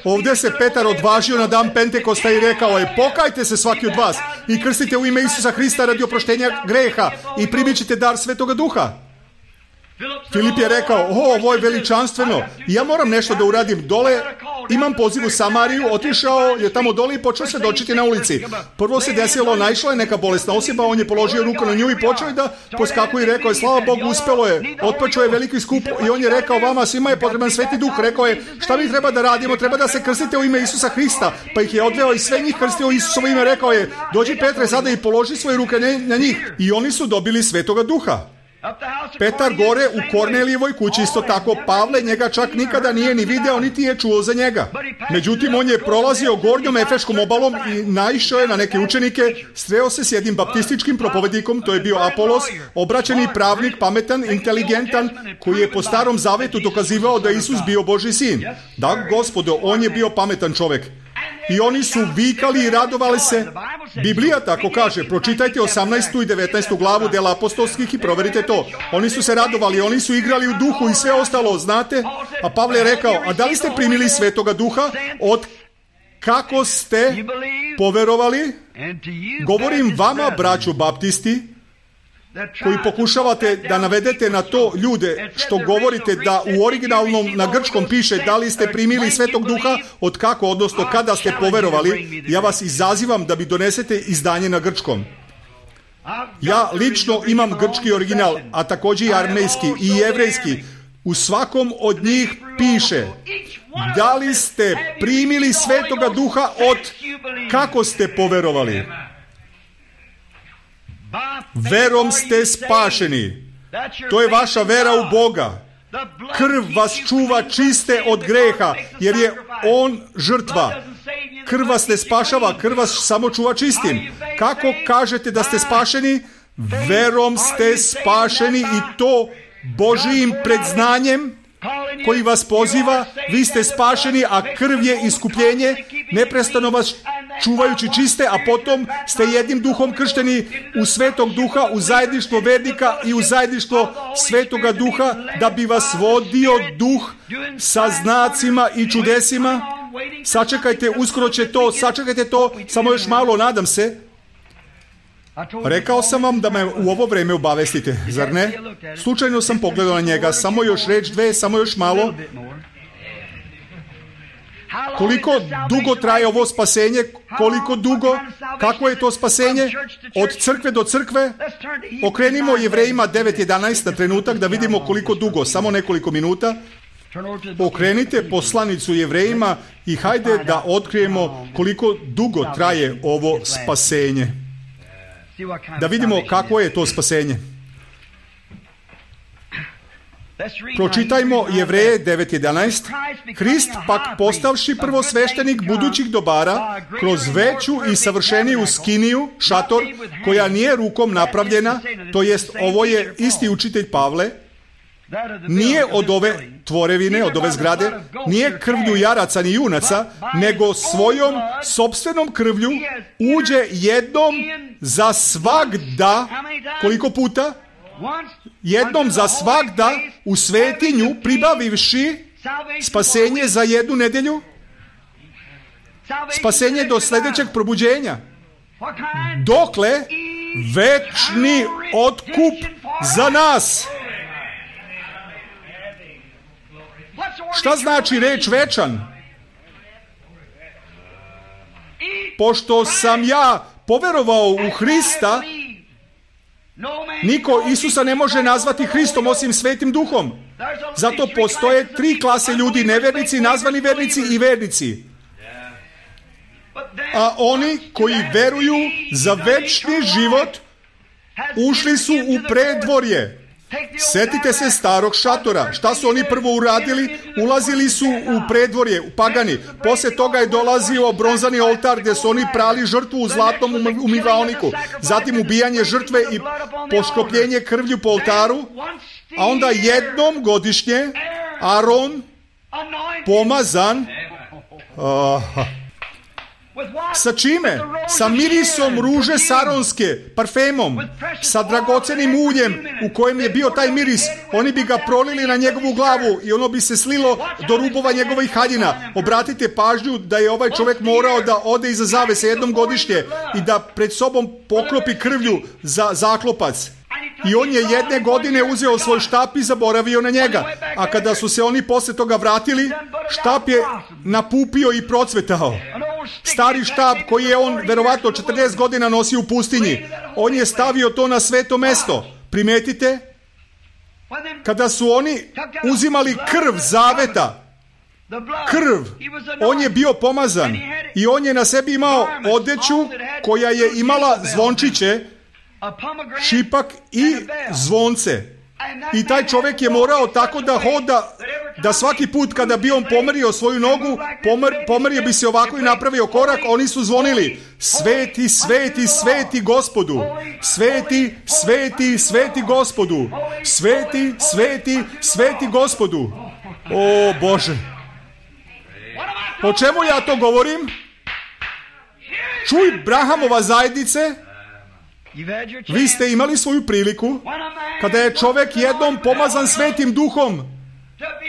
Ovdje se Petar odvažio na dan Pentekosta i rekao je: pokajte se svaki od vas i krstite u ime Isusa Hrista radi oproštenja greha i primit ćete dar Svetoga Duha. Filip je rekao: o, ovo je veličanstveno, ja moram nešto da uradim. Dole imam poziv u Samariju, otišao je tamo dole i počeo se dočiti na ulici. Prvo se desilo, naišla je neka bolesna osoba, on je položio ruku na nju i počeo je da poskakuje i rekao je: slava Bogu, uspelo je, otpočeo je veliki skup i on je rekao: vama svima je potreban Sveti Duh. Rekao je: šta mi treba da radimo? Treba da se krstite u ime Isusa Hrista. Pa ih je odveo i sve njih krstio u Isusovo ime. Rekao je: dođi Petre sada i položi svoje ruke na njih. I oni su dobili Svetoga Duha. Petar gore u Kornelijevoj kući isto tako. Pavle njega čak nikada nije ni video, niti je čuo za njega. Međutim, on je prolazio gornjom Efeškom obalom i naišao je na neke učenike, sreo se s jednim baptističkim propovednikom, to je bio Apolos, obraćeni pravnik, pametan, inteligentan, koji je po Starom Zavetu dokazivao da je Isus bio Božji sin. Da, gospodo, on je bio pametan čovjek. I oni su vikali i radovali se. Biblija tako kaže. Pročitajte osamnaestu i devetnaestu glavu dela apostolskih i proverite to. Oni su se radovali, oni su igrali u duhu i sve ostalo, znate? A Pavle je rekao: a da li ste primili Svetoga Duha od kako ste poverovali? Govorim vama, braćo baptisti, koji pokušavate da navedete na to ljude što govorite da u originalnom na grčkom piše da li ste primili Svetog Duha od kako, odnosno kada ste poverovali. Ja vas izazivam da mi donesete izdanje na grčkom. Ja lično imam grčki original, a također i armejski i jevrejski. U svakom od njih piše da li ste primili Svetoga Duha od kako ste poverovali. Verom ste spašeni. To je vaša vera u Boga. Krv vas čuva čiste od greha, jer je on žrtva. Krv vas ne spašava, krv vas samo čuva čistim. Kako kažete da ste spašeni? Verom ste spašeni, i to Božijim predznanjem koji vas poziva. Vi ste spašeni, a krv je iskupljenje, neprestano vas čuvajući čiste, a potom ste jednim duhom kršteni u Svetog Duha, u zajedništvo vernika i u zajedništvo Svetoga Duha, da bi vas vodio Duh sa znacima i čudesima. Sačekajte, uskoro će to, sačekajte to, samo još malo, nadam se. Rekao sam vam da me u ovo vrijeme obavestite, zar ne? Slučajno sam pogledao na njega, samo još reč dve, samo još malo. Koliko dugo traje ovo spasenje? Koliko dugo? Kako je to spasenje? Od crkve do crkve? Okrenimo Jevrejima devet jedanaest na trenutak da vidimo koliko dugo, samo nekoliko minuta. Okrenite poslanicu Jevrejima i hajde da otkrijemo koliko dugo traje ovo spasenje. Da vidimo kako je to spasenje. Pročitajmo Jevreje devet jedanaest. Hrist pak postavši prvosveštenik budućih dobara kroz veću i savršeniju skiniju, šator, koja nije rukom napravljena, to jest ovo je isti učitelj Pavle, nije od ove tvorevine, od ove zgrade, nije krvlju jaraca ni junaca, nego svojom sopstvenom krvlju uđe jednom za svagda, koliko puta? Jednom za svagda u svetinju, pribavivši spasenje za jednu nedelju, spasenje do sljedećeg probuđenja. Dokle? Večni otkup za nas. Šta znači reč večan? Pošto sam ja poverovao u Hrista, niko Isusa ne može nazvati Hristom osim Svetim Duhom. Zato postoje tri klase ljudi, nevernici, nazvani vernici i vernici. a oni koji veruju za večni život ušli su u predvorje. Sjetite se starog šatora. Šta su oni prvo uradili? Ulazili su u predvorje, u pagani. Poslije toga je dolazio bronzani oltar gdje su oni prali žrtvu u zlatnom umivaoniku. Zatim ubijanje žrtve i poškropljenje krvlju po oltaru. A onda jednom godišnje Aron pomazan uh, sa čime? Sa mirisom ruže saronske, parfemom, sa dragocenim uljem u kojem je bio taj miris. Oni bi ga prolili na njegovu glavu i ono bi se slilo do rubova njegovih haljina. Obratite pažnju da je ovaj čovjek morao da ode iza zavese jednom godišnje i da pred sobom poklopi krvlju za zaklopac. I on je jedne godine uzeo svoj štap i zaboravio na njega. A kada su se oni poslije toga vratili, štap je napupio i procvetao. Stari štap koji je on verovatno četrdeset godina nosio u pustinji. On je stavio to na sveto mesto. Primetite? Kada su oni uzimali krv zaveta, krv, on je bio pomazan i on je na sebi imao odeću koja je imala zvončiće, šipak i zvonce. I taj čovjek je morao tako da hoda, da svaki put kada bi on pomerio svoju nogu, pomer, pomerio bi se ovako i napravio korak, oni su zvonili: sveti, sveti, sveti Gospodu, sveti, sveti, sveti Gospodu, sveti, sveti, sveti Gospodu. O Bože, o čemu ja to govorim? Čuj, Brahamova zajednice, vi ste imali svoju priliku kada je čovjek jednom pomazan Svetim Duhom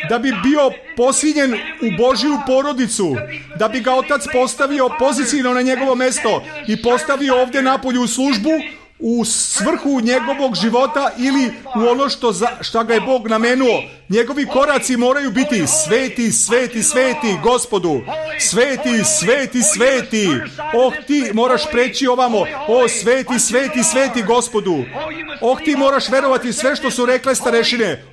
da bi bio posinjen u Božju porodicu, da bi ga Otac postavio pozicijno na njegovo mesto i postavio ovdje napolju u službu, u svrhu njegovog života ili u ono što, za, što ga je Bog namenuo. Njegovi koraci moraju biti sveti, sveti, sveti Gospodu, sveti, sveti, sveti. Oh, ti moraš preći ovamo. O, sveti, sveti, sveti Gospodu. Oh, ti moraš verovati sve što su rekle starešine.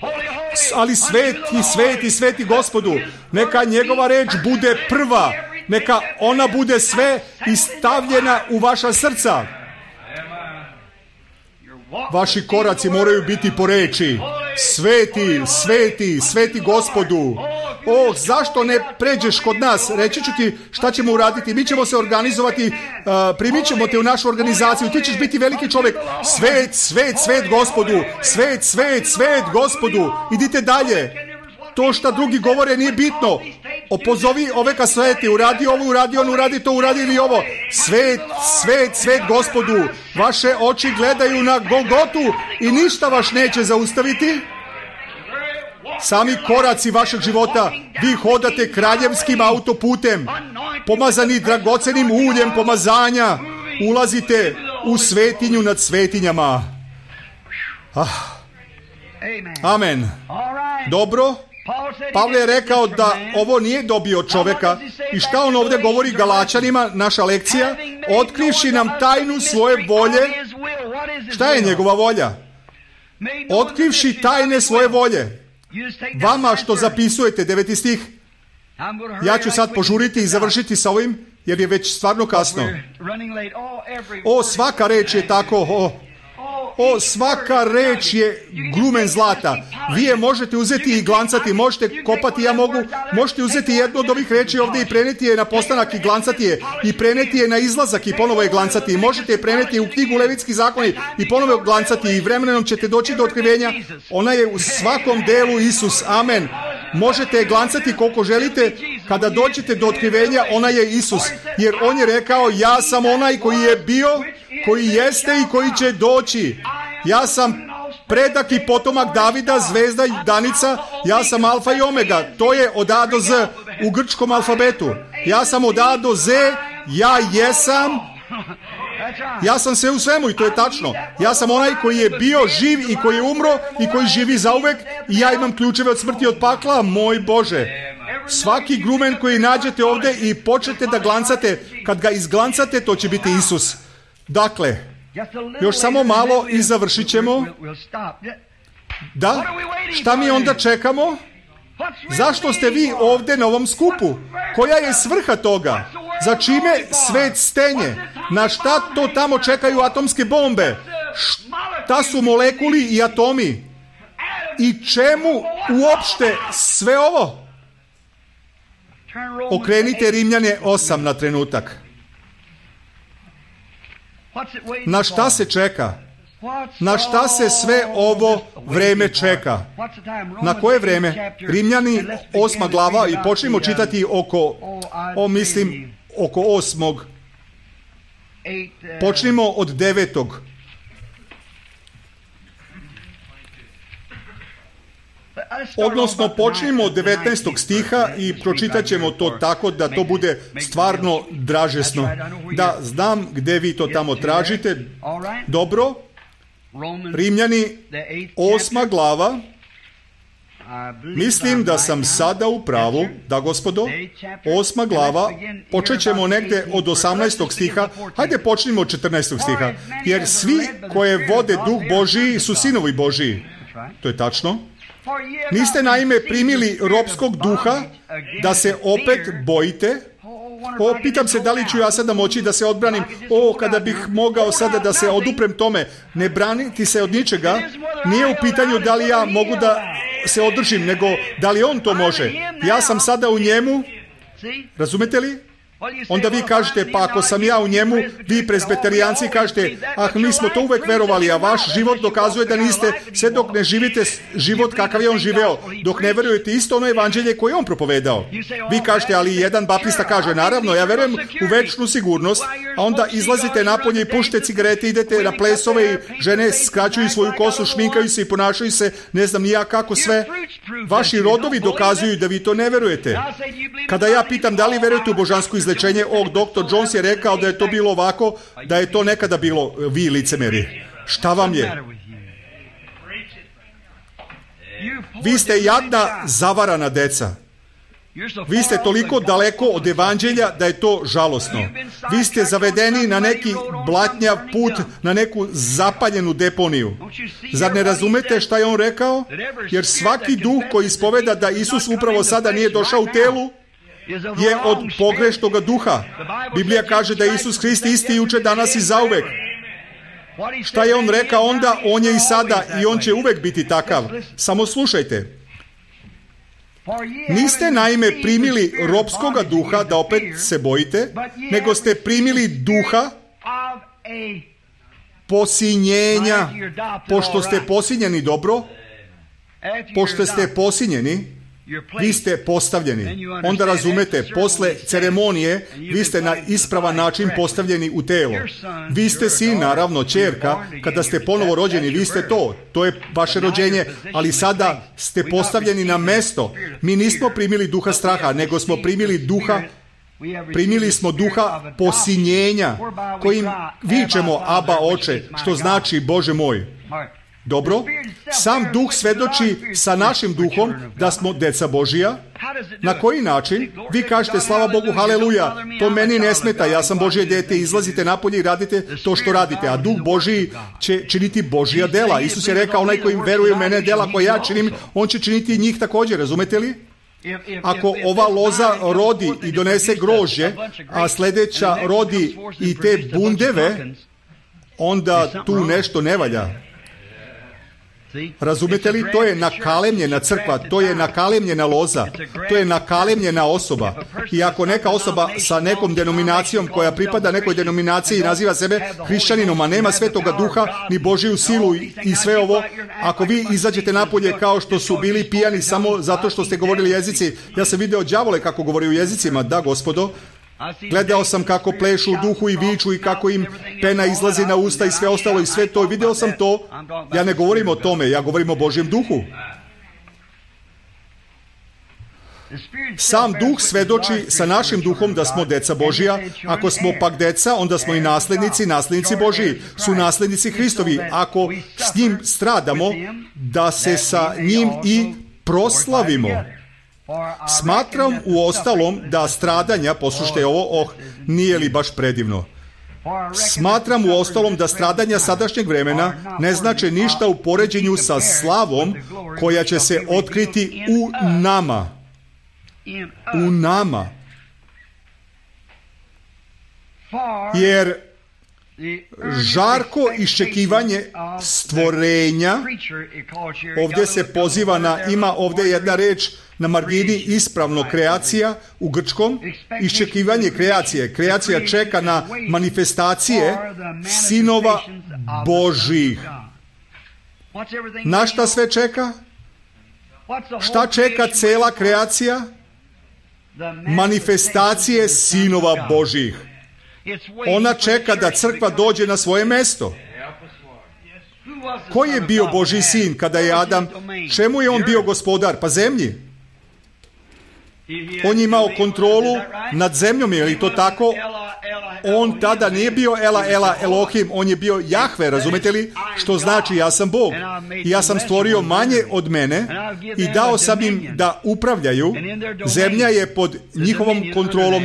Ali sveti, sveti, sveti Gospodu. Neka njegova reč bude prva. Neka ona bude sve istavljena u vaša srca. Vaši koraci moraju biti po reči: sveti, sveti, sveti Gospodu. O, zašto ne pređeš kod nas? Reći ću ti šta ćemo uraditi. Mi ćemo se organizovati, uh, primit ćemo te u našu organizaciju. Ti ćeš biti veliki čovjek. Svet, svet, svet Gospodu. Svet, svet, svet Gospodu. Idite dalje. To što drugi govore nije bitno. Opozovi ove kasete, uradi ovo, uradi on, uradi to, uradi ili ovo. Svet, svet, svet Gospodu. Vaše oči gledaju na Golgotu i ništa vas neće zaustaviti. Sami koraci vašeg života, vi hodate kraljevskim autoputem, pomazani dragocenim uljem pomazanja, ulazite u svetinju nad svetinjama. Ah. Amen. Dobro. Pavle je rekao da ovo nije dobio od čovjeka. I šta on ovdje govori Galačanima, naša lekcija? Otkrivši nam tajnu svoje volje. Šta je njegova volja? Otkrivši tajne svoje volje. Vama što zapisujete, deveti stih. Ja ću sad požuriti i završiti sa ovim, jer je već stvarno kasno. O, svaka reč je tako, o, O, svaka reč je glumen zlata. Vi je možete uzeti i glancati, možete kopati, ja mogu, možete uzeti jednu od ovih reči ovdje i preneti je na postanak i glancati je, i preneti je na izlazak i ponovo je glancati, i možete je preneti u knjigu Levitski zakoni i ponovo je glancati, i vremenom ćete doći do otkrivenja. Ona je u svakom delu Isus. Amen. Možete je glancati koliko želite. Kada dođete do otkrivenja, ona je Isus. Jer on je rekao: ja sam onaj koji je bio, koji jeste i koji će doći. Ja sam predak i potomak Davida, zvezda i danica. Ja sam alfa i omega. To je od A do Z u grčkom alfabetu. Ja sam od A do Z. Ja jesam. Ja sam sve u svemu i to je tačno. Ja sam onaj koji je bio živ i koji je umro i koji živi zauvek, i ja imam ključeve od smrti i od pakla. Moj Bože, svaki grumen koji nađete ovdje i počnete da glancate, kad ga izglancate, to će biti Isus. Dakle, još samo malo i završit ćemo. Da? Šta mi onda čekamo? Zašto ste vi ovdje na ovom skupu? Koja je svrha toga? Za čime svet stenje? Na šta to tamo čekaju atomske bombe? Šta su molekuli i atomi? I čemu uopšte sve ovo? Okrenite Rimljane osam na trenutak. Na šta se čeka? Na šta se sve ovo vreme čeka? Na koje vreme? Rimljani osma glava i počnemo čitati oko, o mislim, oko osmog. Počnimo od devetog. Odnosno, počnimo od devetnaestog stiha i pročitat ćemo to tako da to bude stvarno dražesno. Da, znam gde vi to tamo tražite. Dobro. Rimljani, osma glava. Mislim da sam sada u pravu, da gospodo, osma glava, počet ćemo negde od osamnaestog stiha, hajde počnimo od četrnaestog stiha, jer svi koje vode Duh Božiji su sinovi Božiji. To je tačno. Niste naime primili ropskog duha da se opet bojite. O, pitam se da li ću ja sada moći da se odbranim. O, kada bih mogao sada da se oduprem tome. Ne braniti se od ničega. Nije u pitanju da li ja mogu da se održim, nego da li on to može. Ja sam sada u njemu. Razumete li? Onda vi kažete, pa ako sam ja u njemu, vi presbiterijanci kažete, ah, mi smo to uvek verovali, a vaš život dokazuje da niste, sve dok ne živite život kakav je on živeo, dok ne verujete isto ono evanđelje koje je on propovedao. Vi kažete, ali jedan baptista kaže, naravno, ja verujem u večnu sigurnost, a onda izlazite napolje i pušite cigarete, idete na plesove i žene skraćuju svoju kosu, šminkaju se i ponašaju se, ne znam ni ja kako sve. Vaši rodovi dokazuju da vi to ne verujete. Kada ja pitam da li verujete u božansku izlečenje, o, doktor Jones je rekao da je to bilo ovako, da je to nekada bilo, vi licemeri. Šta vam je? Vi ste jadna, zavarana deca. Vi ste toliko daleko od evanđelja da je to žalosno. Vi ste zavedeni na neki blatnjav put, na neku zapaljenu deponiju. Zar ne razumete šta je on rekao? Jer svaki duh koji ispoveda da Isus upravo sada nije došao u telu, je od pogreštoga duha. Biblija kaže da je Isus Hrist isti juče, danas i zauvek. Šta je on rekao onda? On je i sada i on će uvek biti takav. Samo slušajte. Niste naime primili ropskoga duha da opet se bojite, nego ste primili duha posinjenja. Pošto ste posinjeni, dobro, pošto ste posinjeni, vi ste postavljeni. Onda razumete, posle ceremonije, vi ste na ispravan način postavljeni u telo. Vi ste sin, naravno, ćerka, kada ste ponovo rođeni, vi ste to. To je vaše rođenje, ali sada ste postavljeni na mesto. Mi nismo primili duha straha, nego smo primili duha Primili smo duha posinjenja, kojim vičemo Aba Oče, što znači Bože moj. Dobro, sam duh svedoči sa našim duhom da smo deca Božija. Na koji način? Vi kažete, slava Bogu, haleluja, to meni ne smeta, ja sam Božje dete, izlazite napolje i radite to što radite, a duh Božiji će činiti Božja dela. Isus je rekao, onaj koji veruje u mene, dela koje ja činim, on će činiti njih također, razumete li? Ako ova loza rodi i donese grožđe, a sljedeća rodi i te bundeve, onda tu nešto ne valja. Razumete li? To je nakalemljena crkva, to je nakalemljena loza, to je nakalemljena osoba. I ako neka osoba sa nekom denominacijom koja pripada nekoj denominaciji i naziva sebe hrišćaninom, a nema svetoga duha, ni Božiju silu i sve ovo, ako vi izađete napolje kao što su bili pijani samo zato što ste govorili jezici, ja sam video đavole kako govori u jezicima, da gospodo, gledao sam kako plešu u duhu i viču i kako im pena izlazi na usta i sve ostalo i sve to. Video sam to. Ja ne govorim o tome, ja govorim o Božjem duhu. Sam duh svedoči sa našim duhom da smo deca Božija. Ako smo pak deca, onda smo i naslednici, naslednici Božiji. Su naslednici Hristovi. Ako s njim stradamo, da se sa njim i proslavimo. Smatram u ostalom da stradanja, poslušajte ovo, oh, nije li baš predivno? Smatram u ostalom da stradanja sadašnjeg vremena ne znače ništa u poređenju sa slavom koja će se otkriti u nama. U nama. jer žarko iščekivanje stvorenja, ovdje se poziva na, ima ovdje jedna reč na margini ispravno kreacija u grčkom, iščekivanje kreacije. Kreacija čeka na manifestacije sinova Božih. Na šta sve čeka? Šta čeka cela kreacija? Manifestacije sinova Božih. Ona čeka da crkva dođe na svoje mesto. Ko je bio Božji sin kada je Adam? Čemu je on bio gospodar? Pa zemlji. On je imao kontrolu nad zemljom, je li to tako? On tada nije bio Ela, Ela, Elohim, on je bio Jahve, razumete li? Što znači ja sam Bog. I ja sam stvorio manje od mene i dao sam im da upravljaju. Zemlja je pod njihovom kontrolom,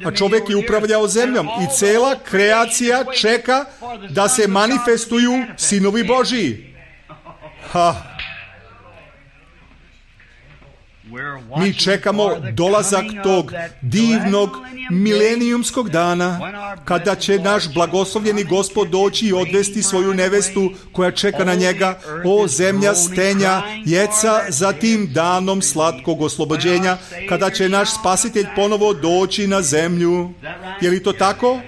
a čovjek je upravljao zemljom. I cela kreacija čeka da se manifestuju sinovi Božiji. Ha. Mi čekamo dolazak tog divnog milenijumskog dana kada će naš blagoslovljeni Gospod doći i odvesti svoju nevestu koja čeka na njega, o zemlja stenja jeca za tim danom slatkog oslobođenja, kada će naš spasitelj ponovo doći na zemlju. Je li to tako?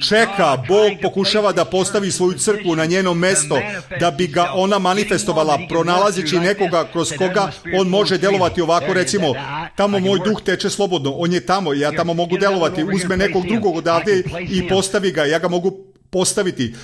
Čeka, Bog pokušava da postavi svoju crkvu na njeno mesto, da bi ga ona manifestovala, pronalazeći nekoga kroz koga on može delovati ovako, recimo, tamo moj duh teče slobodno, on je tamo, ja tamo mogu delovati, uzme nekog drugog odavde i postavi ga, ja ga mogu postaviti,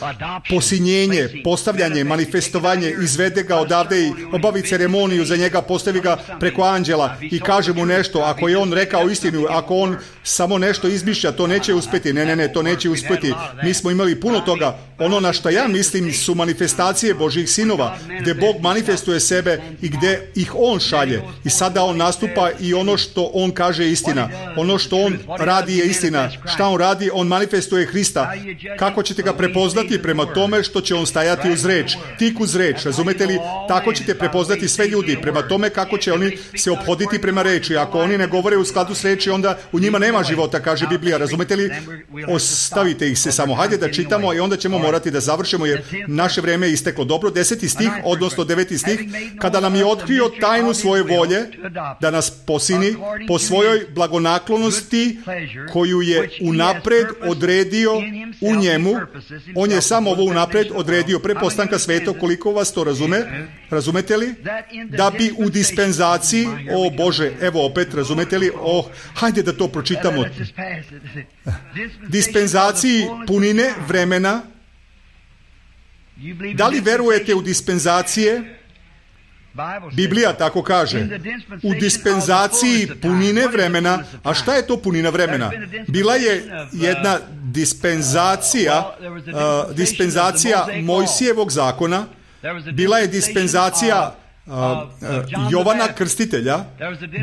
posinjenje, postavljanje, manifestovanje, izvede ga odavde i obavi ceremoniju za njega, postavi ga preko anđela i kaže mu nešto. Ako je on rekao istinu, ako on samo nešto izmišlja, to neće uspjeti. Ne, ne, ne, to neće uspjeti. Mi smo imali puno toga. Ono na što ja mislim su manifestacije Božjih sinova, gdje Bog manifestuje sebe i gdje ih on šalje. I sada on nastupa i ono što on kaže je istina. Ono što on radi je istina. Šta on radi? On manifestuje Hrista. Kako ćete ga prepoznati? Prema tome što će on stajati uz reč, tik uz reč, razumete li? Tako ćete prepoznati sve ljudi, prema tome kako će oni se ophoditi prema reči. Ako oni ne govore u skladu s reči, onda u njima nema života, kaže Biblija, razumete li? Ostavite ih se samo, hajde da čitamo i onda ćemo morati da završimo jer naše vrijeme je isteklo. Dobro, deseti stih, odnosno deveti stih, kada nam je otkrio tajnu svoje volje da nas posini po svojoj blagonaklonosti koju je unapred odredio u njemu. On je samo ovo unapred odredio pre postanka sveta, koliko vas to razume? Razumete li? Da bi u dispenzaciji, o Bože, evo opet, razumete li? Oh, hajde da to pročitamo. Dispenzaciji punine vremena. Da li verujete u dispenzacije? Biblija tako kaže. U dispenzaciji punine vremena. A šta je to punina vremena? Bila je jedna dispenzacija, uh, dispenzacija Mojsijevog zakona. Bila je dispenzacija uh, uh, Jovana Krstitelja.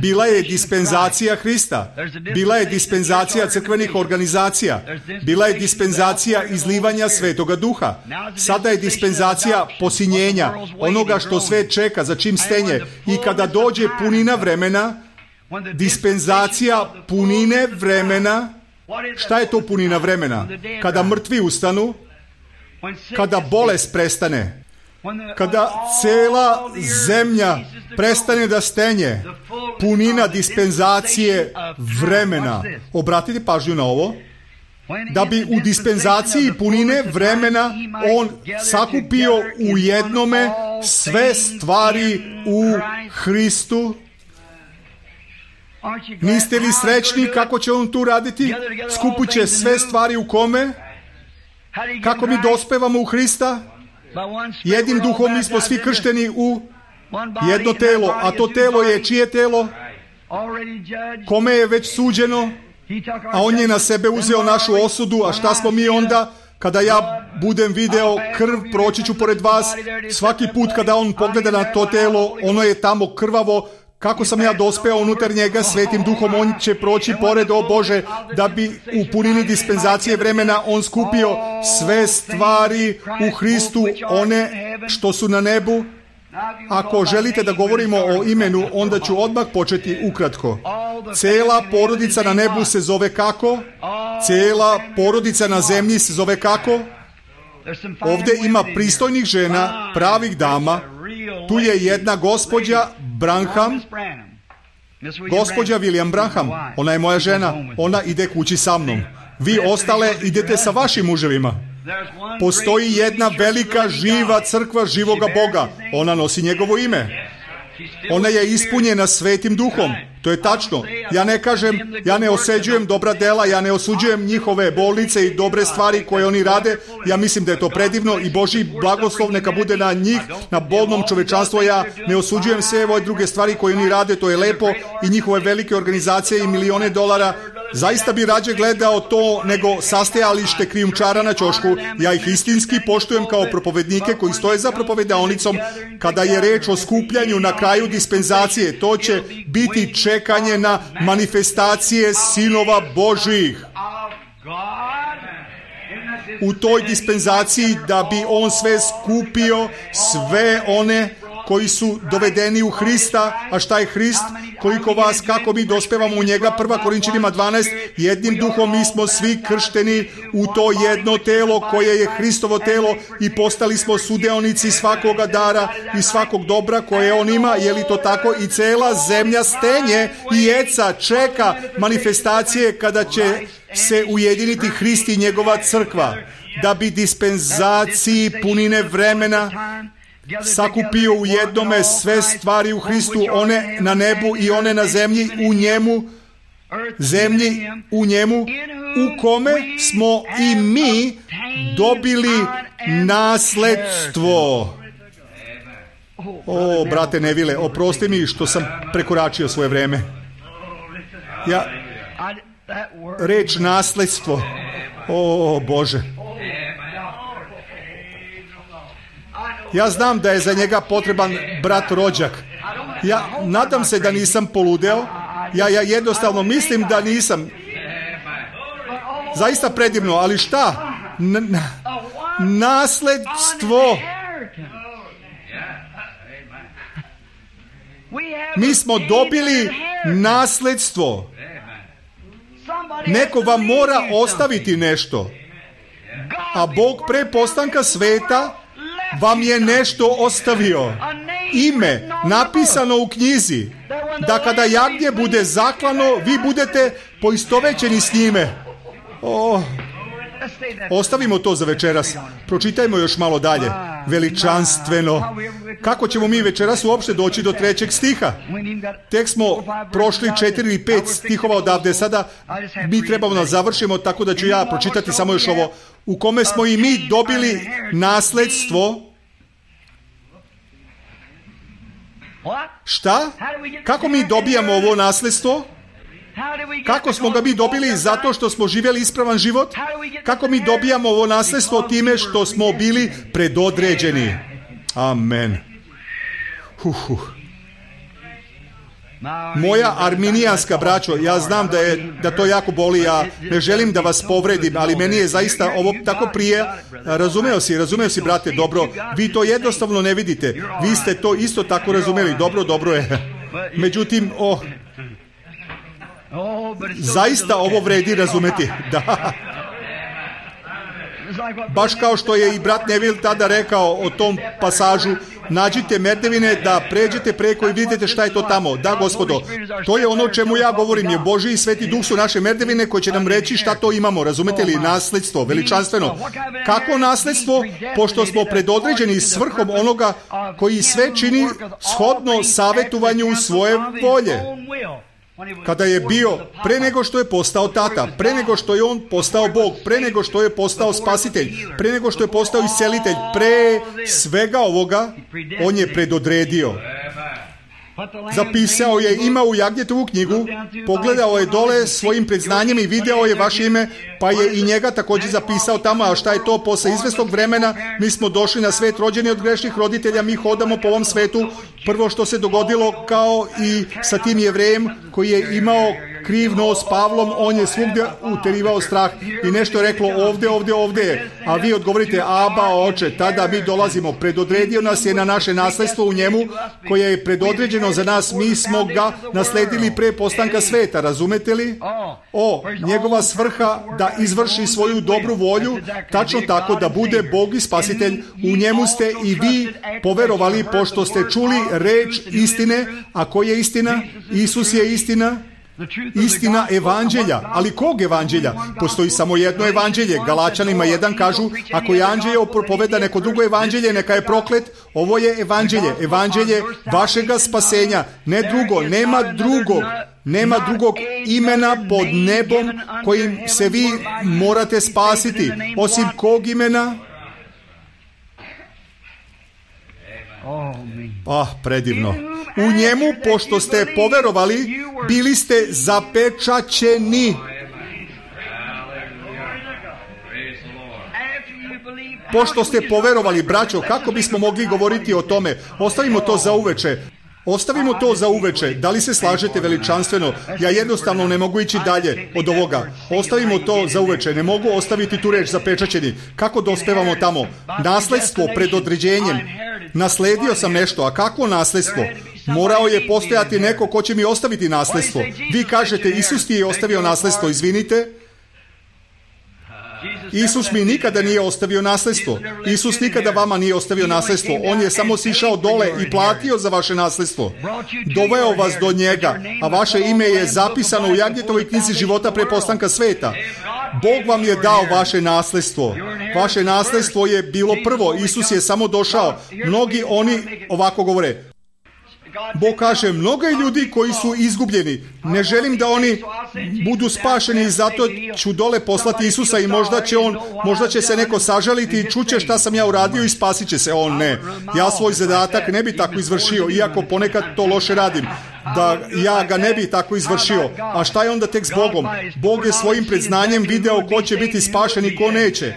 Bila je dispenzacija Hrista. Bila je dispenzacija crkvenih organizacija. Bila je dispenzacija izlivanja Svetoga Duha. Sada je dispenzacija posinjenja, onoga što sve čeka, za čim stenje. I kada dođe punina vremena, dispenzacija punine vremena. Šta je to punina vremena? Kada mrtvi ustanu, kada bolest prestane, kada cela zemlja prestane da stenje, punina dispenzacije vremena. Obratite pažnju na ovo. Da bi u dispenzaciji punine vremena on sakupio u jednome sve stvari u Hristu. Niste li srećni kako će on tu raditi? Skupit će sve stvari u kome? Kako mi dospevamo u Hrista? Jednim duhom mi smo svi kršteni u jedno telo, a to telo je čije telo? Kome je već suđeno? A on je na sebe uzeo našu osudu, a šta smo mi onda? Kada ja budem video krv, proći ću pored vas, svaki put kada on pogleda na to telo, ono je tamo krvavo. Kako sam ja dospeo unutar njega svetim duhom, on će proći pored, o Bože, da bi u punini dispenzacije vremena on skupio sve stvari u Hristu, one što su na nebu. Ako želite da govorimo o imenu, onda ću odmah početi ukratko. Cela porodica na nebu se zove kako? Cela porodica na zemlji se zove kako? Ovdje ima pristojnih žena, pravih dama. Tu je jedna gospođa Branham, gospođa William Branham. Ona je moja žena. Ona ide kući sa mnom. Vi ostale idete sa vašim muževima. Postoji jedna velika živa crkva živoga Boga. Ona nosi njegovo ime. Ona je ispunjena Svetim Duhom. To je tačno. Ja ne kažem, ja ne osuđujem dobra dela, ja ne osuđujem njihove bolnice i dobre stvari koje oni rade. Ja mislim da je to predivno i Božji blagoslov neka bude na njih, na bolnom čovečanstvu. Ja ne osuđujem sve ove druge stvari koje oni rade, to je lepo i njihove velike organizacije i milione dolara. Zaista bi rađe gledao to nego sastajalište krijumčara na ćošku. Ja ih istinski poštujem kao propovednike koji stoje za propovedaonicom. Kada je reč o skupljanju na kraju dispenzacije, to će biti čekanje na manifestacije sinova Božjih. U toj dispenzaciji da bi on sve skupio, sve one koji su dovedeni u Hrista. A šta je Hrist? Koliko vas, kako mi dospevamo u njega? Prva Korinčanima dvanaest. Jednim duhom mi smo svi kršteni u to jedno telo koje je Hristovo telo i postali smo sudeonici svakoga dara i svakog dobra koje on ima. Je li to tako? I cela zemlja stenje i eca čeka manifestacije kada će se ujediniti Hrist i njegova crkva. Da bi dispenzaciji punine vremena sakupio u jednome sve stvari u Hristu, one na nebu i one na zemlji, u njemu, zemlji u njemu, u kome smo i mi dobili nasledstvo. O, brate Nevile, oprosti mi što sam prekoračio svoje vreme. Ja, reč nasledstvo. O, Bože. Ja znam da je za njega potreban brat rođak. Ja nadam se da nisam poludeo. Ja, ja jednostavno mislim da nisam. Zaista predivno, ali šta? N- n- nasledstvo. Mi smo dobili nasledstvo. Neko vam mora ostaviti nešto. A Bog pre postanka sveta vam je nešto ostavio. Ime napisano u knjizi, da kada jagnje bude zaklano, vi budete poistovećeni s njime. O, ostavimo to za večeras. Pročitajmo još malo dalje. Veličanstveno. Kako ćemo mi večeras uopšte doći do trećeg stiha? Tek smo prošli četiri ili pet stihova odavde. Sada mi trebamo da završimo, tako da ću ja pročitati samo još ovo. U kome smo i mi dobili nasledstvo. Šta? Kako mi dobijamo ovo nasledstvo? Kako smo ga mi dobili? Zato što smo živjeli ispravan život? Kako mi dobijamo ovo nasledstvo? Time što smo bili predodređeni. Amen. Huh, huh. Moja arminijanska braćo, ja znam da, je, da to jako boli, ja ne želim da vas povredim, ali meni je zaista ovo tako prije. Razumeo si, razumeo si, brate, dobro, vi to jednostavno ne vidite. Vi ste to isto tako razumeli, dobro, dobro je. Međutim, oh, zaista ovo vredi razumeti. Da. Baš kao što je i brat Neville tada rekao o tom pasažu, nađite merdevine da pređete preko i vidite šta je to tamo. Da, gospodo, to je ono o čemu ja govorim, je Božji i Sveti Duh su naše merdevine koje će nam reći šta to imamo. Razumete li? Nasledstvo, veličanstveno. Kako nasledstvo? Pošto smo predodređeni svrhom onoga koji sve čini shodno savjetovanju svoje volje. Kada je bio, pre nego što je postao tata, pre nego što je on postao Bog, pre nego što je postao spasitelj, pre nego što je postao iscelitelj, pre svega ovoga, on je predodredio. Zapisao je, ima u Jagnjetovu knjigu, pogledao je dole svojim predznanjem i video je vaše ime, pa je i njega također zapisao tamo. A šta je to? Posle izvesnog vremena mi smo došli na svet rođeni od grešnih roditelja, mi hodamo po ovom svetu. Prvo što se dogodilo, kao i sa tim Jevrejem koji je imao kriv nos Pavlom, on je svugdje uterivao strah i nešto je reklo ovdje, ovdje, ovdje. A vi odgovorite, Aba, oče, tada mi dolazimo. Predodredio nas je na naše nasledstvo u njemu, koje je predodređeno za nas. Mi smo ga nasledili pre postanka sveta, razumete li? O, njegova svrha da izvrši svoju dobru volju, tačno tako da bude Bog i Spasitelj. U njemu ste i vi poverovali, pošto ste čuli reč istine. A koja je istina? Isus je istina. Istina evanđelja. Ali kog evanđelja? Postoji samo jedno evanđelje. Galačanima jedan kažu, ako je anđelje propoveda neko drugo evanđelje, neka je proklet. Ovo je evanđelje. Evanđelje vašega spasenja. Ne drugo, nema drugog. Nema drugog imena pod nebom kojim se vi morate spasiti. Osim kog imena? Ah, predivno. U njemu, pošto ste poverovali, bili ste zapečaćeni. Pošto ste poverovali, braćo, kako bismo mogli govoriti o tome? Ostavimo to za uveče. Ostavimo to za uveče. Da li se slažete veličanstveno? Ja jednostavno ne mogu ići dalje od ovoga. Ostavimo to za uveče. Ne mogu ostaviti tu reč zapečaćeni. Kako dospevamo tamo? Nasledstvo pred određenjem. Nasledio sam nešto. A kakvo nasledstvo? Morao je postojati neko ko će mi ostaviti nasledstvo. Vi kažete, Isus ti je ostavio nasledstvo. Izvinite. Isus mi nikada nije ostavio nasledstvo. Isus nikada vama nije ostavio nasledstvo. On je samo sišao dole i platio za vaše nasledstvo. Doveo vas do njega, a vaše ime je zapisano u Jagnjetovoj knjizi života pre postanka sveta. Bog vam je dao vaše nasledstvo. Vaše nasledstvo je bilo prvo. Isus je samo došao. Mnogi oni ovako govore. Bog kaže, mnogo je ljudi koji su izgubljeni. Ne želim da oni budu spašeni i zato ću dole poslati Isusa i možda će on, možda će se neko sažaliti i čuće šta sam ja uradio i spasit će se. On ne. Ja svoj zadatak ne bi tako izvršio, iako ponekad to loše radim. Da ja ga ne bi tako izvršio. A šta je onda tek s Bogom? Bog je svojim predznanjem video ko će biti spašen i ko neće.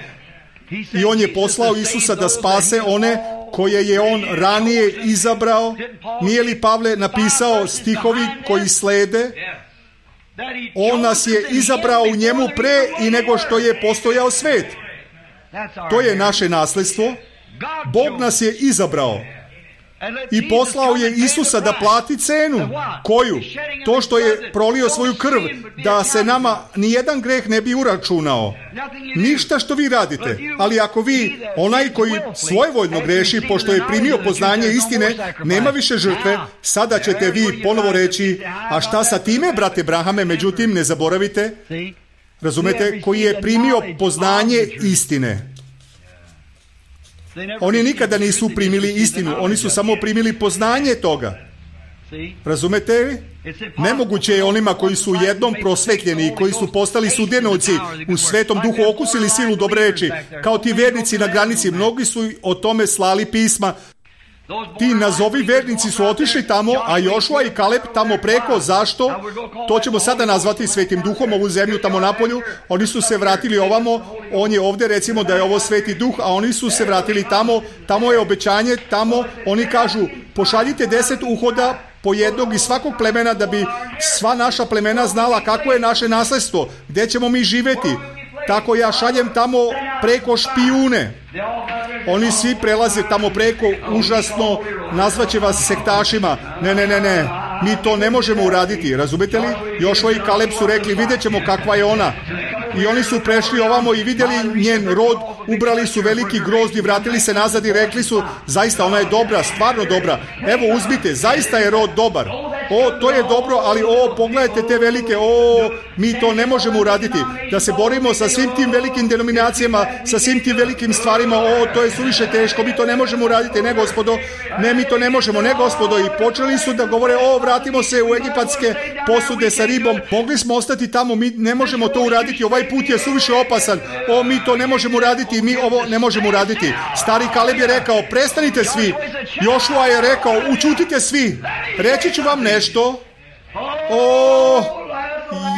I on je poslao Isusa da spase one koje je on ranije izabrao. Nije li Pavle napisao stihovi koji slede? On nas je izabrao u njemu pre i nego što je postojao svet. To je naše nasledstvo. Bog nas je izabrao. I poslao je Isusa da plati cenu. Koju? To što je prolio svoju krv, da se nama nijedan greh ne bi uračunao. Ništa što vi radite. Ali ako vi, onaj koji svojevoljno greši, pošto je primio poznanje istine, nema više žrtve, sada ćete vi ponovo reći, a šta sa time, brate Brahame? Međutim, ne zaboravite, razumete, koji je primio poznanje istine. Oni nikada nisu primili istinu, oni su samo primili poznanje toga. Razumete? Nemoguće je onima koji su jednom prosvetljeni i koji su postali sudjenovci u Svetom Duhu okusili silu dobre reči. Kao ti vernici na granici, mnogi su o tome slali pisma. Ti nazovi vernici su otišli tamo, a Jošua i Kaleb tamo preko. Zašto? To ćemo sada nazvati Svetim Duhom, ovu zemlju tamo napolju. Oni su se vratili ovamo, on je ovdje, recimo da je ovo Sveti Duh, a oni su se vratili tamo, tamo je obećanje, tamo oni kažu, pošaljite deset uhoda po jednog iz svakog plemena da bi sva naša plemena znala kako je naše nasledstvo, gdje ćemo mi živjeti. Tako ja šaljem tamo preko špijune. Oni svi prelaze tamo preko, užasno, nazvaće vas sektašima. Ne, ne, ne, ne, mi to ne možemo uraditi, razumete li? Jošua i Kaleb su rekli, vidjet ćemo kakva je ona. I oni su prešli ovamo i vidjeli njen rod, ubrali su veliki grozd i vratili se nazad i rekli su, zaista ona je dobra, stvarno dobra. Evo uzmite, zaista je rod dobar. O, to je dobro, ali o, pogledajte te velike, o, mi to ne možemo uraditi. Da se borimo sa svim tim velikim denominacijama, sa svim tim velikim stvarima, o, to je suviše teško, mi to ne možemo uraditi, ne gospodo, ne, mi to ne možemo, ne gospodo. I počeli su da govore, o, vratimo se u egipatske posude sa ribom, mogli smo ostati tamo, mi ne možemo to uraditi, ovaj put je suviše opasan, o, mi to ne možemo uraditi, mi ovo ne možemo uraditi. Stari Kaleb je rekao, prestanite svi. Jošua je rekao, učutite svi. Reći ću vam nešto. O,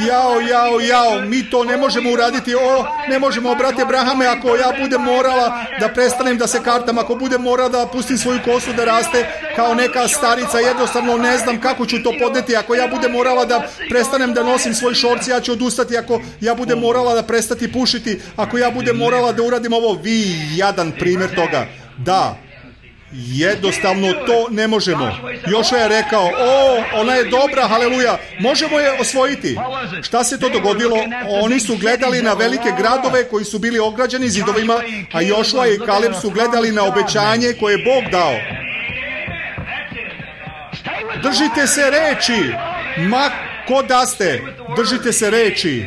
jao, jao, jao, mi to ne možemo uraditi, o, ne možemo, brate Abrahame, ako ja budem morala da prestanem da se kartam, ako budem morala da pustim svoju kosu da raste kao neka starica, jednostavno ne znam kako ću to podneti, ako ja budem morala da prestanem da nosim svoj šorci, ja ću odustati, ako ja budem morala da prestati pušiti, ako ja budem morala da uradim ovo, vi jadan primjer toga. Da, jednostavno to ne možemo. Jošua je rekao, o, ona je dobra, haleluja, možemo je osvojiti. Šta se to dogodilo? Oni su gledali na velike gradove koji su bili ograđeni zidovima, a Jošua i Kaleb su gledali na obećanje koje je Bog dao. Držite se reči, ma ko da ste, držite se reči.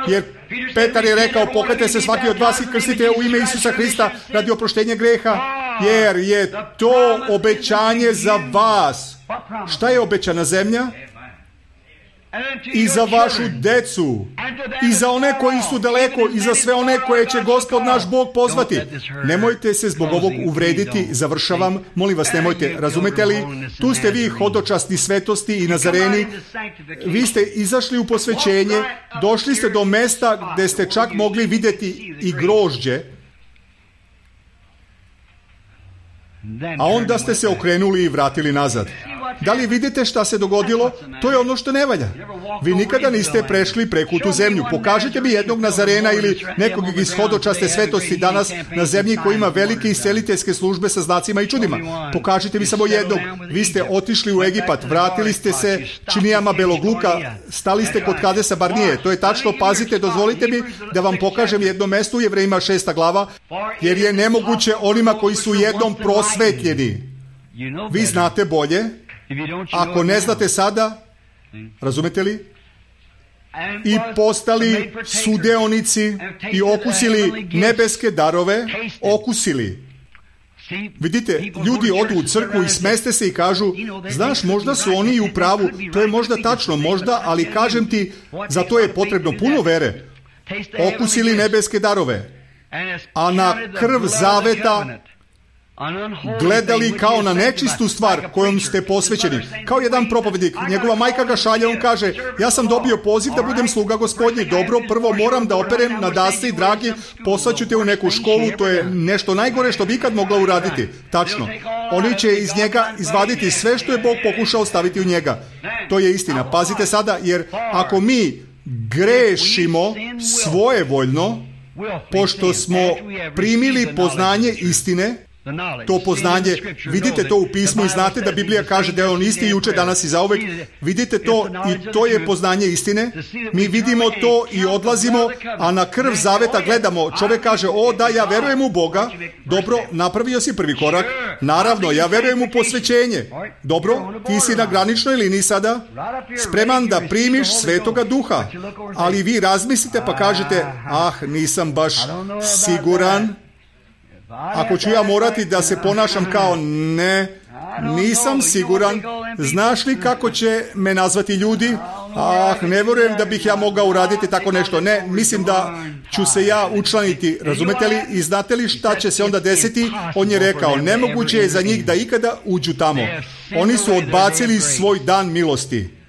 Jer Petar je rekao, pokajte se svaki od vas i krstite u ime Isusa Hrista radi oproštenja greha, jer je to obećanje za vas. Šta je obećana zemlja? I za vašu decu, i za one koji su daleko, i za sve one koje će Gospod naš Bog pozvati. Nemojte se zbog ovog uvrediti, završavam, molim vas, nemojte, razumete li? Tu ste vi hodočasni svetosti i nazareni, vi ste izašli u posvećenje, došli ste do mesta gde ste čak mogli vidjeti i grožđe, a onda ste se okrenuli i vratili nazad. Da li vidite šta se dogodilo? To je ono što ne valja. Vi nikada niste prešli preko tu zemlju. Pokažite mi jednog Nazarena ili nekog iz hodočaste svetosti danas na zemlji koji ima velike isceliteljske službe sa znacima i čudima. Pokažite mi samo jednog. Vi ste otišli u Egipat, vratili ste se činijama belog luka, stali ste kod Kadesa Barnije. To je tačno, pazite, dozvolite mi da vam pokažem jedno mesto u Jevrejima šesta glava, jer je nemoguće onima koji su jednom prosvetljeni. Vi znate bolje. Ako ne znate sada, razumete li? I postali sudeonici i okusili nebeske darove, okusili. Vidite, ljudi odu u crkvu i smeste se i kažu, znaš, možda su oni i u pravu, to je možda tačno, možda, ali kažem ti, za to je potrebno puno vere. Okusili nebeske darove, a na krv zaveta gledali kao na nečistu stvar kojom ste posvećeni. Kao jedan propovednik, njegova majka ga šalje, on kaže, ja sam dobio poziv da budem sluga Gospodnji, dobro, prvo moram da operem na dasci, dragi, poslaću te u neku školu, to je nešto najgore što bi ikad mogla uraditi. Tačno. Oni će iz njega izvaditi sve što je Bog pokušao staviti u njega. To je istina. Pazite sada, jer ako mi grešimo svojevoljno, pošto smo primili poznanje istine, to poznanje, vidite to u pismu i znate da Biblija kaže da je on isti juče, danas i zauvek. Vidite to i to je poznanje istine. Mi vidimo to i odlazimo, a na krv zaveta gledamo. Čovjek kaže, o da, ja verujem u Boga. Dobro, napravio si prvi korak. Naravno, ja verujem u posvećenje. Dobro, ti si na graničnoj liniji sada, spreman da primiš Svetoga Duha. Ali vi razmislite pa kažete, ah, nisam baš siguran. Ako ću ja morati da se ponašam kao ne, nisam siguran, znaš li kako će me nazvati ljudi? Ah, ne vjerujem da bih ja mogao uraditi tako nešto. Ne, mislim da ću se ja učlaniti, razumete li? I znate li šta će se onda desiti? On je rekao, nemoguće je za njih da ikada uđu tamo. Oni su odbacili svoj dan milosti.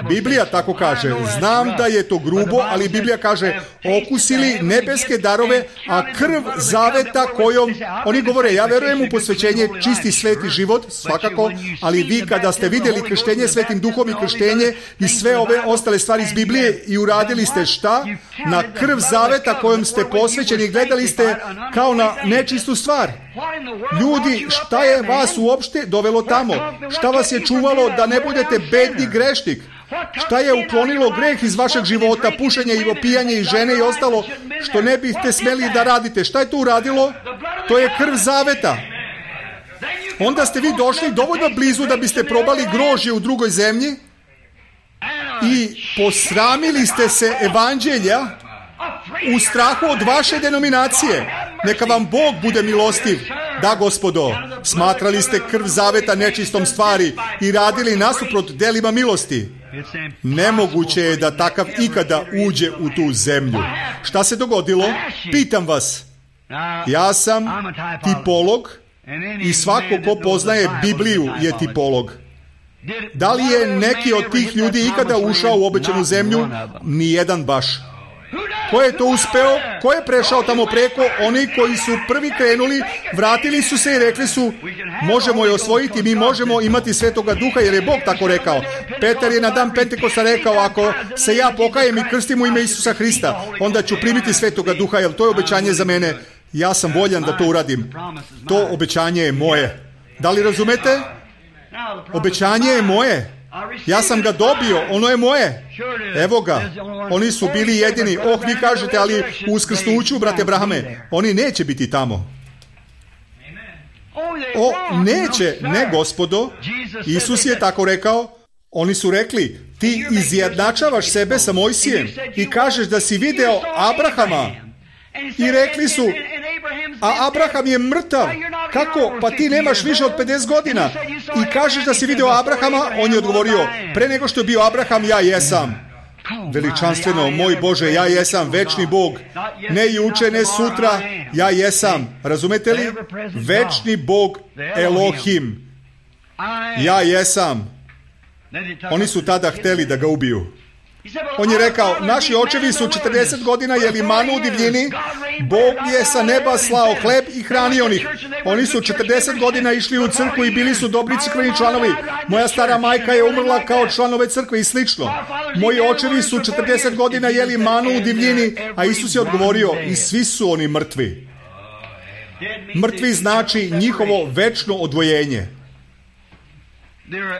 Biblija tako kaže, znam da je to grubo, ali Biblija kaže, okusili nebeske darove, a krv zaveta kojom, oni govore, ja verujem u posvećenje, čisti sveti život, svakako, ali vi kada ste vidjeli krštenje svetim duhom i krštenje i sve ove ostale stvari iz Biblije i uradili ste šta? Na krv zaveta kojom ste posvećeni, gledali ste kao na nečistu stvar. Ljudi, šta je vas uopšte dovelo tamo? Šta vas je čuvalo da ne budete bedni grešnik? Šta je uklonilo greh iz vašeg života, pušenje i opijanje i žene i ostalo, što ne biste smeli da radite? Šta je to uradilo? To je krv zaveta. Onda ste vi došli dovoljno blizu da biste probali grožđe u drugoj zemlji i posramili ste se evanđelja u strahu od vaše denominacije. Neka vam Bog bude milostiv. Da, Gospodo, smatrali ste krv zaveta nečistom stvari i radili nasuprot delima milosti. Nemoguće je da takav ikada uđe u tu zemlju. Šta se dogodilo? Pitam vas. Ja sam tipolog i svako ko poznaje Bibliju je tipolog. Da li je neki od tih ljudi ikada ušao u obećanu zemlju? Nijedan baš. Ko je to uspeo? Ko je prešao tamo preko? Oni koji su prvi krenuli, vratili su se i rekli su, možemo je osvojiti, mi možemo imati Svetoga Duha, jer je Bog tako rekao. Petar je na dan Pentekosta rekao, ako se ja pokajem i krstim u ime Isusa Hrista, onda ću primiti Svetoga Duha, jer to je obećanje za mene. Ja sam voljan da to uradim. To obećanje je moje. Da li razumete? Obećanje je moje. Ja sam ga dobio, ono je moje. Evo ga. Oni su bili jedini. Oh, vi kažete, ali u uskrsnuću, brate Abrahame, oni neće biti tamo. O, neće, ne gospodo. Isus je tako rekao. Oni su rekli, ti izjednačavaš sebe sa Mojsijem i kažeš da si video Abrahama. I rekli su, a Abraham je mrtav. Kako? Pa ti nemaš više od pedeset godina. I kažeš da si video Abrahama? On je odgovorio, pre nego što je bio Abraham, ja jesam. Veličanstveno, moj Bože, ja jesam večni Bog. Ne juče, ne sutra, ja jesam. Razumete li? Večni Bog Elohim. Ja jesam. Oni su tada hteli da ga ubiju. On je rekao, naši očevi su četrdeset godina jeli manu u divljini, Bog je sa neba slao hleb i hranio onih. Oni su četrdeset godina išli u crkvu i bili su dobri crkveni članovi. Moja stara majka je umrla kao članove crkve i slično. Moji očevi su četrdeset godina jeli manu u divljini, a Isus je odgovorio, i svi su oni mrtvi. Mrtvi znači njihovo večno odvojenje.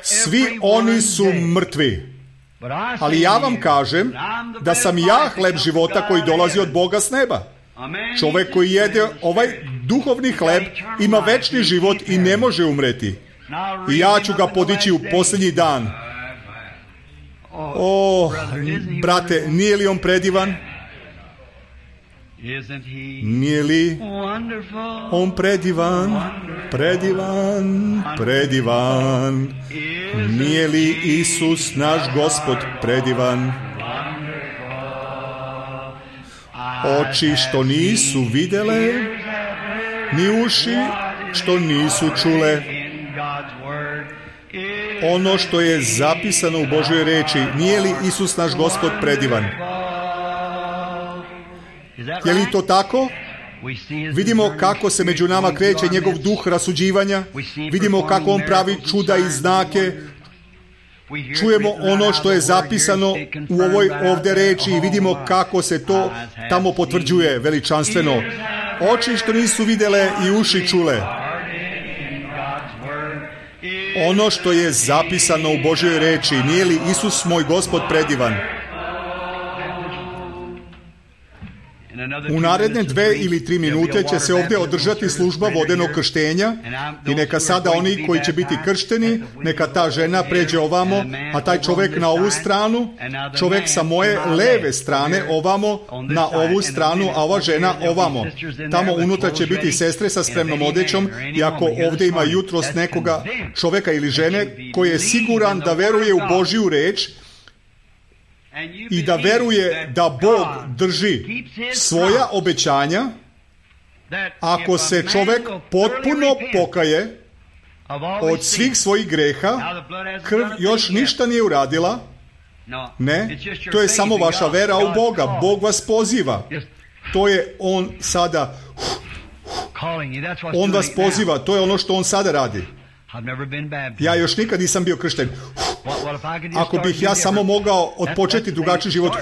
Svi oni su mrtvi. Ali ja vam kažem da sam ja hleb života koji dolazi od Boga s neba. Čovjek koji jede ovaj duhovni hleb ima večni život i ne može umreti. I ja ću ga podići u posljednji dan. O, brate, nije li on predivan? Nije li on predivan, predivan, predivan? Nije li Isus naš Gospod predivan? Oči što nisu videle, ni uši što nisu čule. Ono što je zapisano u Božjoj reči, nije li Isus naš Gospod predivan? Je li to tako? Vidimo kako se među nama kreće njegov duh rasuđivanja. Vidimo kako on pravi čuda i znake. Čujemo ono što je zapisano u ovoj ovdje reči i vidimo kako se to tamo potvrđuje veličanstveno. Oči što nisu vidjele i uši čule. Ono što je zapisano u Božjoj reči, nije li Isus moj Gospod predivan? U naredne dve ili tri minute će se ovdje održati služba vodenog krštenja i neka sada oni koji će biti kršteni, neka ta žena pređe ovamo, a taj čovjek na ovu stranu, čovjek sa moje leve strane ovamo, na ovu stranu, a ova žena ovamo. Tamo unutra će biti sestre sa spremnom odjećom i ako ovdje ima jutros nekoga čovjeka ili žene koji je siguran da veruje u Božju reč, i da veruje da Bog drži svoja obećanja, ako se čovjek potpuno pokaje od svih svojih greha, krv još ništa nije uradila, ne, to je samo vaša vera u Boga. Bog vas poziva. To je On sada, On vas poziva, to je ono što On sada radi. Ja još nikad nisam bio kršten. Ako bih ja samo mogao odpočeti drugačiji život,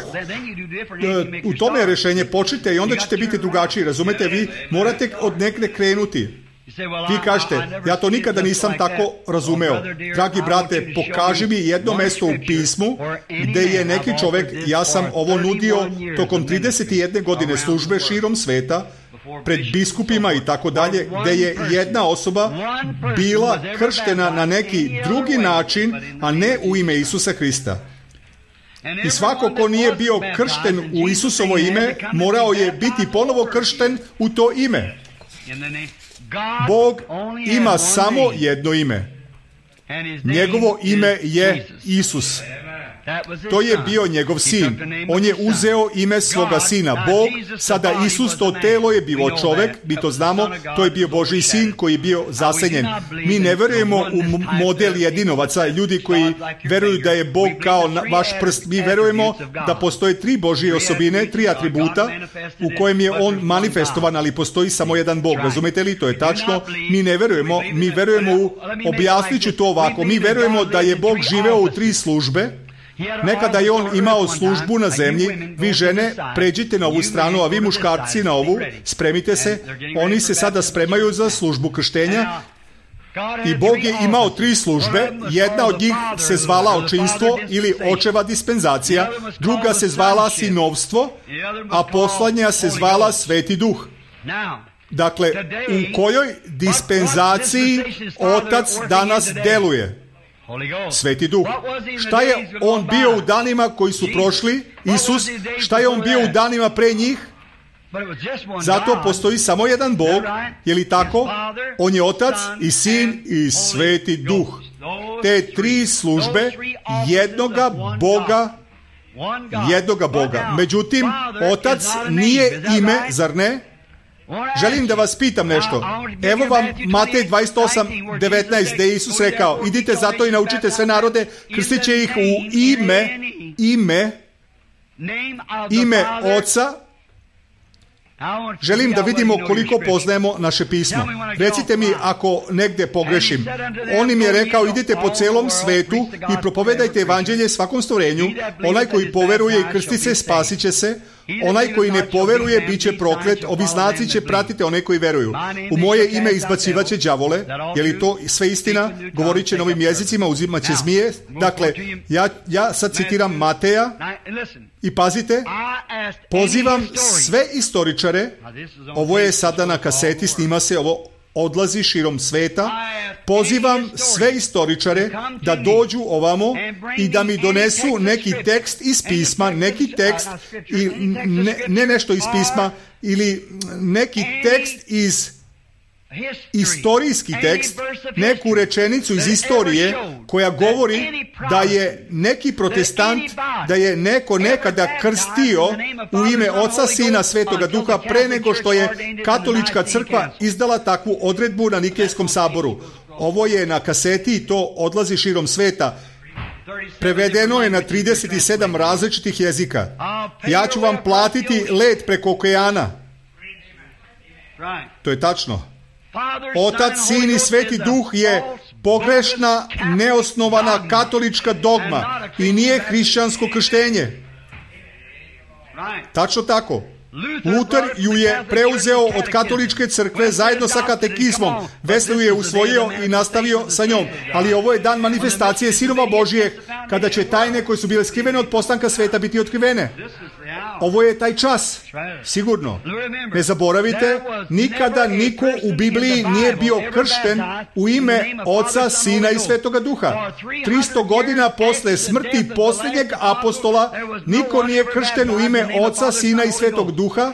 u tome je rješenje, počnite i onda ćete biti drugačiji, razumete? Vi morate od negdje krenuti. Vi kažete, ja to nikada nisam tako razumeo. Dragi brate, pokaži mi jedno mjesto u pismu gdje je neki čovjek, ja sam ovo nudio tokom trideset jedne godine službe širom sveta, pred biskupima i tako dalje, gdje je jedna osoba bila krštena na neki drugi način, a ne u ime Isusa Hrista. I svako ko nije bio kršten u Isusovo ime, morao je biti ponovo kršten u to ime. Bog ima samo jedno ime. Njegovo ime je Isus. To je bio njegov sin. On je uzeo ime svoga sina. Bog, sada Isus, to telo je bilo čovek, mi to znamo, to je bio Božji sin koji je bio zasenjen. Mi ne verujemo u model jedinovaca, ljudi koji veruju da je Bog kao vaš prst. Mi verujemo da postoje tri Božje osobine, tri atributa u kojem je on manifestovan, ali postoji samo jedan Bog. Razumete li? To je tačno. Mi ne verujemo, mi verujemo u, objasnit ću to ovako, mi verujemo da je Bog živeo u tri službe. Nekada je on imao službu na zemlji. Vi žene, pređite na ovu stranu, a vi muškarci na ovu, spremite se. Oni se sada spremaju za službu krštenja. I Bog je imao tri službe. Jedna od njih se zvala očinstvo ili očeva dispenzacija, druga se zvala sinovstvo, a poslednja se zvala Sveti Duh. Dakle, u kojoj dispenzaciji Otac danas deluje? Sveti Duh. Šta je on bio u danima koji su prošli? Isus. Šta je on bio u danima pre njih? Zato postoji samo jedan Bog, je li tako? On je Otac i Sin i Sveti Duh. Te tri službe jednoga Boga, jednoga Boga. Međutim, Otac nije ime, zar ne? Želim da vas pitam nešto. Evo vam Matej dvadeset osam devetnaest gde je Isus rekao: idite zato i naučite sve narode, krstit će ih u ime, ime, ime Oca. Želim da vidimo koliko poznajemo naše pismo. Recite mi ako negde pogrešim. On im je rekao: idite po celom svetu i propovedajte evanđelje svakom stvorenju. Onaj koji poveruje i krsti se, spasit će se. Onaj koji ne poveruje, bit će proklet. Ovi znaci će pratiti one koji veruju. U moje ime izbacivaće đavole. Je li to sve istina? Govorit će novim jezicima, uzimat će zmije. Dakle, ja, ja sad citiram Mateja. I pazite, pozivam sve istoričare, ovo je sada na kaseti, snima se, ovo odlazi širom sveta, pozivam sve istoričare da dođu ovamo i da mi donesu neki tekst iz pisma, neki tekst, i ne, ne nešto iz pisma, ili neki tekst iz istorijski tekst, neku rečenicu iz istorije koja govori da je neki protestant, da je neko nekada krstio u ime Oca, Sina, Svetoga Duha pre nego što je katolička crkva izdala takvu odredbu na Nikejskom saboru. Ovo je na kaseti i to odlazi širom sveta. Prevedeno je na trideset sedam različitih jezika. Ja ću vam platiti let preko okeana. To je tačno. Otac, Sin i Sveti Duh je pogrešna, neosnovana katolička dogma i nije hrišćansko krštenje. Tačno tako. Luter ju je preuzeo od katoličke crkve zajedno sa katekizmom. Wesley je usvojio i nastavio sa njom. Ali ovo je dan manifestacije Sinova Božijeg, kada će tajne koje su bile skrivene od postanka sveta biti otkrivene. Ovo je taj čas, sigurno. Ne zaboravite, nikada niko u Bibliji nije bio kršten u ime Oca, Sina i Svetoga Duha. tristo godina posle smrti posljednjeg apostola niko nije kršten u ime Oca, Sina i Svetog Duha.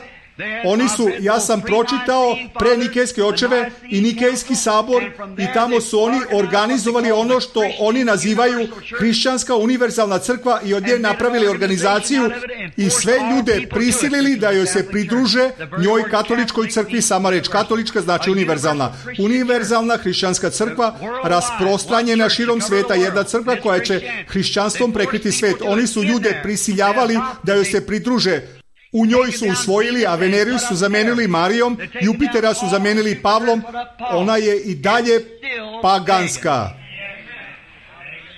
Oni su, ja sam pročitao pre Nikejske očeve i Nikejski sabor i tamo su oni organizovali ono što oni nazivaju hrišćanska univerzalna crkva i od nje napravili organizaciju i sve ljude prisilili da joj se pridruže njoj katoličkoj crkvi. Sama reč katolička znači univerzalna. Univerzalna hrišćanska crkva rasprostranjena širom sveta, jedna crkva koja će hrišćanstvom prekriti svet. Oni su ljude prisiljavali da joj se pridruže. U njoj su usvojili, a Veneriju su zamenili Marijom, Jupitera su zamenili Pavlom, ona je i dalje paganska.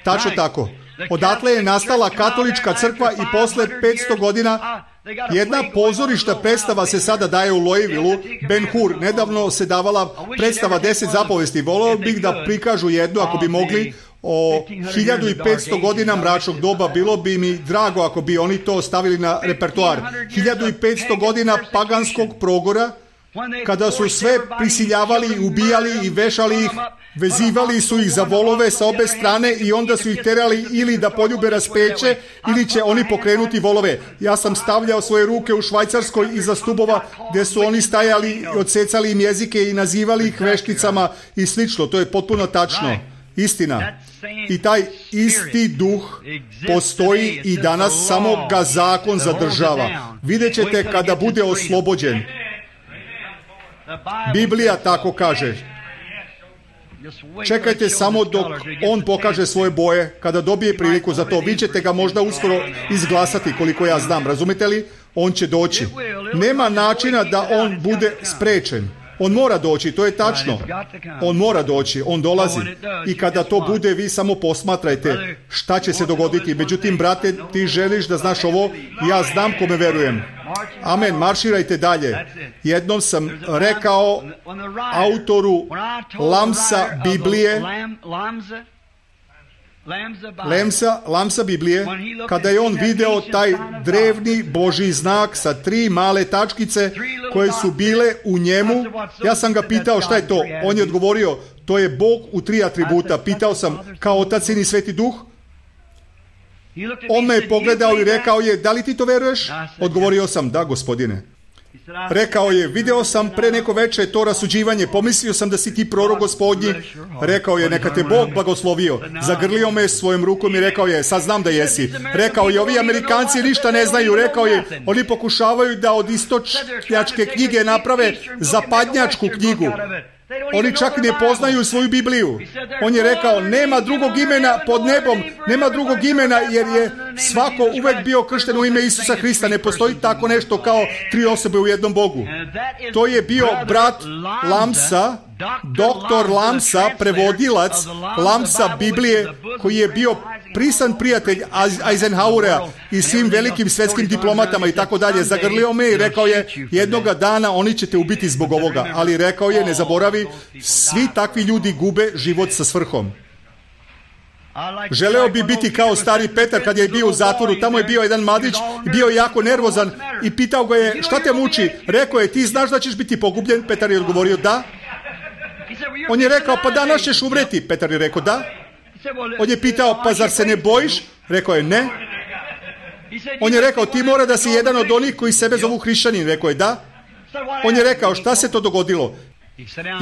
Tačno tako. Odatle je nastala katolička crkva i posle petsto godina jedna pozorišta predstava se sada daje u Louisvilleu. Ben Hur, nedavno se davala predstava deset zapovesti. Voleo bih da prikažu jednu, ako bi mogli, o hiljadu i petsto godina mračnog doba. Bilo bi mi drago ako bi oni to stavili na repertoar. hiljadu i petsto godina paganskog progora, kada su sve prisiljavali, ubijali i vešali ih, vezivali su ih za volove sa obe strane i onda su ih terali ili da poljube raspeće ili će oni pokrenuti volove. Ja sam stavljao svoje ruke u Švajcarskoj iza stubova gdje su oni stajali, odsecali im jezike i nazivali ih vešticama i slično. To je potpuno tačno. Istina. I taj isti duh postoji i danas, samo ga zakon zadržava. Vidjet ćete kada bude oslobođen. Biblija tako kaže. Čekajte samo dok on pokaže svoje boje, kada dobije priliku za to. Vi ćete ga možda uskoro izglasati, koliko ja znam. Razumite li? On će doći. Nema načina da on bude sprečen. On mora doći, to je tačno. On mora doći, on dolazi. I kada to bude, vi samo posmatrajte šta će se dogoditi. Međutim, brate, ti želiš da znaš ovo, ja znam kome verujem. Amen, marširajte dalje. Jednom sam rekao autoru Lamsa Biblije, Lamsa, Lamsa Biblije, kada je on video taj drevni Božji znak sa tri male tačkice koje su bile u njemu, ja sam ga pitao šta je to. On je odgovorio, to je Bog u tri atributa. Pitao sam, kao Otac, Sin i Sveti Duh? On me je pogledao i rekao je, da li ti to veruješ? Odgovorio sam, da, gospodine. Rekao je, video sam pre neko veče to rasuđivanje, pomislio sam da si ti prorok Gospodnji. Rekao je, neka te Bog blagoslovio. Zagrlio me svojom rukom i rekao je, sad znam da jesi. Rekao je, ovi Amerikanci ništa ne znaju. Rekao je, oni pokušavaju da od istočnjačke knjige naprave zapadnjačku knjigu. Oni čak ne poznaju svoju Bibliju. On je rekao, nema drugog imena pod nebom, nema drugog imena, jer je svako uvek bio kršten u ime Isusa Hrista. Ne postoji tako nešto kao tri osobe u jednom Bogu. To je bio brat Lamsa, doktor Lamsa, prevodilac Lamsa Biblije, koji je bio prisan prijatelj Eisenhowera i svim velikim svetskim diplomatama i tako dalje. Zagrlio me i rekao je, jednoga dana oni će te ubiti zbog ovoga. Ali rekao je, ne zaboravi, svi takvi ljudi gube život sa svrhom. Želeo bi biti kao stari Petar kad je bio u zatvoru. Tamo je bio jedan mladić, bio je jako nervozan i pitao ga je, šta te muči? Rekao je, ti znaš da ćeš biti pogubljen? Petar je odgovorio, da. On je rekao, pa danas ćeš umreti. Petar je rekao, da. On je pitao, pa zar se ne bojiš? Rekao je, ne. On je rekao, ti mora da si jedan od onih koji sebe zovu hrišćanin. Rekao je, da. On je rekao, šta se to dogodilo?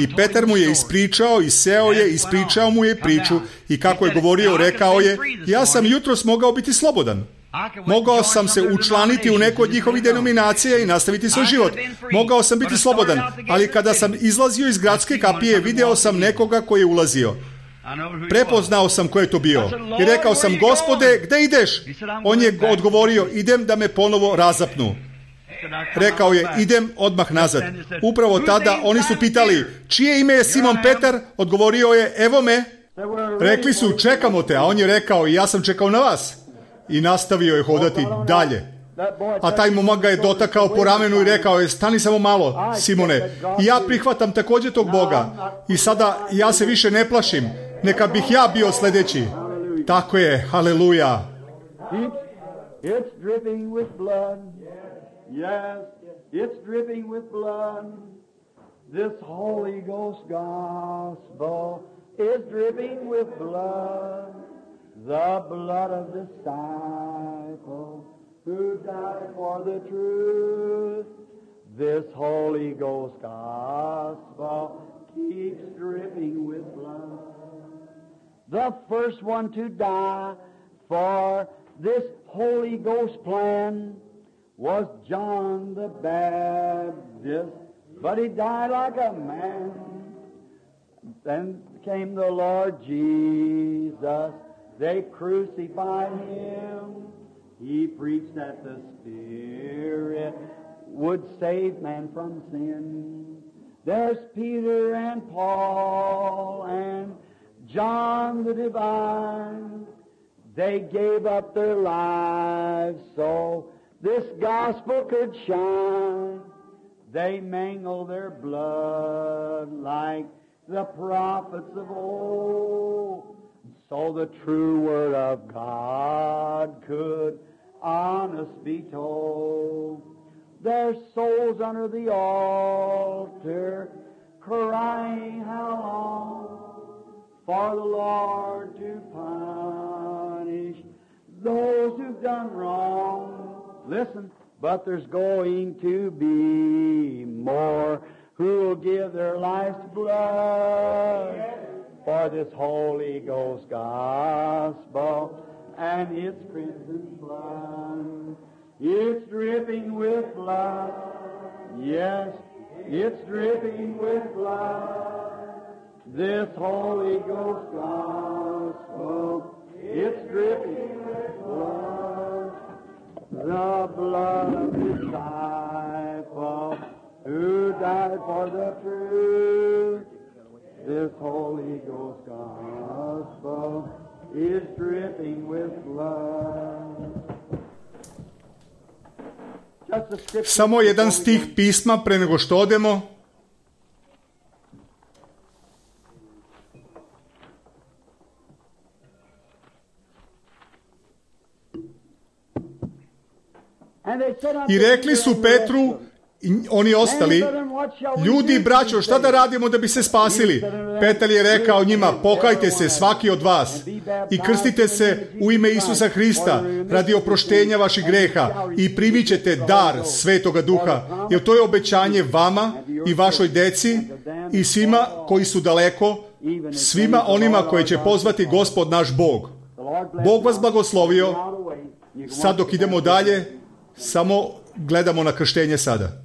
I Petar mu je ispričao i seo je, ispričao mu je priču i kako je govorio, rekao je, ja sam jutros mogao biti slobodan. Mogao sam se učlaniti u neku od njihovih denominacija i nastaviti svoj život. Mogao sam biti slobodan, ali kada sam izlazio iz gradske kapije, video sam nekoga koji je ulazio. Prepoznao sam ko je to bio. I rekao sam, Gospode, gde ideš? On je odgovorio, idem da me ponovo razapnu. Rekao je, idem odmah nazad. Upravo tada oni su pitali, čije ime je Simon Petar? Odgovorio je, evo me. Rekli su, čekamo te, a on je rekao, ja sam čekao na vas. I nastavio je hodati dalje. A taj momak ga je dotakao po ramenu i rekao je, stani samo malo, Simone. I ja prihvatam također tog Boga. I sada ja se više ne plašim. Neka bih ja bio sljedeći. Tako je, haleluja. It's dripping with blood. Yes, it's dripping with blood. This Holy Ghost gospel is dripping with blood. The blood of disciples who died for the truth. This Holy Ghost gospel keeps dripping with blood. The first one to die for this Holy Ghost plan was John the Baptist, but he died like a man. Then came the Lord Jesus. They crucified him. He preached that the Spirit would save man from sin. There's Peter and Paul and John the Divine. They gave up their lives so this gospel could shine. They mangled their blood like the prophets of old, so the true word of God could honest be told. Their souls under the altar crying, how long for the Lord to punish those who've done wrong. Listen, but there's going to be more who'll give their life's blood. for this Holy Ghost gospel and its crimson blood. It's dripping with blood. Yes, it's dripping with blood. This Holy Ghost gospel, it's dripping with blood. The blood of the disciple who died for the truth. This Holy Ghost gospel is dripping with blood. Samo jedan stih pisma pre nego što odemo. I rekli su Petru i oni ostali, ljudi, braćo, šta da radimo da bi se spasili? Petar je rekao njima, pokajte se svaki od vas i krstite se u ime Isusa Hrista radi oproštenja vaših greha i primit ćete dar Svetoga Duha, jer to je obećanje vama i vašoj deci i svima koji su daleko, svima onima koje će pozvati Gospod naš Bog. Bog vas blagoslovio. Sad dok idemo dalje, samo gledamo na krštenje sada.